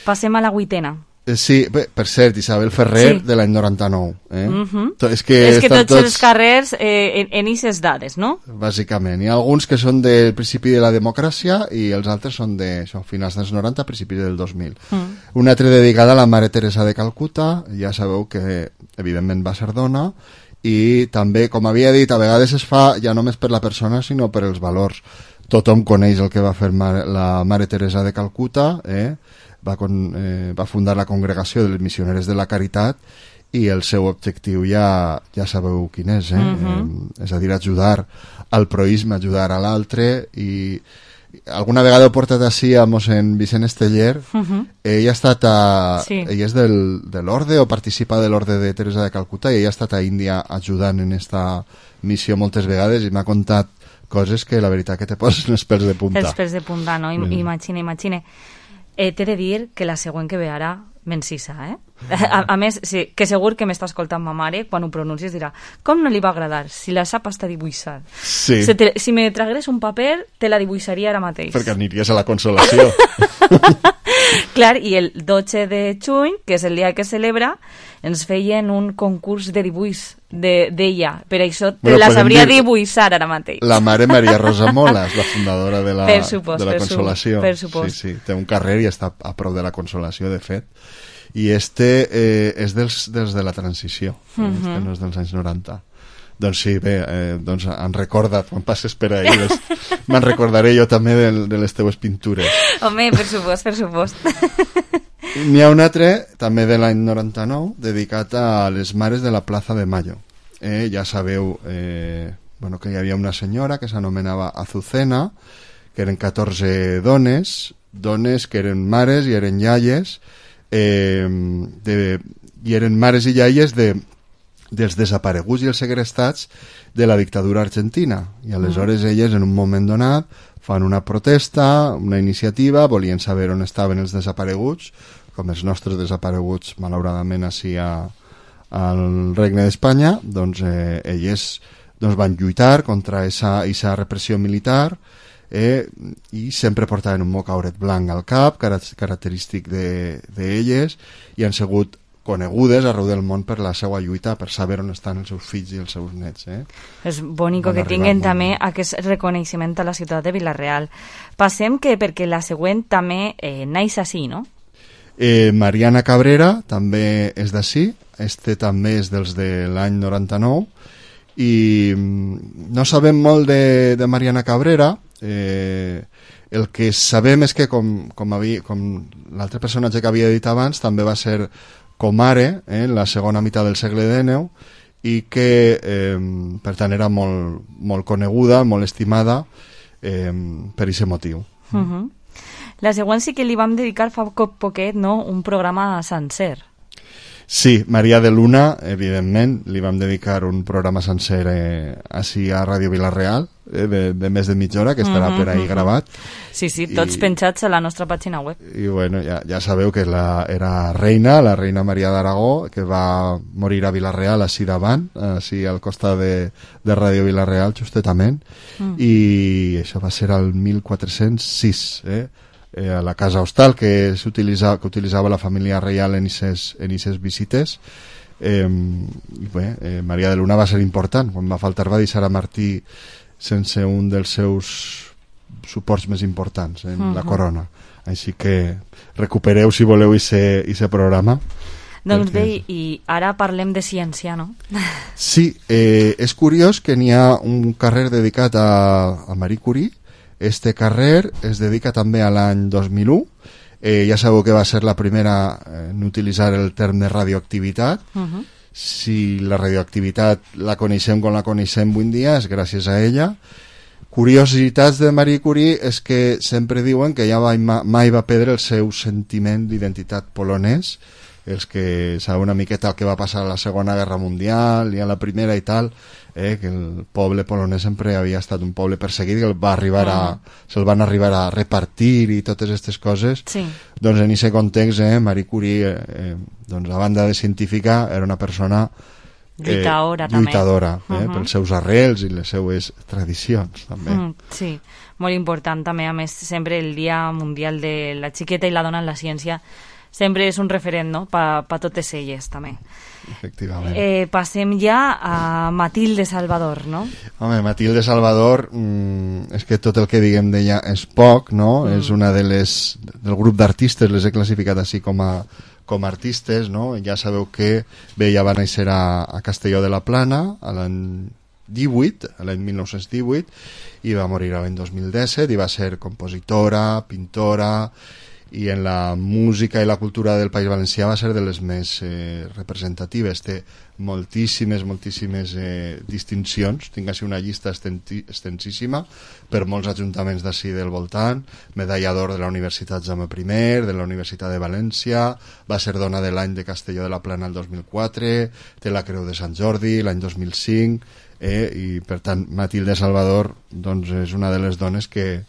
Passem a la vuitena. Eh, sí, bé, per cert, Isabel Ferrer, sí. de l'any noranta-nou. Eh? Mm-hmm. És que, és que tots, tots els carrers eh, en aquestes dades, no? Bàsicament. Hi ha alguns que són del principi de la democràcia i els altres són de això, finals dels noranta, principis del dos mil. Mm. Una altra dedicada a la Mare Teresa de Calcuta, ja sabeu que evidentment va ser dona, i també, com havia dit, a vegades es fa ja només per la persona, sinó per els valors. Tothom coneix el que va fer la Mare Teresa de Calcuta, eh? Va, con, eh, va fundar la Congregació de les Missioneres de la Caritat, i el seu objectiu ja, ja sabeu quin és, eh? Uh-huh. eh? És a dir, ajudar al proïsme, ajudar a l'altre, i alguna vegada he portat així a mossèn Vicent Esteller. Uh-huh. Ell ha estat a... Sí. Ell és del, de l'orde, o participa de l'orde de Teresa de Calcuta, i ell ha estat a Índia ajudant en esta missió moltes vegades, i m'ha contat coses que la veritat que te poses els pèls de punta. Els pèls de punta, no? I, mm. Imagina, imagina. Eh, T'he de dir que la següent que ve ara m'encisa, eh? A, a més, sí, que segur que m'està escoltant ma mare, quan ho pronuncies dirà, com no li va agradar, si la sap hasta dibuixar. Sí. Si, te, si me tragués un paper, te la dibuixaria ara mateix. Perquè aniries a la Consolació. Clar, i el dotze de juny, que és el dia que celebra, ens feien un concurs de dibuix d'ella. De, per això te bueno, la sabria dibuixar ara mateix. La mare Maria Rosa Molas, la fundadora de la, supost, de la Consolació. Per supost. Sí, sí, té un carrer i està a prop de la Consolació, de fet. I este eh, és dels, dels de la transició, uh -huh. este no és dels anys noranta. Doncs sí, bé, eh, doncs han recordat, quan passes per ahí, me'n recordaré jo també de, de les teues pintures. Home, per supost, per supost. N'hi ha un altre, també de l'any noranta-nou, dedicat a les mares de la Plaza de Mayo. Eh, ja sabeu eh, bueno, que hi havia una senyora que s'anomenava Azucena, que eren catorze dones, dones que eren mares i eren iaies, eh, de, i eren mares i iaies de, dels desapareguts i els segrestats de la dictadura argentina. I aleshores elles, en un moment donat, fan una protesta, una iniciativa, volien saber on estaven els desapareguts, com els nostres desapareguts, malauradament, així a, al Regne d'Espanya, doncs eh, elles doncs, van lluitar contra aquesta repressió militar, eh, i sempre portaven un mocauret blanc al cap, característic d'elles, i han sigut conegudes arreu del món per la seva lluita, per saber on estan els seus fills i els seus nets. Eh? És bonico que tinguin també aquest reconeixement a la ciutat de Vila-real. Passem que, perquè la següent també eh, naix així, no? Eh, Mariana Cabrera també és d'ací, este també és dels de l'any noranta-nou, i no sabem molt de, de Mariana Cabrera. Eh, el que sabem és que, com, com, havia, com l'altre personatge que havia dit abans, també va ser comare eh, en la segona meitat del segle dinou, i que eh, per tant era molt, molt coneguda, molt estimada eh, per aquest motiu. Uh-huh. La següent sí que li vam dedicar fa poquet, no?, un programa sencer. Sí, Maria de Luna, evidentment, li vam dedicar un programa sencer eh, així a Ràdio Vila-real, eh, de, de més de mitja hora, que estarà uh-huh, per ahí uh-huh. gravat. Sí, sí, tots I, penjats a la nostra pàgina web. I bueno, ja, ja sabeu que la, era reina, la reina Maria d'Aragó, que va morir a Vila-real així davant, així al costat de, de Ràdio Vila-real, justetament, mm. i això va ser el mil quatre-cents sis, eh? Eh, a la casa hostal que, s'utilitza, que utilitzava la família reial en aquestes visites. Eh, i bé, eh, Maria de Luna va ser important. Quan va faltar va deixar a Martí sense un dels seus suports més importants en uh-huh. la corona. Així que recupereu, si voleu, aquest programa. Doncs bé, i ara parlem de ciència, no? Sí, eh, és curiós que n'hi ha un carrer dedicat a, a Marie Curie. Este carrer es dedica també a l'any dos mil u. Eh, ja sabeu que va ser la primera en utilitzar el terme de radioactivitat. Uh-huh. Si la radioactivitat la coneixem com la coneixem avui en dia és gràcies a ella. Curiositats de Marie Curie és que sempre diuen que ella mai va perdre el seu sentiment d'identitat polonès. Els que saben una miqueta el que va passar a la Segona Guerra Mundial i a la Primera i tal, eh, que el poble polonès sempre havia estat un poble perseguit, que el va arribar a, se'l van arribar a repartir i totes aquestes coses. Sí. Doncs en aquest context, eh, Marie Curie, eh, doncs, a banda de científica, era una persona eh, lluitadora, lluitadora eh, uh-huh. pels seus arrels i les seues tradicions, també. Mm, sí, molt important també, a més, sempre el Dia Mundial de la Xiqueta i la Dona en la Ciència sempre és un referent, no?, per pa totes elles, també. Efectivament. Eh, passem ja a Matilde Salvador, no? Home, Matilde Salvador, mmm, és que tot el que diguem d'ella és poc, no? Mm. És una de les... del grup d'artistes, les he classificat així com a, com a artistes, no? Ja sabeu que bé, ja va néixer a, a Castelló de la Plana, a l'any divuit, a l'any mil nou-cents divuit, i va morir l'any dos mil disset, i va ser compositora, pintora, i en la música i la cultura del País Valencià va ser de les més eh, representatives. Té moltíssimes, moltíssimes eh, distincions. Tinc així una llista extensíssima per molts ajuntaments d'ací del voltant. Medalla d'or de la Universitat Jaume I, de la Universitat de València, va ser dona de l'any de Castelló de la Plana el dos mil quatre, té la Creu de Sant Jordi l'any dos mil cinc, eh, i per tant Matilde Salvador doncs, és una de les dones que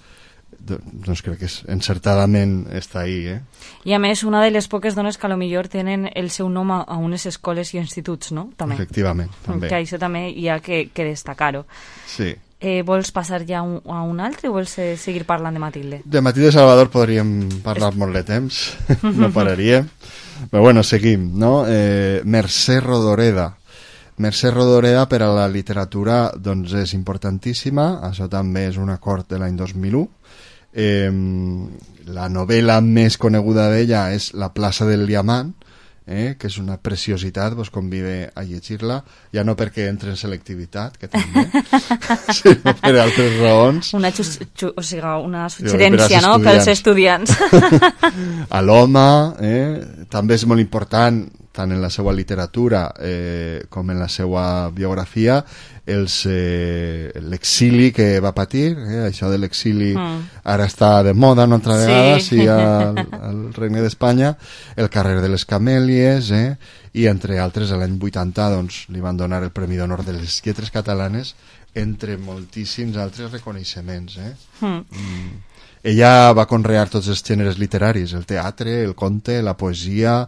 doncs crec que és, encertadament està ahí, eh? I a més, una de les poques dones que a lo millor tenen el seu nom a, a unes escoles i instituts, no? També. Efectivament, també. Que això també hi ha que, que destacar-ho. Sí. Eh, vols passar ja un, a un altre o vols eh, seguir parlant de Matilde? De Matilde Salvador podríem parlar Est... molt de temps, no pararíem. Però bueno, seguim, no? Eh, Mercè Rodoreda. Mercè Rodoreda per a la literatura doncs és importantíssima, això també és un acord de l'any dos mil u. Eh, la novel·la més coneguda d'ella és La plaça del diamant, eh, que és una preciositat, vos convide a llegir-la, ja no perquè entre en selectivitat, que també, sinó per altres raons. Una, xu, xu, o sigui, una suggerència, no?, pels estudiants. A l'home, eh, també és molt important, tant en la seva literatura eh, com en la seva biografia, els, eh, l'exili que va patir, eh, això de l'exili mm. ara està de moda una altra vegada, sí, sí al, al Regne d'Espanya, el carrer de les Camèlies, eh, i entre altres l'any vuitanta doncs, li van donar el Premi d'Honor de les Lletres Catalanes, entre moltíssims altres reconeixements. Eh? Mm. Mm. Ella va conrear tots els gèneres literaris, el teatre, el conte, la poesia,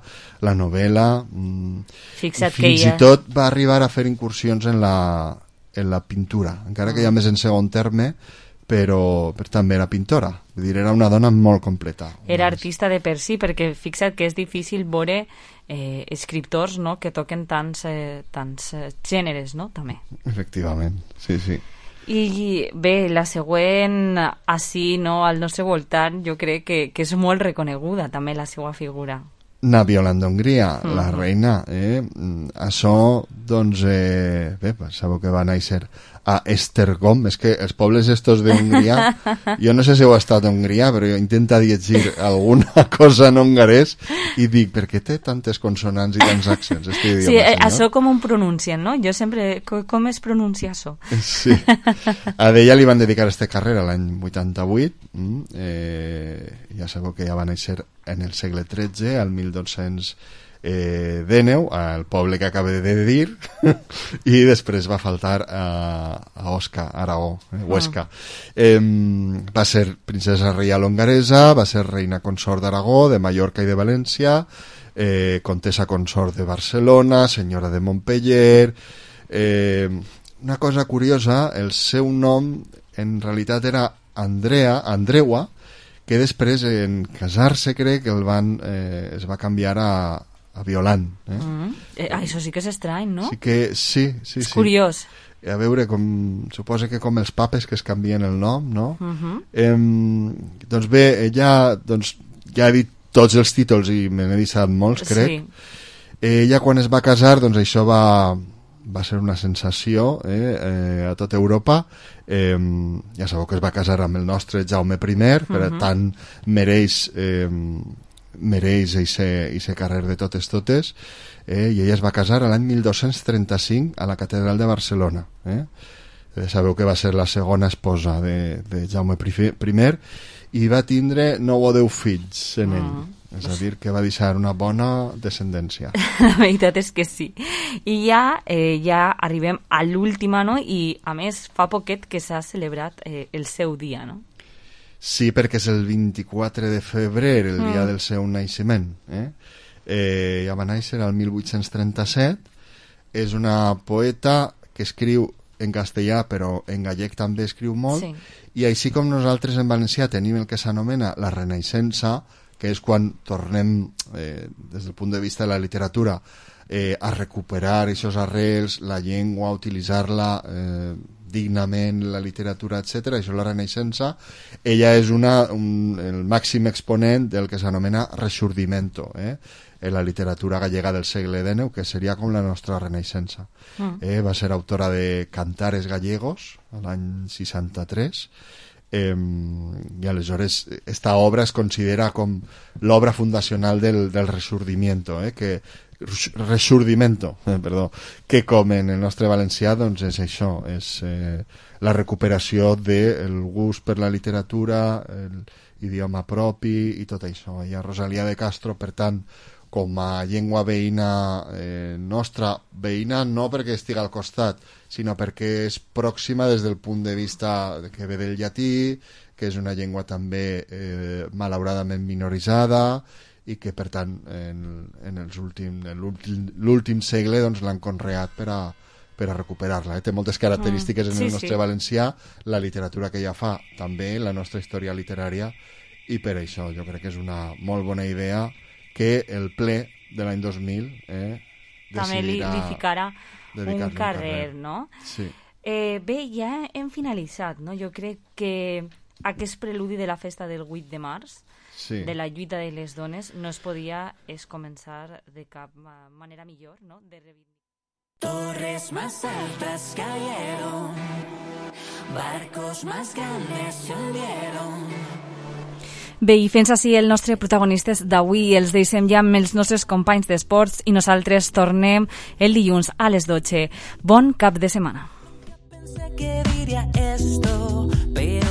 la novel·la. Mm, Fixa't fins que ella... i tot va arribar a fer incursions en la, en la pintura, encara que ja més en segon terme, però, però també era pintora. Vull dir, era una dona molt completa. Era artista de per si, perquè fixa't que és difícil veure eh, escriptors, no?, que toquen tants, eh, tants eh, gèneres, no?, també. Efectivament, sí, sí. I bé, la següent, així, no, al nostre voltant, jo crec que, que és molt reconeguda també la seva figura. Na Violant d'Hongria, mm-hmm. la reina, eh? Això, doncs, eh, bé, sabeu que va néixer a Esztergom, és que els pobles estos d'Hongria, jo no sé si heu estat a Hongria, però jo intento llegir alguna cosa en hongarès i dic, per què té tantes consonants i tants accents? Este idioma, sí, senyor? Això com ho pronuncien, no? Jo sempre, com es pronuncia això? Sí, a ella li van dedicar aquesta carrera l'any vuitanta-vuit, eh, ja sabeu que ja va néixer en el segle tretze, al mil dos-cents Eh, Déneu, al poble que acabo de dir, i després va faltar a, a Osca, Aragó, eh, Huesca. Eh, va ser princesa reial hongaresa, va ser reina consort d'Aragó, de Mallorca i de València, eh, contessa consort de Barcelona, senyora de Montpeller. Eh, una cosa curiosa, el seu nom en realitat era Andrea, Andreua, que després en casar-se crec que el van, eh, es va canviar a a Violant. Eh? Mm. Eh, això sí que és estrany, no? Sí que sí, sí, és sí. curiós. A veure, com, suposa que com els papes que es canvien el nom, no? Uh-huh. Eh, doncs bé, ella doncs, ja ha dit tots els títols i me n'he deixat molts, crec. Sí. Ella quan es va casar, doncs això va, va ser una sensació eh, eh, a tota Europa. Eh, ja sabeu que es va casar amb el nostre Jaume primer, per uh-huh. tant mereix... Eh, mereix aquest carrer de totes totes, eh, i ella es va casar l'any mil dos-cents trenta-cinc a la catedral de Barcelona. Eh? Eh, sabeu que va ser la segona esposa de, de Jaume primer i va tindre nou o deu fills en ell. Mm. És a dir, que va deixar una bona descendència. La veritat és que sí. I ja, eh, ja arribem a l'última, no? I a més fa poquet que s'ha celebrat eh, el seu dia, no? Sí, perquè és el vint-i-quatre de febrer, el mm. dia del seu naixement. Eh? Eh, ja va néixer el mil vuit-cents trenta-set. És una poeta que escriu en castellà, però en gallec també escriu molt. Sí. I així com nosaltres en valencià tenim el que s'anomena la Renaixença, que és quan tornem, eh, des del punt de vista de la literatura, eh, a recuperar aquests arrels, la llengua, a utilitzar-la... Eh, dignament, la literatura, etcètera. Això és la Renaixença. Ella és una, un, el màxim exponent del que s'anomena Resurdimento, eh? en la literatura gallega del segle dinou, que seria com la nostra Renaixença. Mm. Eh? Va ser autora de Cantares gallegos, l'any seixanta-tres, eh, i aleshores esta obra es considera com l'obra fundacional del, del Resurdimiento, eh? que Resurdimento, eh, perdó, que com en el nostre valencià doncs és això, és eh, la recuperació del gust per la literatura, l'idioma propi i tot això. I a Rosalia de Castro, per tant, com a llengua veïna eh, nostra, veïna no perquè estigui al costat, sinó perquè és pròxima des del punt de vista que ve del llatí, que és una llengua també eh, malauradament minoritzada, i que per tant en, en els últim, en l'últim segle doncs, l'han conreat per a, per a recuperar-la. Eh? Té moltes característiques mm, sí, en el nostre sí. valencià, la literatura que ella fa també, la nostra història literària, i per això jo crec que és una molt bona idea que el ple de l'any dos mil eh, també li, li ficarà un carrer, carrer, no? Sí. Eh, bé, ja hem finalitzat, no? Jo crec que aquest preludi de la festa del vuit de març, sí. de la lluita de les dones, no es podia es començar de cap manera millor, no? De reivindicar. Torres más altas cayeron, barcos más grandes se hundieron. Bé, i fins així el nostre protagonistes d'avui. Els deixem ja amb els nostres companys d'esports i nosaltres tornem el dilluns a les dotze. Bon cap de setmana. Pensé que diría esto.